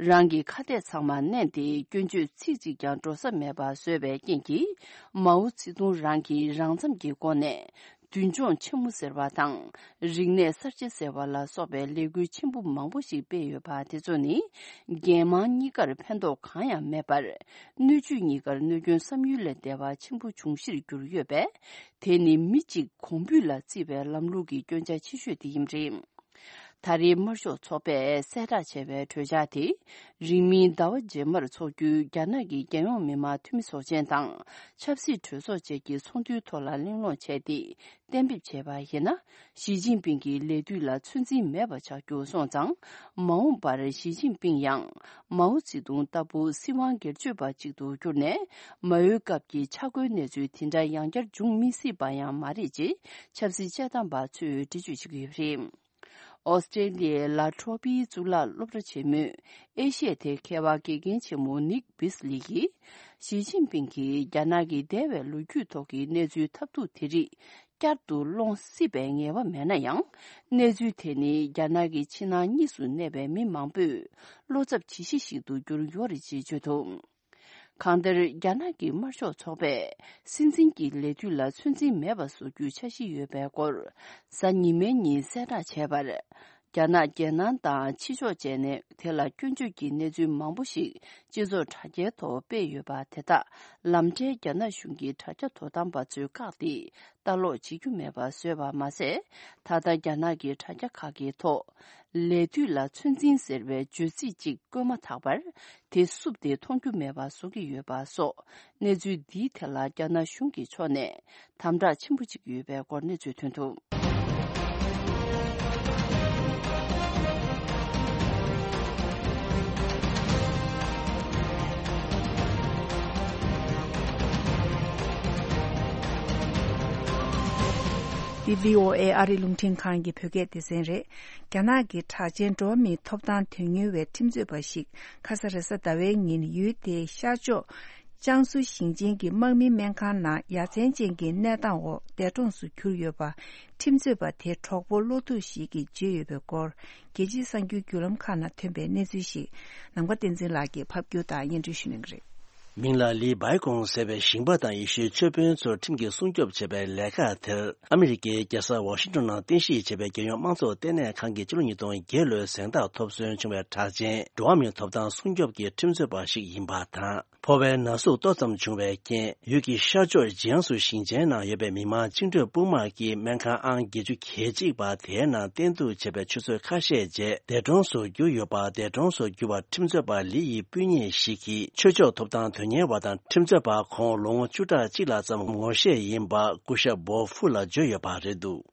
རང་གི་ཁ་གཏད་ཚང་མ་མནན་ཏེ། སྐྱོན་བརྗོད་ཚིག་གཅིག་ཀྱང་འགྲོ་ས་མེད་པ་བཟོས་པའི་རྐྱེན་གྱིས། མའོ་ཙེ་ཏུང་རང་གིས་རང་འཚམ་གྱི་སྒོ་ནས། མདུན་ལྗོངས་ཆེན་མོ་ཟེར་བ་དང་། རིག་གནས་གསར་བརྗེ་ཟེར་བ་ལ་སོགས་པའི་ལས་འགུལ་ཆེན་པོ་མང་པོ་ཞིག་སྤེལ་ཡོད་པ་དེ་ཚོ་ནི། རྒྱལ་དམངས་གཉིས་ཀར་ཕན་ཐོགས་གང་ཡང་མེད་པར། སྣོད་བཅུད་གཉིས་ཀར་གནོད་སྐྱོན་བསམ་ཡུལ་ལས་འདས་པ་ཆེན་པོ་འབྱུང་གཞིར་གྱུར་ཡོད་པས། དེ་ནི་མི་གཅིག་གོང་འབུད་ལ་བརྩིས་པའི་ལམ་ལུགས་ཀྱི་སྐྱོན་ཆ་ཆེ་ཤོས་དེ་ཡིན་པ་རེད། ད་རེས་དམར་ཤོག་ཚོགས་པས་གསལ་བསྒྲགས་བྱས་པའི་གྲོས་འཆར་དེ། རིང་མིན་ཟླ་བ་རྗེས་མར་འཚོགས་རྒྱུའི་རྒྱ་ནག་གི་རྒྱལ་ཡོངས་མི་དམངས་འཐུས་མི་ཚོགས་ཆེན་དང་། ཆབ་སྲིད་གྲོས་ཚོགས་བཅས་ཀྱི་ཚོགས་འདུའི་ཐོག་ལ་གླེང་སློང་བྱས་ཏེ། གཏན་འབེབས་བྱས་པ་ཡིན་ན། ཞི་ཅིན་ཕིང་གི་ལས་དུས་ལ་ཚོད་འཛིན་མེད་པ་ཆགས་རྒྱུ་སོང་ཙང་། མ་འོངས་པར་ཞི་ཅིན་ཕིང་ཡང་། མའོ་ཙེ་ཏུང་ལྟ་བུ་སྲིད་དབང་སྒེར་གཅོད་པ་ཅིག་ཏུ་གྱུར་ནས། མ་འོའི་སྐབས་ཀྱི་ཆག་སྒོའི་གནས་ཚུལ་དེ་འདྲ་ཡང་བསྐྱར་འབྱུང་མི་སྲིད་པ་ཡང་མ་རེད་ཅེས། ཆབ་སྲིད་དཔྱད་གཏམ་པ་ཚོས་འགྲེལ་བརྗོད་བྱེད་ཀྱི་ཡོད་པ་རེད། ཨོ་སི་ཀྲེ་ལི་ཡའི་ལ་ཁྲོ་པིའི་གཙུག་ལག་སློབ་གྲྭ་ཆེན་མོའི་ཨེ་ཤི་ཡ་ཐད་མཁས་པ་དགེ་རྒན་ཆེན་མོ་ནིག་བིས་ལི་ཡིས། ཞི་ཅིན་ཕིང་གིས་རྒྱ་ནག་གི་འདས་པའི་ལོ་རྒྱུས་ཐོག་གི་གནས་ཚུལ་ཐབས་སྡུག་དེ་རིགས་བསྐྱར་དུ་སློང་སྲིད་པའི་ངེས་པ་མེད་ན་ཡང་། གནས་ཚུལ་དེ་ནི་རྒྱ་ནག་གི་ཕྱི་ནང་གཉིས་སུ་གནས་པའི་མི་མང་པོས་བློ་འཚབ་བྱེད་གཞི་ཞིག་ཏུ་གྱུར་ཡོད་རེད་ཅེས་བརྗོད་འདུག་གང་ལྟར། རྒྱ་ནག་གི་དམར་ཤོག་ཚོགས་པས་སྲིད་འཛིན་གྱི་ལས་དུས་ལ་ཚོད་འཛིན་མེད་པ་བཟོ་རྒྱུའི་འཆར་གཞི་ཡོད་པའི་སྐོར། གཟའ་ཉི་མའི་ཉིན་གསལ་བསྒྲགས་བྱས་པར། རྒྱ་ནག་རྒྱལ་ནང་དང་ཕྱི་ཕྱོགས་བཅས་ནས་དེ་ལ་སྐྱོན་བརྗོད་ཀྱི་གནས་ཚུལ་མང་པོ་ཞིག་སྤྱི་ཚོགས་དྲ་རྒྱའི་ཐོག་སྤེལ་ཡོད་པ་དེ་དག་ལམ་འཕྲལ་རྒྱ་ནག་གཞུང་གི་དྲ་རྒྱ་དོ་དམ་པ་ཚོས་བཀག་སྟེ། ལྟ་ཀློག་བྱེད་རྒྱུ་མེད་པ་བཟོས་པ་མ་ཟད། ད་ལྟ་རྒྱ་ནག་གི་དྲ་རྒྱ་ཁག་གི་ཐོག་ལས་དུས་ལ་ཚོད་འཛིན་ཟེར་བའི་བརྗོད་ཚིག་ཅིག་བཀོད་མ་ཐག་པར། དེ་བསུབས་ཏེ་མཐོང་རྒྱུ་མེད་པ་བཟོ་གི་ཡོད་པ་སོགས། གནས་ཚུལ་འདིའི་ཐད་ལ་རྒྱ་ནག་གཞུང་གི་ཕྱོགས་ནས་དམ་དྲག་ཆེན་པོ་བྱེད་ཀྱི་ཡོད་པའི་སྐོར་གནས་ཚུལ་ཐོན་འདུག་འདི་བྷི་ཨོ་ཨེ་ཨ་རིའི་རླུང་འཕྲིན་ཁང་གི་བོད་སྐད་སྡེ་ཚན་རེད། རྒྱ་ནག་གི་གྲགས་ཅན་འགྲོ་བ་མིའི་ཐོབ་ཐང་དོན་གཉེར་བའི་ཁྲིམས་རྩོད་པ་ཞིག་ཁ་ས་རེས་གཟའ་ཟླ་བའི་ཉིན་ཡུལ་དེའི་ཤར་ཕྱོགས་ཅང་སུའུ་ཞིང་ཆེན་གྱི་དམག་མིའི་སྨན་ཁང་ནང་ཡ་མཚན་ཅན་གྱི་གནས་སྟངས་འོག་འདས་གྲོངས་སུ་གྱུར་ཡོད་པ། ཁྲིམས་རྩོད་པ་དེའི་གྲོགས་པོ་བློ་ཐུག་ཞིག་གིས་བརྗོད་ཡོད་པའི་སྐོར། རྒྱལ་སྤྱིའི་གསར་འགྱུར་བརྒྱུད་ལམ་ཁག་ནང་ཐོན་པའི་གནས་ཚུལ་ཞིག་ནམ་མཁའ་བསྟན་འཛིན་ལགས་ཀྱིས་ཕབ་སྒྱུར་དང་སྙན་སྒྲོན་ཞུ་གནང་གི་རེད། མིང་ལ་ལི་བྷའི་ཀོང་ཟེར་བའི་ཞིང་པ་དང་ཡེ་ཤུའི་ཆོས་དཔོན་ཚོར་ཁྲིམས་ཀྱིས་སྲུང་སྐྱོབ་བྱས་པའི་ལས་ཀ་དེར། ཨ་མི་རི་ཀའི་རྒྱལ་ས་ཝ་ཤིང་ཏོན་ནང་རྟེན་གཞི་བྱས་པའི་རྒྱལ་ཡོངས་དམངས་གཙོ་ལྟེ་གནས་ཁང་གིས་ཕྱི་ལོ་ཉིས་སྟོང་བརྒྱད་ལོའི་གཟེངས་རྟགས་ཐོབ་སོན་བྱུང་བའི་གྲགས་ཅན་འགྲོ་བ་མིའི་ཐོབ་ཐང་སྲུང་སྐྱོབ་ཀྱི་ཁྲིམས་རྩོད་པ་ཞིག་ཡིན་པ་དང་། ཕོ་བའི་ན་ཟུག་ཏོག་ཙམ་བྱུང་བའི་རྐྱེན། ཡུལ་གྱི་ཤར་ཕྱོགས་ཇི་ཡང་སུ་ཞིང་ཆེན་ནང་ཡོད་པའི་མི་དམངས་བཅིངས་འགྲོལ་དཔུང་དམག་གིས་སྨན་ཁང་ཨང་བརྒྱད་ཅུ་གྱ་གཅིག་པ་དེའི་ནང་བསྟེན་གཏུག་བྱས་པའི་ཆུ་ཚོད་ཁ་ཤས་རྗེས་འདས་གྲོངས་སུ་གྱུར་ཡོད་པ། འདས་གྲོངས་སུ་གྱུར་བ་ཁྲིམས་རྩོད་པ་ལི་ཡི་སྤུན་ཉེ་ཞིག་གིས་ཆོས་ཕྱོགས་ཐོབ་ཐང་དོན་གཉེར་བ་དང་ཁྲིམས་རྩོད་པ་ཁོང་ལོ་ངོ་བཅུ་ཕྲག་གཅིག་ལྷག་ཙམ་ངོ་ཤེས་ཡིན་པ་སྐུ་ཞབས་བོབ་ཧྥུ་ལ་བརྗོད་ཡོད་པ་རེད་འདུག་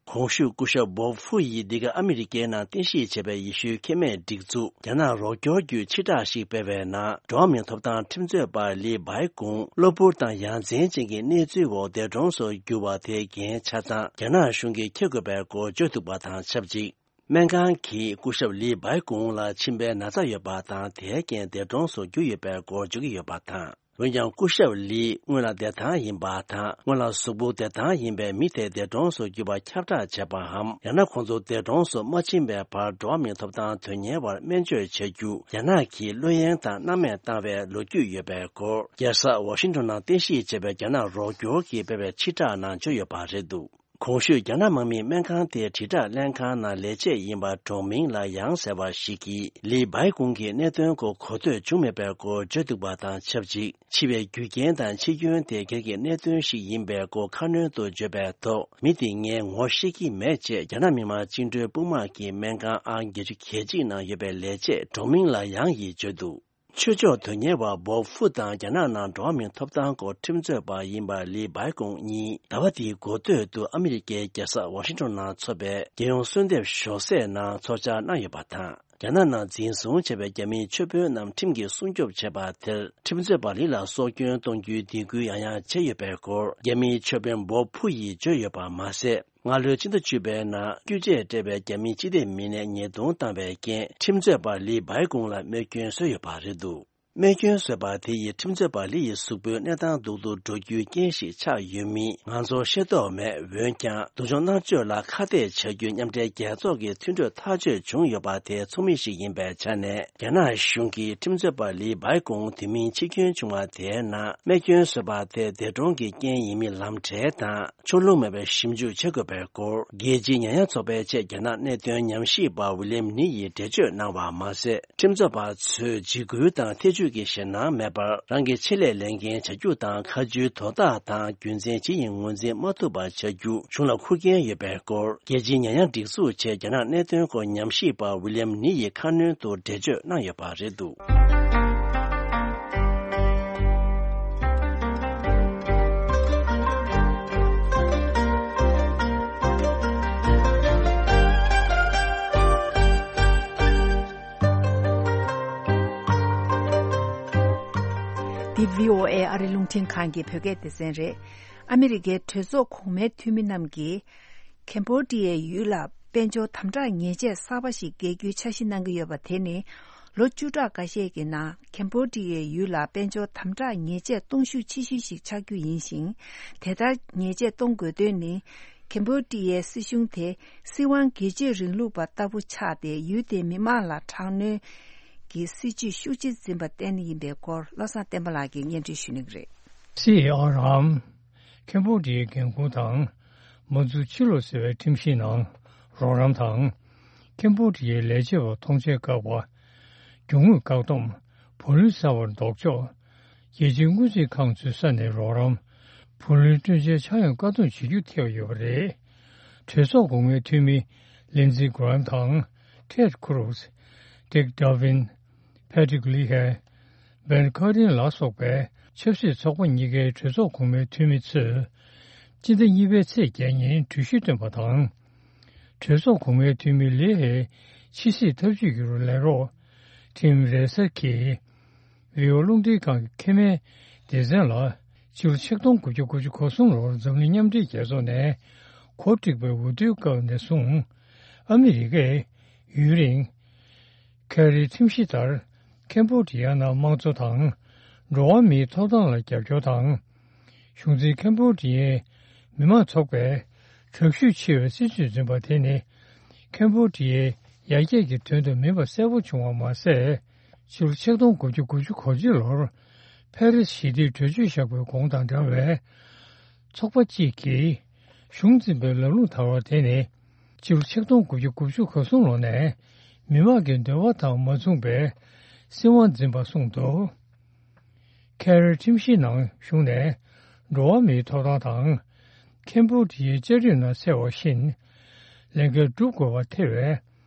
གོང་ཞུས་སྐུ་ཞབས་བོབ་ཧྥུ་ཡིས་འདི་ག་ཨ་མི་རི་ཀའི་ནང་རྟེན་གཞི་བྱས་པའི་ཡེ་ཤུའི་ཁེ་མེད་སྒྲིག་འཛུགས་རྒྱ་ནག་རོགས་སྐྱོར་བརྒྱུད་ཕྱིར་བསྒྲགས་ཤིག་སྤེལ་བའི་ནང་། འགྲོ་བ་མིའི་ཐོབ་ཐང་ཁྲིམས་རྩོད་པ་ལི་བྷའི་ཀུང་གློ་བུར་དང་ཡ་མཚན་ཅན་གྱི་གནས་ཚུལ་འོག་འདས་གྲོངས་སུ་གྱུར་བ་དེའི་འགན་ཆ་ཚང་རྒྱ་ནག་གཞུང་གིས་འཁྱེར་དགོས་པའི་སྐོར་བརྗོད་འདུག་པ་དང་ཆབས་ཅིག་སྨན་ཁང་གིས་སྐུ་ཞབས་ལི་བྷའི་ཀུང་ལ་མཆིན་པའི་ན་ཚ་ཡོད་པ་དང་། དེའི་རྐྱེན་འདས་གྲོངས་སུ་གྱུར་ཡོད་པའི་སྐོར་བརྗོད་ཀྱི་ཡོད་པ་དང་། འོན་ཀྱང་སྐུ་ཞབས་ལི་སྔོན་ལ་བདེ་ཐང་ཡིན་པ་དང་། སྔོན་ལ་གཟུགས་པོ་བདེ་ཐང་ཡིན་པའི་མི་དེ་འདས་གྲོངས་སུ་གྱུར་པ་ཁྱབ་བསྒྲགས་བྱས་པའམ། ཡང་ན་ཁོང་ཚོ་འདས་གྲོངས་སུ་མ་ཕྱིན་པའི་བར་འགྲོ་བ་མིའི་ཐོབ་ཐང་དོན་གཉེར་བར་སྨན་བཅོས་བྱ་རྒྱུ་རྒྱ་ནག་གིས་བློ་གཡེང་དང་སྣང་མེད་བཏང་བའི་ལོ་རྒྱུས་ཡོད་པའི་སྐོར། རྒྱལ་ས་ཝ་ཤིང་ཏོན་ནང་རྟེན་གཞི་བྱས་པའི་རྒྱ་ནག་རོགས་སྐྱོར་གྱིས་སྤེལ་བའི་ཕྱིར་བསྒྲགས་ནང་བརྗོད་ཡོད་པ་རེད་འདུག་གོང་ཞུས་རྒྱ་ནག་དམག་མིའི་སྨན་ཁང་དེ་དྲིལ་བསྒྲགས་ལྷན་ཁང་ནང་ལས་བྱེད་ཡིན་པ་གྲོང་མིང་ལ་ཡང་ཟེར་བ་ཞིག་གིས་ལི་བྷའི་ཀུང་གི་གནད་དོན་སྐོར་གོ་ཐོས་བྱུང་མེད་པའི་སྐོར་བརྗོད་འདུག་པ་དང་ཆབས་ཅིག་འཆི་བའི་རྒྱུ་རྐྱེན་དང་འཆི་སྐྱོན་དེ་སྒེར་གྱི་གནད་དོན་ཞིག་ཡིན་པའི་སྐོར་ཁ་སྣོན་དུ་བརྗོད་པའི་ཐོག་མི་དེ་ངས་ངོ་ཤེས་ཀྱི་མེད་ཅེས་རྒྱ་ནག་མི་དམངས་བཅིངས་འགྲོལ་དཔུང་དམག་གི་སྨན་ཁང་ཨང་བརྒྱད་ཅུ་གྱ་གཅིག་ནང་ཡོད་པའི་ལས་བྱེད་གྲོང་མིང་ལ་ཡང་ཡིས་བརྗོད་འདུག་ཆོས་ཕྱོགས་དོན་གཉེར་བ་བོབ་ཧྥུ་དང་རྒྱ་ནག་ནང་འགྲོ་བ་མིའི་ཐོབ་ཐང་སྐོར་ཁྲིམས་རྩོད་པ་ཡིན་པ་ལི་བྷའི་ཀུང་གཉིས་ཟླ་བ་འདིའི་འགོ་སྟོད་དུ་ཨ་མི་རི་ཀའི་རྒྱལ་ས་ཝ་ཤིང་ཏོན་ནང་འཚོགས་པའི་རྒྱལ་ཡོངས་གསོལ་འདེབས་ཞོགས་ཟས་ནང་ཚོགས་བཅར་གནང་ཡོད་པ་དང་། རྒྱ་ནག་ནང་འཛིན་བཟུང་བྱས་པའི་རྒྱ་མིའི་ཆོས་དཔོན་རྣམས་ཁྲིམས་ཀྱིས་སྲུང་སྐྱོབ་བྱས་པ་དེར་ཁྲིམས་རྩོད་པ་ལི་ལ་སྲོག་སྐྱོན་གཏོང་རྒྱུའི་སྡིགས་སྐུལ་ཡང་ཡང་བྱས་ཡོད་པའི་སྐོར་རྒྱ་མིའི་ཆོས་དཔོན་བོབ་ཧྥུ་ཡིས་བརྗོད་ཡོད་པ་མ་ཟད། སྔ་ལོའི་ཕྱི་ཟླ་བཅུ་པའི་ནང་སྐྱོན་བརྗོད་སྤྲད་པའི་རྒྱ་མིའི་སྤྱི་བདེ་མི་སྣས་ཉེས་རྡུང་བཏང་བའི་རྐྱེན་ཁྲིམས་རྩོད་པ་ལི་བྷའི་ཀུང་ལ་རྨས་སྐྱོན་བཟོས་ཡོད་པ་རེད་འདུག་རྨས་སྐྱོན་བཟོས་པ་དེ་ཡིས་ཁྲིམས་རྩོད་པ་ལི་ཡི་གཟུགས་པོའི་གནས་སྟངས་སྡུག་ཏུ་འགྲོ་རྒྱུའི་རྐྱེན་ཞིག་ཆགས་ཡོད་མིན་ང་ཚོར་ཤེས་རྟོགས་མེད། འོན་ཀྱང་སྡུག་སྦྱོང་མནར་གཅོད་ལ་ཁ་གཏད་བྱ་རྒྱུའི་མཉམ་འབྲེལ་རྒྱལ་ཚོགས་ཀྱི་མཐུན་གྲོས་ཐག་གཅོད་བྱུང་ཡོད་པ་དེ་ཚོགས་མི་ཞིག་ཡིན་པའི་ཆ་ནས། རྒྱ་ནག་གཞུང་གིས་ཁྲིམས་རྩོད་པ་ལི་བྷའི་ཀུང་དུས་མིན་འཆི་སྐྱོན་བྱུང་བ་དེའི་ནང་རྨས་སྐྱོན་བཟོས་པ་དེ་འདས་གྲོངས་ཀྱི་རྐྱེན་ཡིན་མིན་ལམ་འབྲས་དང་ཕྱོགས་ལྷུང་མེད་པའི་ཞིབ་འཇུག་བྱེད་དགོས་པའི་སྐོར་རྒྱལ་སྤྱིའི་ཉེ་ཡངས་ཚོགས་པའི་ཆེད་རྒྱ་ནག་གནད་དོན་ཉམས་ཞིབ་པ་ཝི་ལིམ་ནི་ཡིས་འགྲེལ་བརྗོད་གནང་བ་མ་ཟད། ཁྲིམས་རྩོད་པ་ཚོས་འཇིགས་སྐུལ་དང་ཐེ་བྱུས་ཀྱི་ཞེད་སྣང་མེད་པར་རང་གི་ཆེད་ལས་ལས་འགན་བྱ་རྒྱུ་དང་ཁ་མཆུའི་དོ་བདག་དང་རྒྱུ་མཚན་ཇི་ཡིན་ངོས་འཛིན་མ་ཐུབ་པ་བྱ་རྒྱུ་གཞུང་ལ་འཁུར་འགན་ཡོད་པའི་སྐོར་རྒྱལ་སྤྱིའི་ཉེ་ཡངས་སྒྲིག་འཛུགས་ཆེད་རྒྱ་ནག་གནད་དོན་སྐོར་ཉམས་ཞིབ་པ་ཝི་ལིམ་ནི་ཡིས་ཁ་སྣོན་དུ་འགྲེལ་བརྗོད་གནང་ཡོད་པ་རེད་འདུག་འདི་བྷི་ཨོ་ཨེ་ཨ་རི་རླུང་འཕྲིན་ཁང་གི་བོད་སྐད་སྡེ་ཚན་རེད། ཨ་མི་རི་ཀའི་གྲོས་ཚོགས་གོང་མའི་འཐུས་མི་རྣམས་ཀྱིས། ཁེམ་བྷོ་ཌི་ཡའི་ཡུལ་ལ་དཔལ་འབྱོར་དམ་དྲག་ཉེས་ཆད་གསར་པ་ཞིག་འགེལ་རྒྱུའི་འཆར་གཞི་གནང་གི་ཡོད་པ་དེ་ནི། ལོ་བཅུ་ཕྲག་འགའ་ཤས་ཀྱི་ནང་ཁེམ་བྷོ་ཌི་ཡའི་ཡུལ་ལ་དཔལ་འབྱོར་དམ་དྲག་ཉེས་ཆད་གཏོང་ཤུགས་ཆེ་ཤོས་ཤིག་ཆགས་རྒྱུ་ཡིན་ཞིང་། དེ་ལྟར་ཉེས་ཆད་གཏོང་དགོས་དོན་ནི། ཁེམ་བྷོ་ཌི་ཡའི་སྲིད་གཞུང་དེ་སྲིད་དབང་སྒེར་གཅོད་རིང་ལུགས་པ་ལྟ་བུ་ཆགས་ཏེ། ཡུལ་དེའི་མི་མང་ལ་དྲག་གནོན་གྱི་སྲིད་བྱུས་ཤུགས་ཆེ་འཛིན་པར་བརྟེན་ཡིན་པའི་སྐོར། བློ་བཟང་བསྟན་པ་ལགས་ཀྱིས་སྙན་སྒྲོན་ཞུ་གནང་གི་རེད། སི་ཨར་ཨམ། ཁེམ་བྷོ་ཌི་ཡའི་འགན་ཁུར་དང་མ་འཛུགས་ཕྱིར་ལོག་ཟེར་བའི་ཁྲིམས་གཞིའི་ནང་རོགས་རམ་དང་། ཁེམ་བྷོ་ཌི་ཡའི་ལས་བྱེད་པ་མཐོང་ཆེན་བཀག་པ། རྒྱུ་དངོས་བཀག་སྡོམ། བུ་ལོན་གསར་བར་ལྡོག་ཕྱོགས། རྒྱལ་སྤྱིའི་སྔོན་རྩིས་ཁང་ཚོའི་ས་ནས་རོགས་རམ། བུ་ལོན་སྤྲོད་འཇལ་ཆག་ཡང་བཀག་སྡོམ་བྱེད་རྒྱུ་ཐེ་བ་ཡོད་པ་རེད། གྲོས་ཚོགས་གོང་མའི་འཐུས་མི་ལིན་ཛི་གྷི་རམ་དང་། ཊེད་ཁུ་རུ་སི། ཌིག་ཌོ་ཝིན། པེ་ཊི་རིག་ལི་ཧེ། བེན་ཁ་རིན་ལ་སོགས་པའི་ཆབ་སྲིད་ཚོགས་པ་གཉིས་ཀའི་གྲོས་ཚོགས་གོང་མའི་འཐུས་མི་ཚོས། སྤྱི་ཟླ་གཉིས་པའི་ཚེས་བརྒྱད་ཉིན་གྲོས་གཞི་བཏོན་པ་དང་། གྲོས་ཚོགས་གོང་མའི་འཐུས་མི་ལི་ཧེ་ཕྱི་སྲིད་ཐབས་ཇུས་ཀྱི་རུ་ལས་རོགས། ཊིམ་རེ་སར་གྱིས། བྷི་ཨོ་རླུང་འཕྲིན་ཁང་གི་ཁེ་མའི་སྡེ་ཚན་ལ། སྤྱི་ལོ་ཆིག་སྟོང་དགུ་བརྒྱ་དགུ་བཅུ་གོ་གསུམ་ལོར་འཛམ་གླིང་མཉམ་འབྲེལ་རྒྱལ་ཚོགས་ནས་གོ་སྒྲིག་པའི་འོས་བསྡུའི་སྐབས་ནས་བཟུང་། ཨ་མི་རི་ཀས་ཡུན་རིང་། ཁེ་རིའི་ཁྲིམས་གཞི་ལྟར། ཁེམ་བྷོ་ཌི་ཡ་ནང་དམངས་གཙོ་དང་། འགྲོ་བ་མིའི་ཐོབ་ཐང་ལ་རྒྱབ་སྐྱོར་དང་། གཞུང་འཛིན་ཁེམ་བྷོ་ཌི་ཡའི་མི་དམངས་ཚོགས་པས་དྲག་ཤུགས་ཆེ་བའི་སྲིད་བྱུས་འཛིན་པ་དེ་ནི། ཁེམ་བྷོ་ཌི་ཡའི་ཡར་རྒྱས་ཀྱི་དོན་དུ་མིན་པ་གསལ་པོ་བྱུང་བ་མ་ཟད། ཕྱི་ལོ་ཆིག་སྟོང་དགུ་བརྒྱ་དགུ་བཅུ་གོ་གཅིག་ལོར། ཕ་རི་སི་ཞི་བདེའི་གྲོས་ཆོད་བཞག་པའི་གོང་དང་འདྲ་བའི། ཚོགས་པ་གཅིག་གིས། གཞུང་འཛིན་པའི་ལམ་ལུགས་དར་བ་དེ་ནི། སྤྱི་ལོ་ཆིག་སྟོང་དགུ་བརྒྱ་དགུ་བཅུ་གོ་གསུམ་ལོ་ནས། མི་དམངས་ཀྱི་འདོད་པ་དང་མ་མཚུངས་པའི། སྲིད་དབང་འཛིན་པ་གསུངས་འདུག་ཁེ་རི་ཁྲིམས་གཞིའི་ནང་གཞུང་ནས་འགྲོ་བ་མིའི་ཐོབ་ཐང་དང་། ཁེམ་བྷོ་ཌི་ཡའི་བཅའ་ཁྲིམས་ནང་གསལ་བ་བཞིན། ལས་འགན་སྒྲུབ་དགོས་པ་ཐེ་བའི།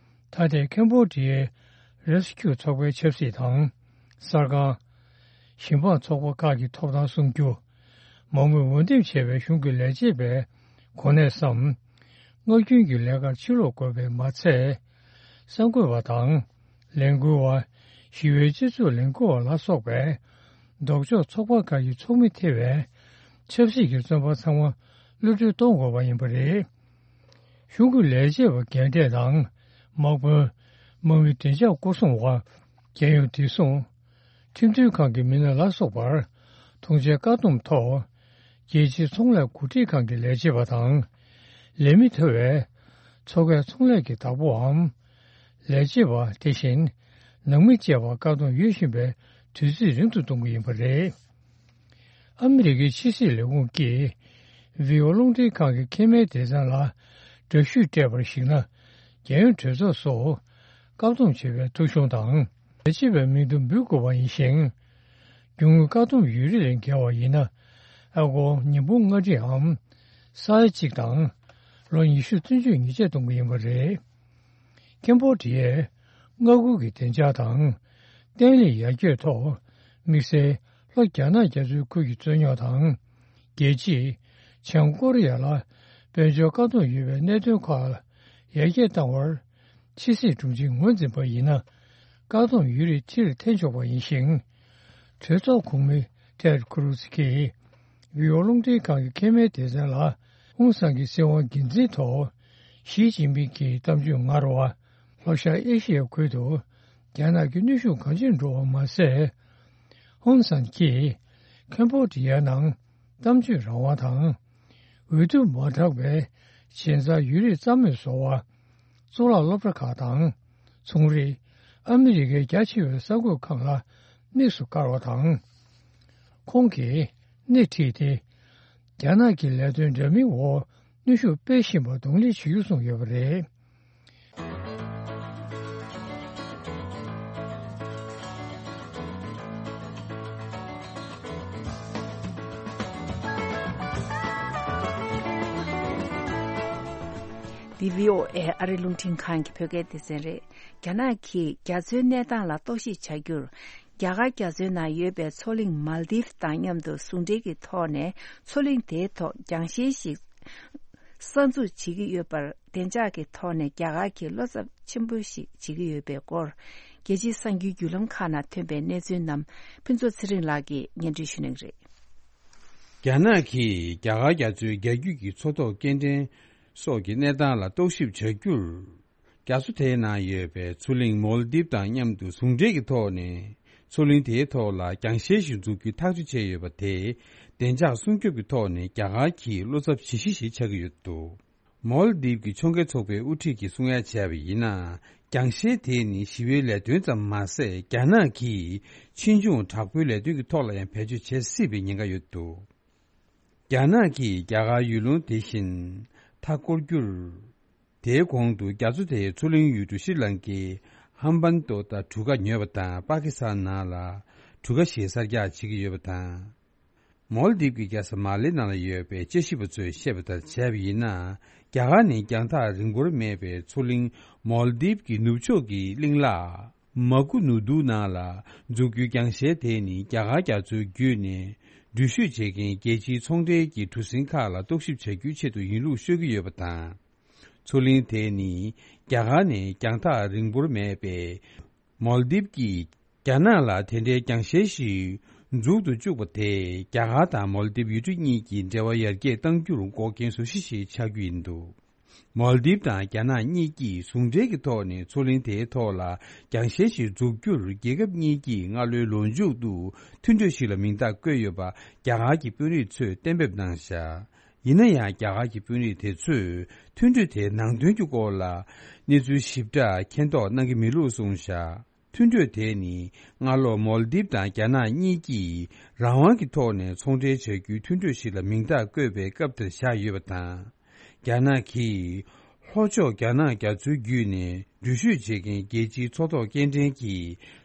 ད་ལྟའི་ཁེམ་བྷོ་ཌི་ཡའི་རེ་སི་ཀིའུ་ཚོགས་པའི་ཆབ་སྲིད་དང་། གསར་ཁང་། ཞིང་འབངས་ཚོགས་པ་ཁག་གི་ཐོབ་ཐང་སྲུང་རྒྱུ། མང་མོས་འོས་འདེམས་བྱས་པའི་གཞུང་གི་ལས་བྱེད་པའི་གོ་གནས་སམ། སྔར་རྒྱུན་གྱི་ལས་ཀར་ཕྱིར་ལོག་དགོས་པའི་མ་ཚད། གསར་འགོད་པ་དང་། ལས་འགུལ་བ། ཞི་བའི་སྤྱི་ཚོགས་ལས་འགུལ་བ་ལ་སོགས་པའི། ལྡོག་ཕྱོགས་ཚོགས་པ་ཁག་གི་ཚོགས་མི་ཐེ་བའི། ཆབ་སྲིད་ཀྱི་བཙོན་པ་ཚང་མ་གློད་གྲོལ་གཏོང་དགོས་པ་ཡིན་པ་རེད། གཞུང་གི་ལས་བྱེད་པ་རྒན་གྲས་དང་། དམག་དཔོན། དམག་མི་བདེ་འཇགས་སྐོར་སྲུང་བ། རྒྱལ་ཡོངས་བདེ་སྲུང་། ཁྲིམས་མཐུན་ཁང་གི་མི་སྣ་ལ་སོགས་པར། ཐོངས་མཆན་བཀག་སྡོམ་ཐོག་རྒྱལ་སྤྱིའི་ཚོང་ལས་འགོ་ཁྲིད་ཁང་གི་ལས་བྱེད་པ་དང་། ལས་མི་ཐེ་བའི། མཚོ་ཁའི་ཚོང་ལས་ཀྱི་བདག་པོའམ། ལས་བྱེད་པ་དེ་བཞིན། ནང་མི་བཅས་པར་བཀག་སྡོམ་ཡོད་བཞིན་པའི་དུས་ཚོད་རིང་དུ་གཏོང་གི་ཡིན་པ་རེད། ཨ་མི་རི་ཀའི་ཕྱི་སྲིད་ལས་ཁུངས་ཀྱིས། ཝི་ཨོ་རླུང་འཕྲིན་ཁང་གི་མཁལ་མའི་སྡེ་ཚན་ལ་འདྲ་བཤུས་སྤྲད་པར་གཞིགས་ན། རྒྱལ་ཡོངས་གྲོས་ཚོགས་སུ་བཀག་སྡོམ་བྱེད་པའི་ཐོ་གཞུང་དང་། ལས་བྱེད་པའི་མིང་ཐོ་འབུལ་དགོས་པ་ཡིན་ཞིང་། རྒྱུ་དངོས་བཀག་སྡོམ་ཡོད་རིགས་ལས་འགལ་བ་ཡིན་ན། ཨ་སྒོར་ཉིས་སྟོང་ལྔ་ཁྲིའམ་ས་ཡ་གཅིག་དང་། ལོ་ཉི་ཤུ་བཙོན་འཇུག་ཉེས་ཆད་གཏོང་གི་ཡིན་པ་རེད། ཀེམ་བྷོ་ཌི་ཡའི་མངའ་ཁུལ་གྱི་བདེ་འཇགས་དང་བརྟན་ལྷིང་ཡར་རྒྱས་ཐོག་དམིགས་བསལ་ལྷོ་རྒྱ་ནག་རྒྱ་མཚོའི་ཁུལ་གྱི་རྩོད་རྙོག་དང་། རྒྱལ་སྤྱིའི་བྱང་ཀོ་རི་ཡ་ལ་དཔལ་འབྱོར་བཀག་སྡོམ་ཡོད་པའི་གནད་དོན་ཁག་ཡར་རྒྱས་བཏང་བར། ཕྱི་སྲིད་དྲུང་ཆེས་ངོས་འཛིན་པ་ཡིན་ན། བཀག་སྡོམ་ཡོད་རིགས་ཕྱིར་འཐེན་ཆོག་པ་ཡིན་ཞིང་། གྲོས་ཚོགས་གོང་མི་ཏེད་ཁུ་རུ་ཛི་གིས་ཝི་ཨོ་རླུང་འཕྲིན་ཁང་གི་མཁལ་མའི་སྡེ་ཚན་ལ་ཧུན་སང་གི་སྲིད་དབང་སྒེར་འཛིན་ཐོག་ཞི་ཅིན་ཕིང་གི་གཏམ་བརྗོད་ངར་བ། ལྷོ་ཤར་ཨེ་ཤི་ཡ་ཁུལ་དུ་རྒྱ་ནག་གི་གནོན་ཤུགས་གང་ཆེར་འགྲོ་བ་མ་ཟད། ཧུན་སང་གིས་ཁེམ་བྷོ་ཌི་ཡ་ནང་གཏམ་བརྗོད་རང་དབང་དང་། འོས་བསྡུ་མ་དྲག་པའི་ཇེ་མཛའ་ཡོད་རིགས་རྩ་མེད་བཟོ་བ། གཙུག་ལག་སློབ་གྲྭ་ཁག་དང་ཚོང་རིགས། ཨ་མི་རི་ཀའི་རྒྱ་ཆེ་བའི་གསར་འགོད་ཁང་ལ་དམིགས་སུ་བཀར་བ་དང་། ཁོང་གིས་སྣེ་ཁྲིད་དེ། རྒྱ་ནག་གི་ལས་དོན་འདྲ་མིན་འོག་གནོན་ཤུགས་སྤེལ་བཞིན་པར་གདོང་ལེན་བྱེད་རྒྱུ་གསུངས་ཡོད་པ་རེད། འདི་བྷི་ཨོ་ཨེ་ཨ་རི་རླུང་འཕྲིན་ཁང་གི་བོད་སྐད་སྡེ་ཚན་རེད། རྒྱ་ནག་གིས་རྒྱ་མཚོའི་གནས་སྟངས་ལ་རྟོག་ཞིབ་བྱ་རྒྱུར། རྒྱ་གར་རྒྱ་མཚོའི་ནང་ཡོད་པའི་མཚོ་གླིང་མཱལ་དིབ་དང་མཉམ་དུ་ཟུང་འབྲེལ་གྱི་ཐོག་ནས་མཚོ་གླིང་དེའི་ཐོག་རྒྱང་ཤེལ་ཞིག་གསར་འཛུགས་བྱེད་ཀྱི་ཡོད་པར། བདེ་འཇགས་ཀྱི་ཐོག་ནས་རྒྱ་གར་གྱིས་བློ་འཚབ་ཆེན་པོ་ཞིག་བྱེད་ཀྱི་ཡོད་པའི་སྐོར། རྒྱལ་སྤྱིའི་གསར་འགྱུར་བརྒྱུད་ལམ་ཁག་ནང་ཐོན་པའི་གནས་ཚུལ་རྣམས་ཕུན་ཚོགས་ཚེ་རིང་ལགས་ཀྱིས་སྙན་སྒྲོན་ཞུ་གནང་གི་རེད། རྒྱ་ནག་གིས་རྒྱ་གར་རྒྱ་མཚོའི་རྒྱ་རྒྱུད་ཀྱི་མཚོ་ཐོག་སྐྱེལ་འདྲེན་སོགས་ཀྱི་གནས་སྟངས་ལ་རྟོག་ཞིབ་བྱ་རྒྱུར། རྒྱ་མཚོ་དེའི་ནང་ཡོད་པའི་མཚོ་གླིང་མོལ་དིབ་དང་མཉམ་དུ་ཟུང་འབྲེལ་གྱི་ཐོག་ནས་མཚོ་གླིང་དེའི་ཐོག་ལ་རྒྱང་ཤེལ་ཞིག་འཛུགས་རྒྱུའི་ཐག་གཅོད་བྱས་ཡོད་པ་དེ། བདེ་འཇགས་སྲུང་སྐྱོབ་ཀྱི་ཐོག་ནས་རྒྱ་གར་གྱི་བློ་འཚབ་ཇི་ཞིག་ཞིག་ཆགས་ཀྱི་ཡོད་འདུག་མོལ་དིབ་ཀྱི་ཕྱོགས་འགལ་ཚོགས་པའི་དབུ་ཁྲིད་ཀྱིས་གསུང་ཡ་བྱས་པ་ཡིན་ན། རྒྱང་ཤེལ་དེ་ནི་ཞི་བའི་ལས་དོན་ཙམ་མ་ཟད། རྒྱ་ནག་གིས་ཕྱིས་འབྱུང་དྲག་པོའི་ལས་དོན་གྱི་ཐོག་ལ་ཡང་བེད་སྤྱོད་བྱེད་སྲིད་པའི་ཉེན་ཁ་ཡོད་འདུག་རྒྱ་ནག་གིས་རྒྱ་གར་ཡུལ་ལུང་དེ་བཞིན་མཐའ་བསྐོར་རྒྱུར། དེའི་གོང་དུ་རྒྱ་མཚོ་དེའི་མཚོ་གླིང་ཡུལ་གྲུ་ཤྲི་ལང་ཀའི་ཧམ་བན་ཏོ་དང་གྲུ་ཁ་ཉོས་པ་དང་། པ་ཀི་སི་ཐན་ནང་ལ་གྲུ་ཁ་ཞིག་གསར་རྒྱག་བྱེད་ཀྱི་ཡོད་པ་དང་། མོལ་དིབ་ཀྱི་རྒྱལ་ས་མ་ལེ་ནང་ལ་ཡོད་པའི་དཔྱད་ཞིབ་པ་ཚོས་བཤད་པ་ལྟར་བྱས་པ་ཡིན་ན། རྒྱ་གར་ནས་རྒྱང་ཐག་རིང་པོར་མེད་པའི་མཚོ་གླིང་མོལ་དིབ་ཀྱི་ནུབ་ཕྱོགས་ཀྱི་གླིང་ལ། མ་ཀུ་ནུ་དུ་ནང་ལ་འཛུགས་རྒྱུའི་རྒྱང་ཤེལ་དེ་ནི་རྒྱ་གར་རྒྱ་མཚོའི་བརྒྱུད་ནས་འགྲུལ་བཞུད་བྱེད་མཁན་རྒྱལ་སྤྱིའི་ཚོང་འབྲེལ་གྱི་གྲུ་གཟིངས་ཁག་ལ་རྟོག་ཞིབ་བྱ་རྒྱུའི་ཆེད་དུ་ཡིན་ལུགས་ཤོད་ཀྱི་ཡོད་པ་དང་། མཚོ་གླིང་དེ་ནི་རྒྱ་གར་ནས་རྒྱང་ཐག་རིང་པོར་མེད་པའི་མོལ་དིབ་ཀྱིས་རྒྱ་ནག་ལ་དེ་འདྲའི་རྒྱང་ཤེལ་ཞིག་འཛུགས་ཏུ་བཅུག་པ་དེས་རྒྱ་གར་དང་མོལ་དིབ་ཡུལ་གྲུ་གཉིས་ཀྱི་འབྲེལ་བ་ཡར་རྒྱས་གཏང་རྒྱུར་འགོག་རྐྱེན་བཟོ་གཞི་ཞིག་ཆགས་རྒྱུ་ཡིན་འདུག་མོལ་དིབ་དང་རྒྱ་ནག་གཉིས་ཀྱིས་ཟུང་འབྲེལ་གྱི་ཐོག་ནས་མཚོ་གླིང་དེའི་ཐོག་ལ་རྒྱང་ཤེལ་ཞིག་འཛུགས་རྒྱུར་རྒྱལ་ཁབ་གཉིས་ཀྱིས་སྔ་ལོའི་ལོ་མཇུག་ཏུ་མཐུན་གྲོས་ཤིག་ལ་མིང་རྟགས་བཀོད་ཡོད་པ་རྒྱ་གར་གྱི་དཔོན་རིགས་ཚོས་གཏན་འབེབས་གནང་བཞག་ཡིན་ན་ཡང་། རྒྱ་གར་གྱི་དཔོན་རིགས་དེ་ཚོས་མཐུན་གྲོས་དེའི་ནང་དོན་གྱི་སྐོར་ལ་གནས་ཚུལ་ཞིབ་ཕྲ་མཁྱེན་རྟོགས་གནང་གི་མེད་ལུགས་གསུངས་བཞག་མཐུན་གྲོས་དེ་ནི་སྔ་ལོ་མོལ་དིབ་དང་རྒྱ་ནག་གཉིས་ཀྱིས་རང་དབང་གི་ཐོག་ནས་ཚོང་འབྲེལ་བྱ་རྒྱུའི་མཐུན་གྲོས་ཤིག་ལ་མིང་རྟགས་བཀོད་པའི་སྐབས་དེར་བཞག་ཡོད་པ་དང་། རྒྱ་ནག་གིས་ལྷོ་ཕྱོགས་རྒྱ་ནག་རྒྱ་མཚོའི་བརྒྱུད་ནས་འགྲུལ་བཞུད་བྱེད་མཁན་རྒྱལ་སྤྱིའི་མཚོ་ཐོག་སྐྱེལ་འདྲེན་གྱི་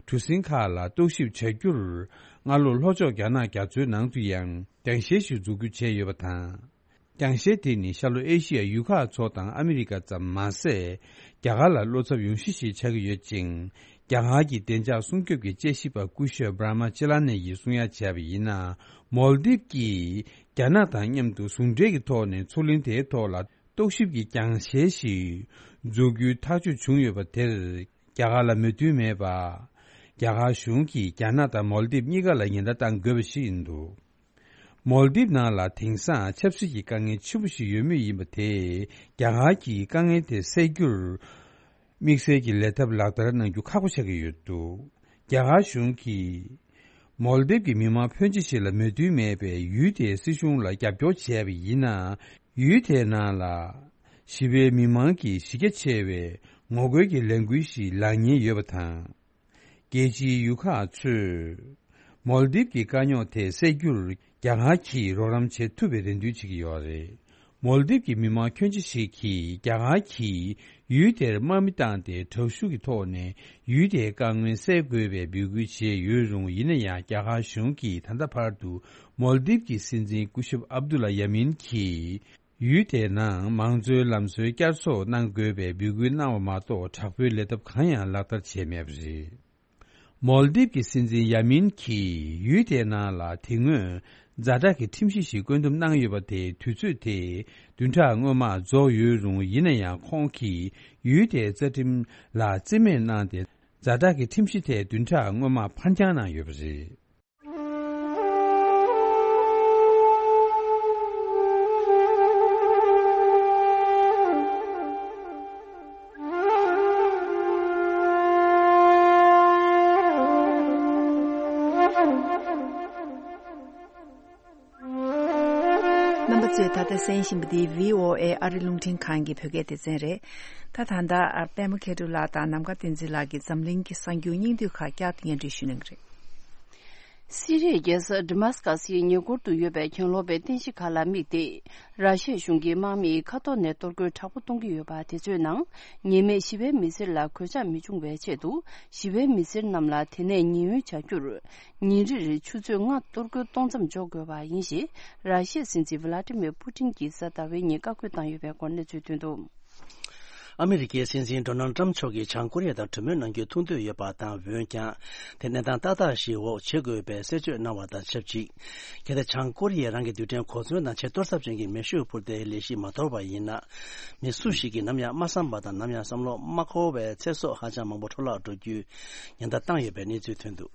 གྲུ་གཟིངས་ཁག་ལ་རྟོག་ཞིབ་བྱ་རྒྱུར། སྔ་ལོ་ལྷོ་ཕྱོགས་རྒྱ་ནག་རྒྱ་མཚོའི་ནང་དུ་ཡང་རྒྱང་ཤེལ་ཞིག་འཛུགས་རྒྱུ་བྱས་ཡོད་པ་དང་། རྒྱང་ཤེལ་དེ་ནི་ཤར་ལྷོ་ཨེ་ཤི་ཡ་ཡུལ་ཁག་ཚོ་དང་ཨ་མི་རི་ཀ་ཙམ་མ་ཟད། རྒྱ་གར་ལ་བློ་འཚབ་ཡོང་གཞི་ཞིག་ཆགས་ཀྱི་ཡོད་ཅིང་། རྒྱ་གར་གྱི་བདེ་འཇགས་སྲུང་སྐྱོབ་ཀྱི་དཔྱད་ཞིབ་པ་སྐུ་ཞབས་བྷྲ་མ་ཅི་ལ་ནེ་ཡིས་གསུང་ཡ་བྱས་པ་ཡིན་ན། མོལ་དིབ་ཀྱིས་རྒྱ་ནག་དང་མཉམ་དུ་ཟུང་འབྲེལ་གྱི་ཐོག་ནས་མཚོ་གླིང་དེའི་ཐོག་ལ་རྟོག་ཞིབ་ཀྱི་རྒྱང་ཤེལ་ཞིག་འཛུགས་རྒྱུའི་ཐག་གཅོད་བྱུང་ཡོད་པ་དེར། རྒྱ་གར་ལ་མོས་མཐུན་མེད་པ། རྒྱ་གར་གཞུང་གིས་རྒྱ་ནག་དང་མོལ་དིབ་གཉིས་ཀ་ལ་ཉེན་བརྡ་བཏང་དགོས་པ་ཞིག་ཡིན་འདུག་མོལ་དིབ་ནང་ལ་དེང་སང་ཆབ་སྲིད་ཀྱི་དཀའ་ངལ་ཆེན་པོ་ཞིག་ཡོད་མུས་ཡིན་པ་དེས། རྒྱ་གར་གྱིས་དཀའ་ངལ་དེ་སེལ་རྒྱུར་དམིགས་བསལ་གྱི་ལས་ཐབས་ལག་བསྟར་གནང་རྒྱུ་ཁག་པོ་ཆགས་ཀྱི་ཡོད་འདུག་རྒྱ་གར་གཞུང་གིས་མོལ་དིབ་ཀྱི་མི་མང་ཕོན་ཆེ་ཞིག་ལ་མོས་མཐུན་མེད་པའི་ཡུལ་དེའི་སྲིད་གཞུང་ལ་རྒྱབ་སྐྱོར་བྱས་པ་ཡིན་ན། ཡུལ་དེའི་ནང་ལ་ཞི་བའི་མི་མང་གི་གཞི་རྒྱ་ཆེ་བའི་ངོ་རྒོལ་གྱི་ལས་འགུལ་ཞིག་ལངས་ཉེན་ཡོད་པ་དང་། རྒྱལ་སྤྱིའི་ཡུལ་ཁག་ཚོས་མོལ་དིབ་ཀྱི་དཀའ་རྙོག་དེ་སེལ་རྒྱུར་ རྒྱ་གར་གྱིས་རོགས་རམ་བྱེད་ཐུབ་པའི་རེ་འདུན་བྱེད་ཀྱི་ཡོད་རེད། མོལ་དིབ་ཀྱི་མི་མང་ཁྱོན་ཆེ་ཞིག་གིས་རྒྱ་གར་གྱིས་ཡུལ་དེར་དམག་མི་བཏང་སྟེ་དྲག་ཤུགས་ཀྱི་ཐོག་ནས་ཡུལ་དེའི་དཀའ་ངལ་སེལ་དགོས་པའི་འབོད་སྐུལ་བྱས་ཡོད་རུང་། ཡིན་ན་ཡང་རྒྱ་གར་གཞུང་གིས་ད་ལྟ་བར་དུ་མོལ་དིབ་ཀྱི་སྲིད་འཛིན་སྐུ་ཞབས་ཨབ་དུ་ལ་ཡ་མིན་གྱིས་ཡུལ་དེའི་ནང་མང་གཙོའི་ལམ་སྲོལ་བསྐྱར་གསོ་གནང་དགོས་པའི་འབོད་སྐུལ་གནང་བ་མ་གཏོགས། དྲག་པོའི་ལས་སྟབས་གང་ཡང་ལག་བསྟར་བྱས་མེད་པ་རེད། མོལ་དིབ་ཀྱི་སྲིད་འཛིན་ཡ་མིན་གྱིས་ཡུལ་དེའི་ནང་ལ་དེ་སྔོན་ཛ་དྲག་གི་ཁྲིམས་གཞི་ཞིག་བཀོད་འདོམས་གནང་ཡོད་པ་དེ་དུས་ཚོད་དེ་བདུན་ཕྲག་སྔོན་མ་རྫོགས་ཡོད་རུང་། ཡིན་ན་ཡང་ཁོང་གིས་ཡུལ་དེའི་རྩ་ཁྲིམས་ལ་རྩིས་མེད་གནང་སྟེ། ཛ་དྲག་གི་ཁྲིམས་གཞི་དེ་བདུན་ཕྲག་སྔོན་མ་ཕར་འགྱངས་གནང་ཡོད་པ་རེད། རྣམ་པ་ཚོས་ད་ལྟ་གསན་བཞིན་པ་འདི་བྷི་ཨོ་ཨེ་ཨ་རི་རླུང་འཕྲིན་ཁང་གི་བོད་སྐད་སྡེ་ཚན་རེད། ད་ད་ལྟ་པད་མ་མཁས་གྲུབ་ལགས་དང་ནམ་མཁའ་བསྟན་འཛིན་ལགས་ཀྱིས་འཛམ་གླིང་གི་གསར་འགྱུར་སྙིང་བསྡུས་ཁག་བསྐྱར་དུ་སྙན་སྒྲོན་ཞུ་གནང་གི་རེད། སི་རིའི་རྒྱལ་ས་ཌི་མཱ་སི་ཀ་སིའི་ཉེ་འཁོར་དུ་ཡོད་པའི་གྱེན་ལོག་པའི་རྟེན་གཞི་ཁག་ལ་དམིགས་ཏེ། ར་ཤི་ཡ་གཞུང་གིས་དམག་མི་མཁའ་ཐོག་ནས་གཏོར་རྒོལ་དྲག་པོ་གཏོང་གི་ཡོད་པ་དེ་ཚོའི་ནང་། ཉེས་མེད་ཞི་བའི་མི་སེར་ལ་གོད་ཆག་མི་འབྱུང་བའི་ཆེད་དུ། ཞི་བའི་མི་སེར་རྣམས་ལ་དེ་ནས་ཉེན་གཡོལ་བྱ་རྒྱུར། ཉིན་རེར་ཆུ་ཚོད་ལྔ་གཏོར་རྒོལ་གཏོང་མཚམས་འཇོག་དགོས་པ་ཡིན་ཞེས། ར་ཤི་ཡའི་སྲིད་འཛིན་ཝི་ལ་ཏི་མིར་པུ་ཏིན་གྱིས་གཟའ་ཟླ་བའི་ཉིན་བཀའ་བཀོད་བཏང་ཡོད་པའི་སྐོར་གནས་ཚུལ་ཐོན་འདུག། ཨ་མི་རི་ཀའི་སྲིད་འཛིན་ཌོ་ནལ་ཏྲམ་མཆོག་གིས་བྱང་ཀོ་རི་ཡ་དང་གྲོས་མོལ་གནང་རྒྱུའི་ཐུགས་འདོད་ཡོད་པ་དང་། འོན་ཀྱང་། དེ་གནས་སྟངས་ཏག་ཏག་ཞིག་འོག་བྱེད་དགོས་པའི་གསལ་བརྗོད་གནང་བ་དང་ཆབས་ཅིག། གལ་ཏེ་བྱང་ཀོ་རི་ཡས་རང་གི་རྡུལ་ཕྲན་གོ་མཚོན་དང་ཆེས་གཏོར་ཚབས་ཅན་གྱི་མེ་ཤུགས་འཕུར་མདེལ་ལས་གཞི་མ་དོར་བ་ཡིན་ན། མི་སུ་ཞིག་གིས་ནམ་ཡང་མ་བསམ་པ་དང་། ནམ་ཡང་བསམ་བློ་མ་འཁོར་བའི་ཚེ་སྲོག་ཧ་ཅང་མང་པོ་འཕྲོ་བརླག་འགྲོ་རྒྱུའི་ཉེན་བརྡ་བཏང་ཡོད་པའི་གནས་ཚུལ་ཐོན་འདུག།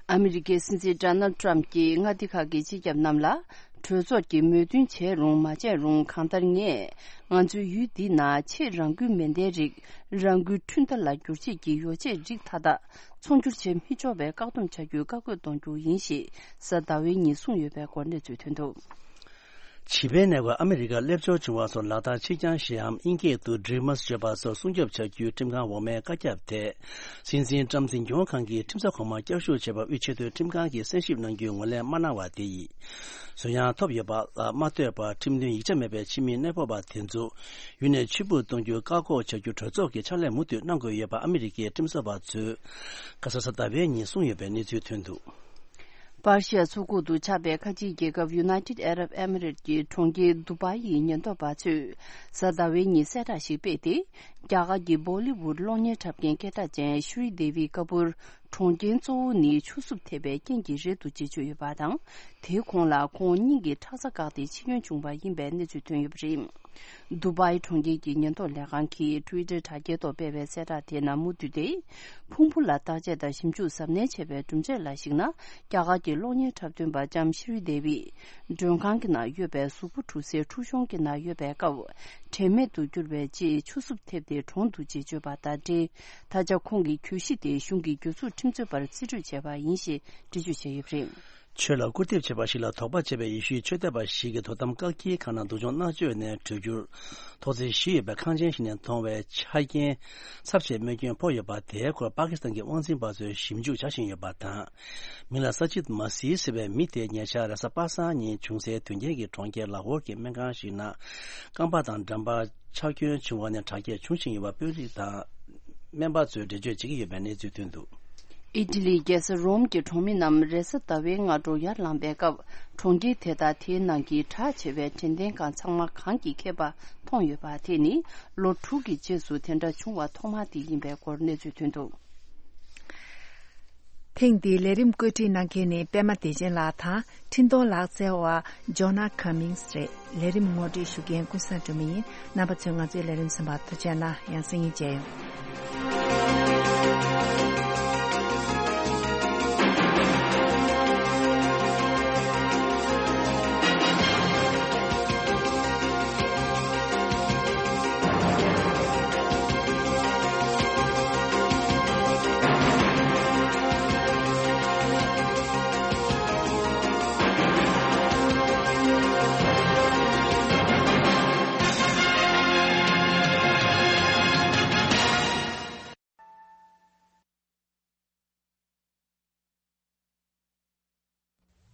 ཨ་མི་རི་ཀའི་སྲིད་འཛིན་ཌོ་ནལ་ཏྲམ་གྱིས་མངའ་སྡེ་ཁག་གི་སྤྱི་ཁྱབ་རྣམས་ལ། གྲོས་ཚོགས་ཀྱིས་མོས་མཐུན་བྱས་རུང་མ་བྱས་རུང་། གང་ལྟར་ངས་ང་ཚོའི་ཡུལ་འདི་ན་ཆེས་རང་འགུལ་མེ་མདའི་རིགས། རང་འགུལ་འཕྲུལ་མདའ་ལ་སྒྱུར་བྱེད་ཀྱི་ཡོ་བྱད་རིགས་མཐའ་དག་ཚོང་སྒྱུར་བྱེད་མི་ཆོག་པའི་བཀག་སྡོམ་བྱ་རྒྱུའི་བཀའ་བཀོད་གཏོང་རྒྱུ་ཡིན་ཞེས་གཟའ་ཟླ་བའི་ཉིན་གསུངས་ཡོད་པའི་སྐོར་གནས་ཚུལ་ཐོན་འདུག། བྱིས་པའི་ནད་འགོས་ཨ་མི་རི་ཀར་སླེབས་འབྱོར་བྱུང་བ་སོགས་ལག་བསྟར་ཕྱིར་འགྱངས་བཞིའམ་དབྱིན་སྐད་དུ་Dreamers་བརྗོད་པ་སོགས་སྲུང་སྐྱོབ་བྱ་རྒྱུའི་ཁྲིམས་ཁང་འོག་མའི་བཀའ་ཁྱབ་དེ། སྲིད་འཛིན་ཏྲམ་འཛིན་སྐྱོང་ཁང་གིས་ཁྲིམས་ས་གོང་མར་བསྐྱར་ཞུ་བྱས་པར་དབུས་ཆེས་མཐོའི་ཁྲིམས་ཁང་གིས་གསན་ཞིབ་གནང་རྒྱུའི་ངོས་ལེན་མ་གནང་བ་དེ་ཡིས། གསོན་ཡང་ཐོབ་ཡོད་པ་ལ་མ་ལྟོས་པར། ཁྲིམས་མཐུན་ཡིག་ཆ་མེད་པའི་ཕྱི་མི་གནས་སྤོ་བ་དེ་ཚོ་ཡུལ་ནས་ཕྱིར་འབུད་གཏོང་རྒྱུའི་བཀག་འགོག་བྱ་རྒྱུ་གྲོས་ཚོགས་ཀྱིས་ཕྱག་ལས་མུ་མཐུད་གནང་དགོས་ཡོད་པ་ཨ་མི་རི་ཀའི་ཁྲིམས་བཟོ་བ་ཚོས་ཁ་སང་གཟའ་ཟླ་བའི་ཉིན་གསུངས་ཡོད་པའི་གནས་ཚུལ་ཐོན་འདུག། པར་ཤི་ཡ་མཚོ་ཁུག་ཏུ་ཆགས་པའི་ཁ་ཆེའི་རྒྱལ་ཁབ་United Arab Emirates་ཀྱི་གྲོང་ཁྱེར་དུ་བྷའི་ཡི་ཉེན་རྟོག་པ་ཚོས་གཟའ་ཟླ་བའི་ཉིན་གསལ་བསྒྲགས་ཤིག་སྤེལ་ཏེ། རྒྱ་གར་གྱི་བོ་ལི་ཝུད་གློག་བརྙན་འཁྲབ་མཁན་སྐད་གྲགས་ཅན་ཤྲི་དེ་བི་ཀ་པུར། གྲོང་ཁྱེར་གཙོ་བོ་ནི་ཆུ་སྲུབས་ཐེབས་པའི་རྐྱེན་གྱིས་རལ་དུ་བཅད་ཆོག་ཡོད་པ་དང་། དེའི་གོང་ལ་ཁོང་སྙིང་གི་ཁྲག་རྩ་བཀག་སྟེ་འཆི་སྐྱོན་བྱུང་བ་ཡིན་པའི་གནས་ཚུལ་ཐོན་ཡོད་པ་རེད། དུ་བྷའི་གྲོང་ཁྱེར་གྱི་ཉེན་རྟོག་ལས་ཁང་གིས་Twitter་དྲ་རྒྱའི་ཐོག་སྤེལ་བའི་གསལ་བསྒྲགས་དེ་ནང་མུ་མཐུད་དེ། ཕུང་པོ་ལ་བརྟག་དཔྱད་དང་ཞིབ་འཇུག་གཟབ་ནན་བྱས་པའི་གྲུབ་འབྲས་ལ་གཞིགས་ན། རྒྱ་གར་གྱི་གློག་བརྙན་འཁྲབ་སྟོན་པ་ལྕམ་ཤྲི་དེ་བི། མགྲོན་ཁང་གི་ནང་ཡོད་པའི་གཟུགས་པོ་འཁྲུ་སའི་འཁྲུ་གཞོང་གི་ནང་ཡོད་པའི་སྐབས། དྲན་མེད་དུ་གྱུར་བའི་རྗེས་ཆུ་སྲུབས་ཐེབས་ཏེ་གྲོངས་འདུག་ཅེས་བརྗོད་པ་དང་འབྲེལ། ད་ཆ་ཁོང་གི་གྱོད་གཞི་དེ་གཞུང་གི་གྱོད་ཚུལ་ཁྲིམས་རྩོད་པར་རྩིས་སྤྲོད་བྱས་པ་ཡིན་ཞེས་འགྲེལ་བརྗོད་བྱས་ཡོད་པ་རེད། ཆོས་ལ་སྐུར་འདེབས་བྱས་པ་ཞིག་ལ་དོགས་པ་བྱས་པའི་ཡེ་ཤུའི་ཆོས་དད་པ་ཞིག་གིས་དོ་དམ་བཀག་སྐྱིལ་ཁང་ནང་སྡུག་སྦྱོང་མནར་གཅོད་ནས་བྲོས་རྒྱུར། ཐོག་བརྩེགས་བཞི་ཡོད་པའི་ཁང་ཆེན་ཞིག་ནས་མཐོང་བའི་ཆ་རྐྱེན་ཚབས་ཆེའི་རྨས་སྐྱོན་ཕོག་ཡོད་པ་དེའི་སྐོར་པ་ཀི་སི་ཐན་གྱི་དབང་འཛིན་པ་ཚོས་ཞིབ་འཇུག་བྱ་བཞིན་ཡོད་པ་དང་། མིང་ལ་ས་ཇིད་མ་སི་ཟེར་བའི་མི་དེ་ཉེ་ཆར་རེས་གཟའ་པ་སངས་ཉིན་བྱུང་སའི་དོན་རྐྱེན་གྱི་གྲོང་ཁྱེར་ལ་ཧོར་གྱི་སྨན་ཁང་ཞིག་ནང་རྐང་པ་དང་འགྲམ་པར་ཆག་སྐྱོན་བྱུང་བ་ནས་དྲག་སྐྱེད་བྱུང་བཞིན་ཡོད་པ་དཔོན་རིགས་དང་སྨན་པ་ཚོས་འགྲེལ་བརྗོད་བྱེད་ཀྱི་ཡོད་པའི་གནས་ཚུལ་ཐོན་འདུག། ཨི་ཊ་ལིའི་རྒྱལ་ས་རོམ་གྱི་གྲོང་མི་རྣམས་རེས་གཟའ་ཟླ་བའི་སྔ་དྲོ་ཡར་ལངས་པའི་སྐབས། གྲོང་ཁྱེར་དེ་དང་དེའི་ནང་གི་གྲགས་ཆེ་བའི་དྲན་རྟེན་ཁང་ཚང་མ་གངས་ཀྱིས་ཁེབས་པ་མཐོང་ཡོད་པ་དེ་ནི་ལོ་དྲུག་གི་རྗེས་སུ་དེ་འདྲ་བྱུང་བ་ཐོག་མ་དེ་ཡིན་པའི་སྐོར་གནས་ཚུལ་ཐོན་འདུག། ཐེངས་འདིའི་ལས་རིམ་བཀོད་སྒྲིག་གནང་མཁན་ནི་པད་མ་བདེ་ཆེན་ལགས་དང་། འཕྲིན་གཏོང་ལག་རྩལ་བ་ཇོ་ན་ཁ་མིང་སི་རེད། ལས་རིམ་ངོ་སྤྲོད་ཞུ་མཁན་ཀུན་བཟང་སྒྲོལ་མ་ཡིན། རྣམ་པ་ཚོས་ང་ཚོའི་ལས་རིམ་གསན་པར་ཐུགས་རྗེ་གནང་། ཡང་སང་ཉིན་མཇལ་ཡོང་།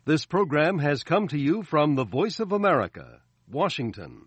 This program has come to you from the Voice of America, Washington.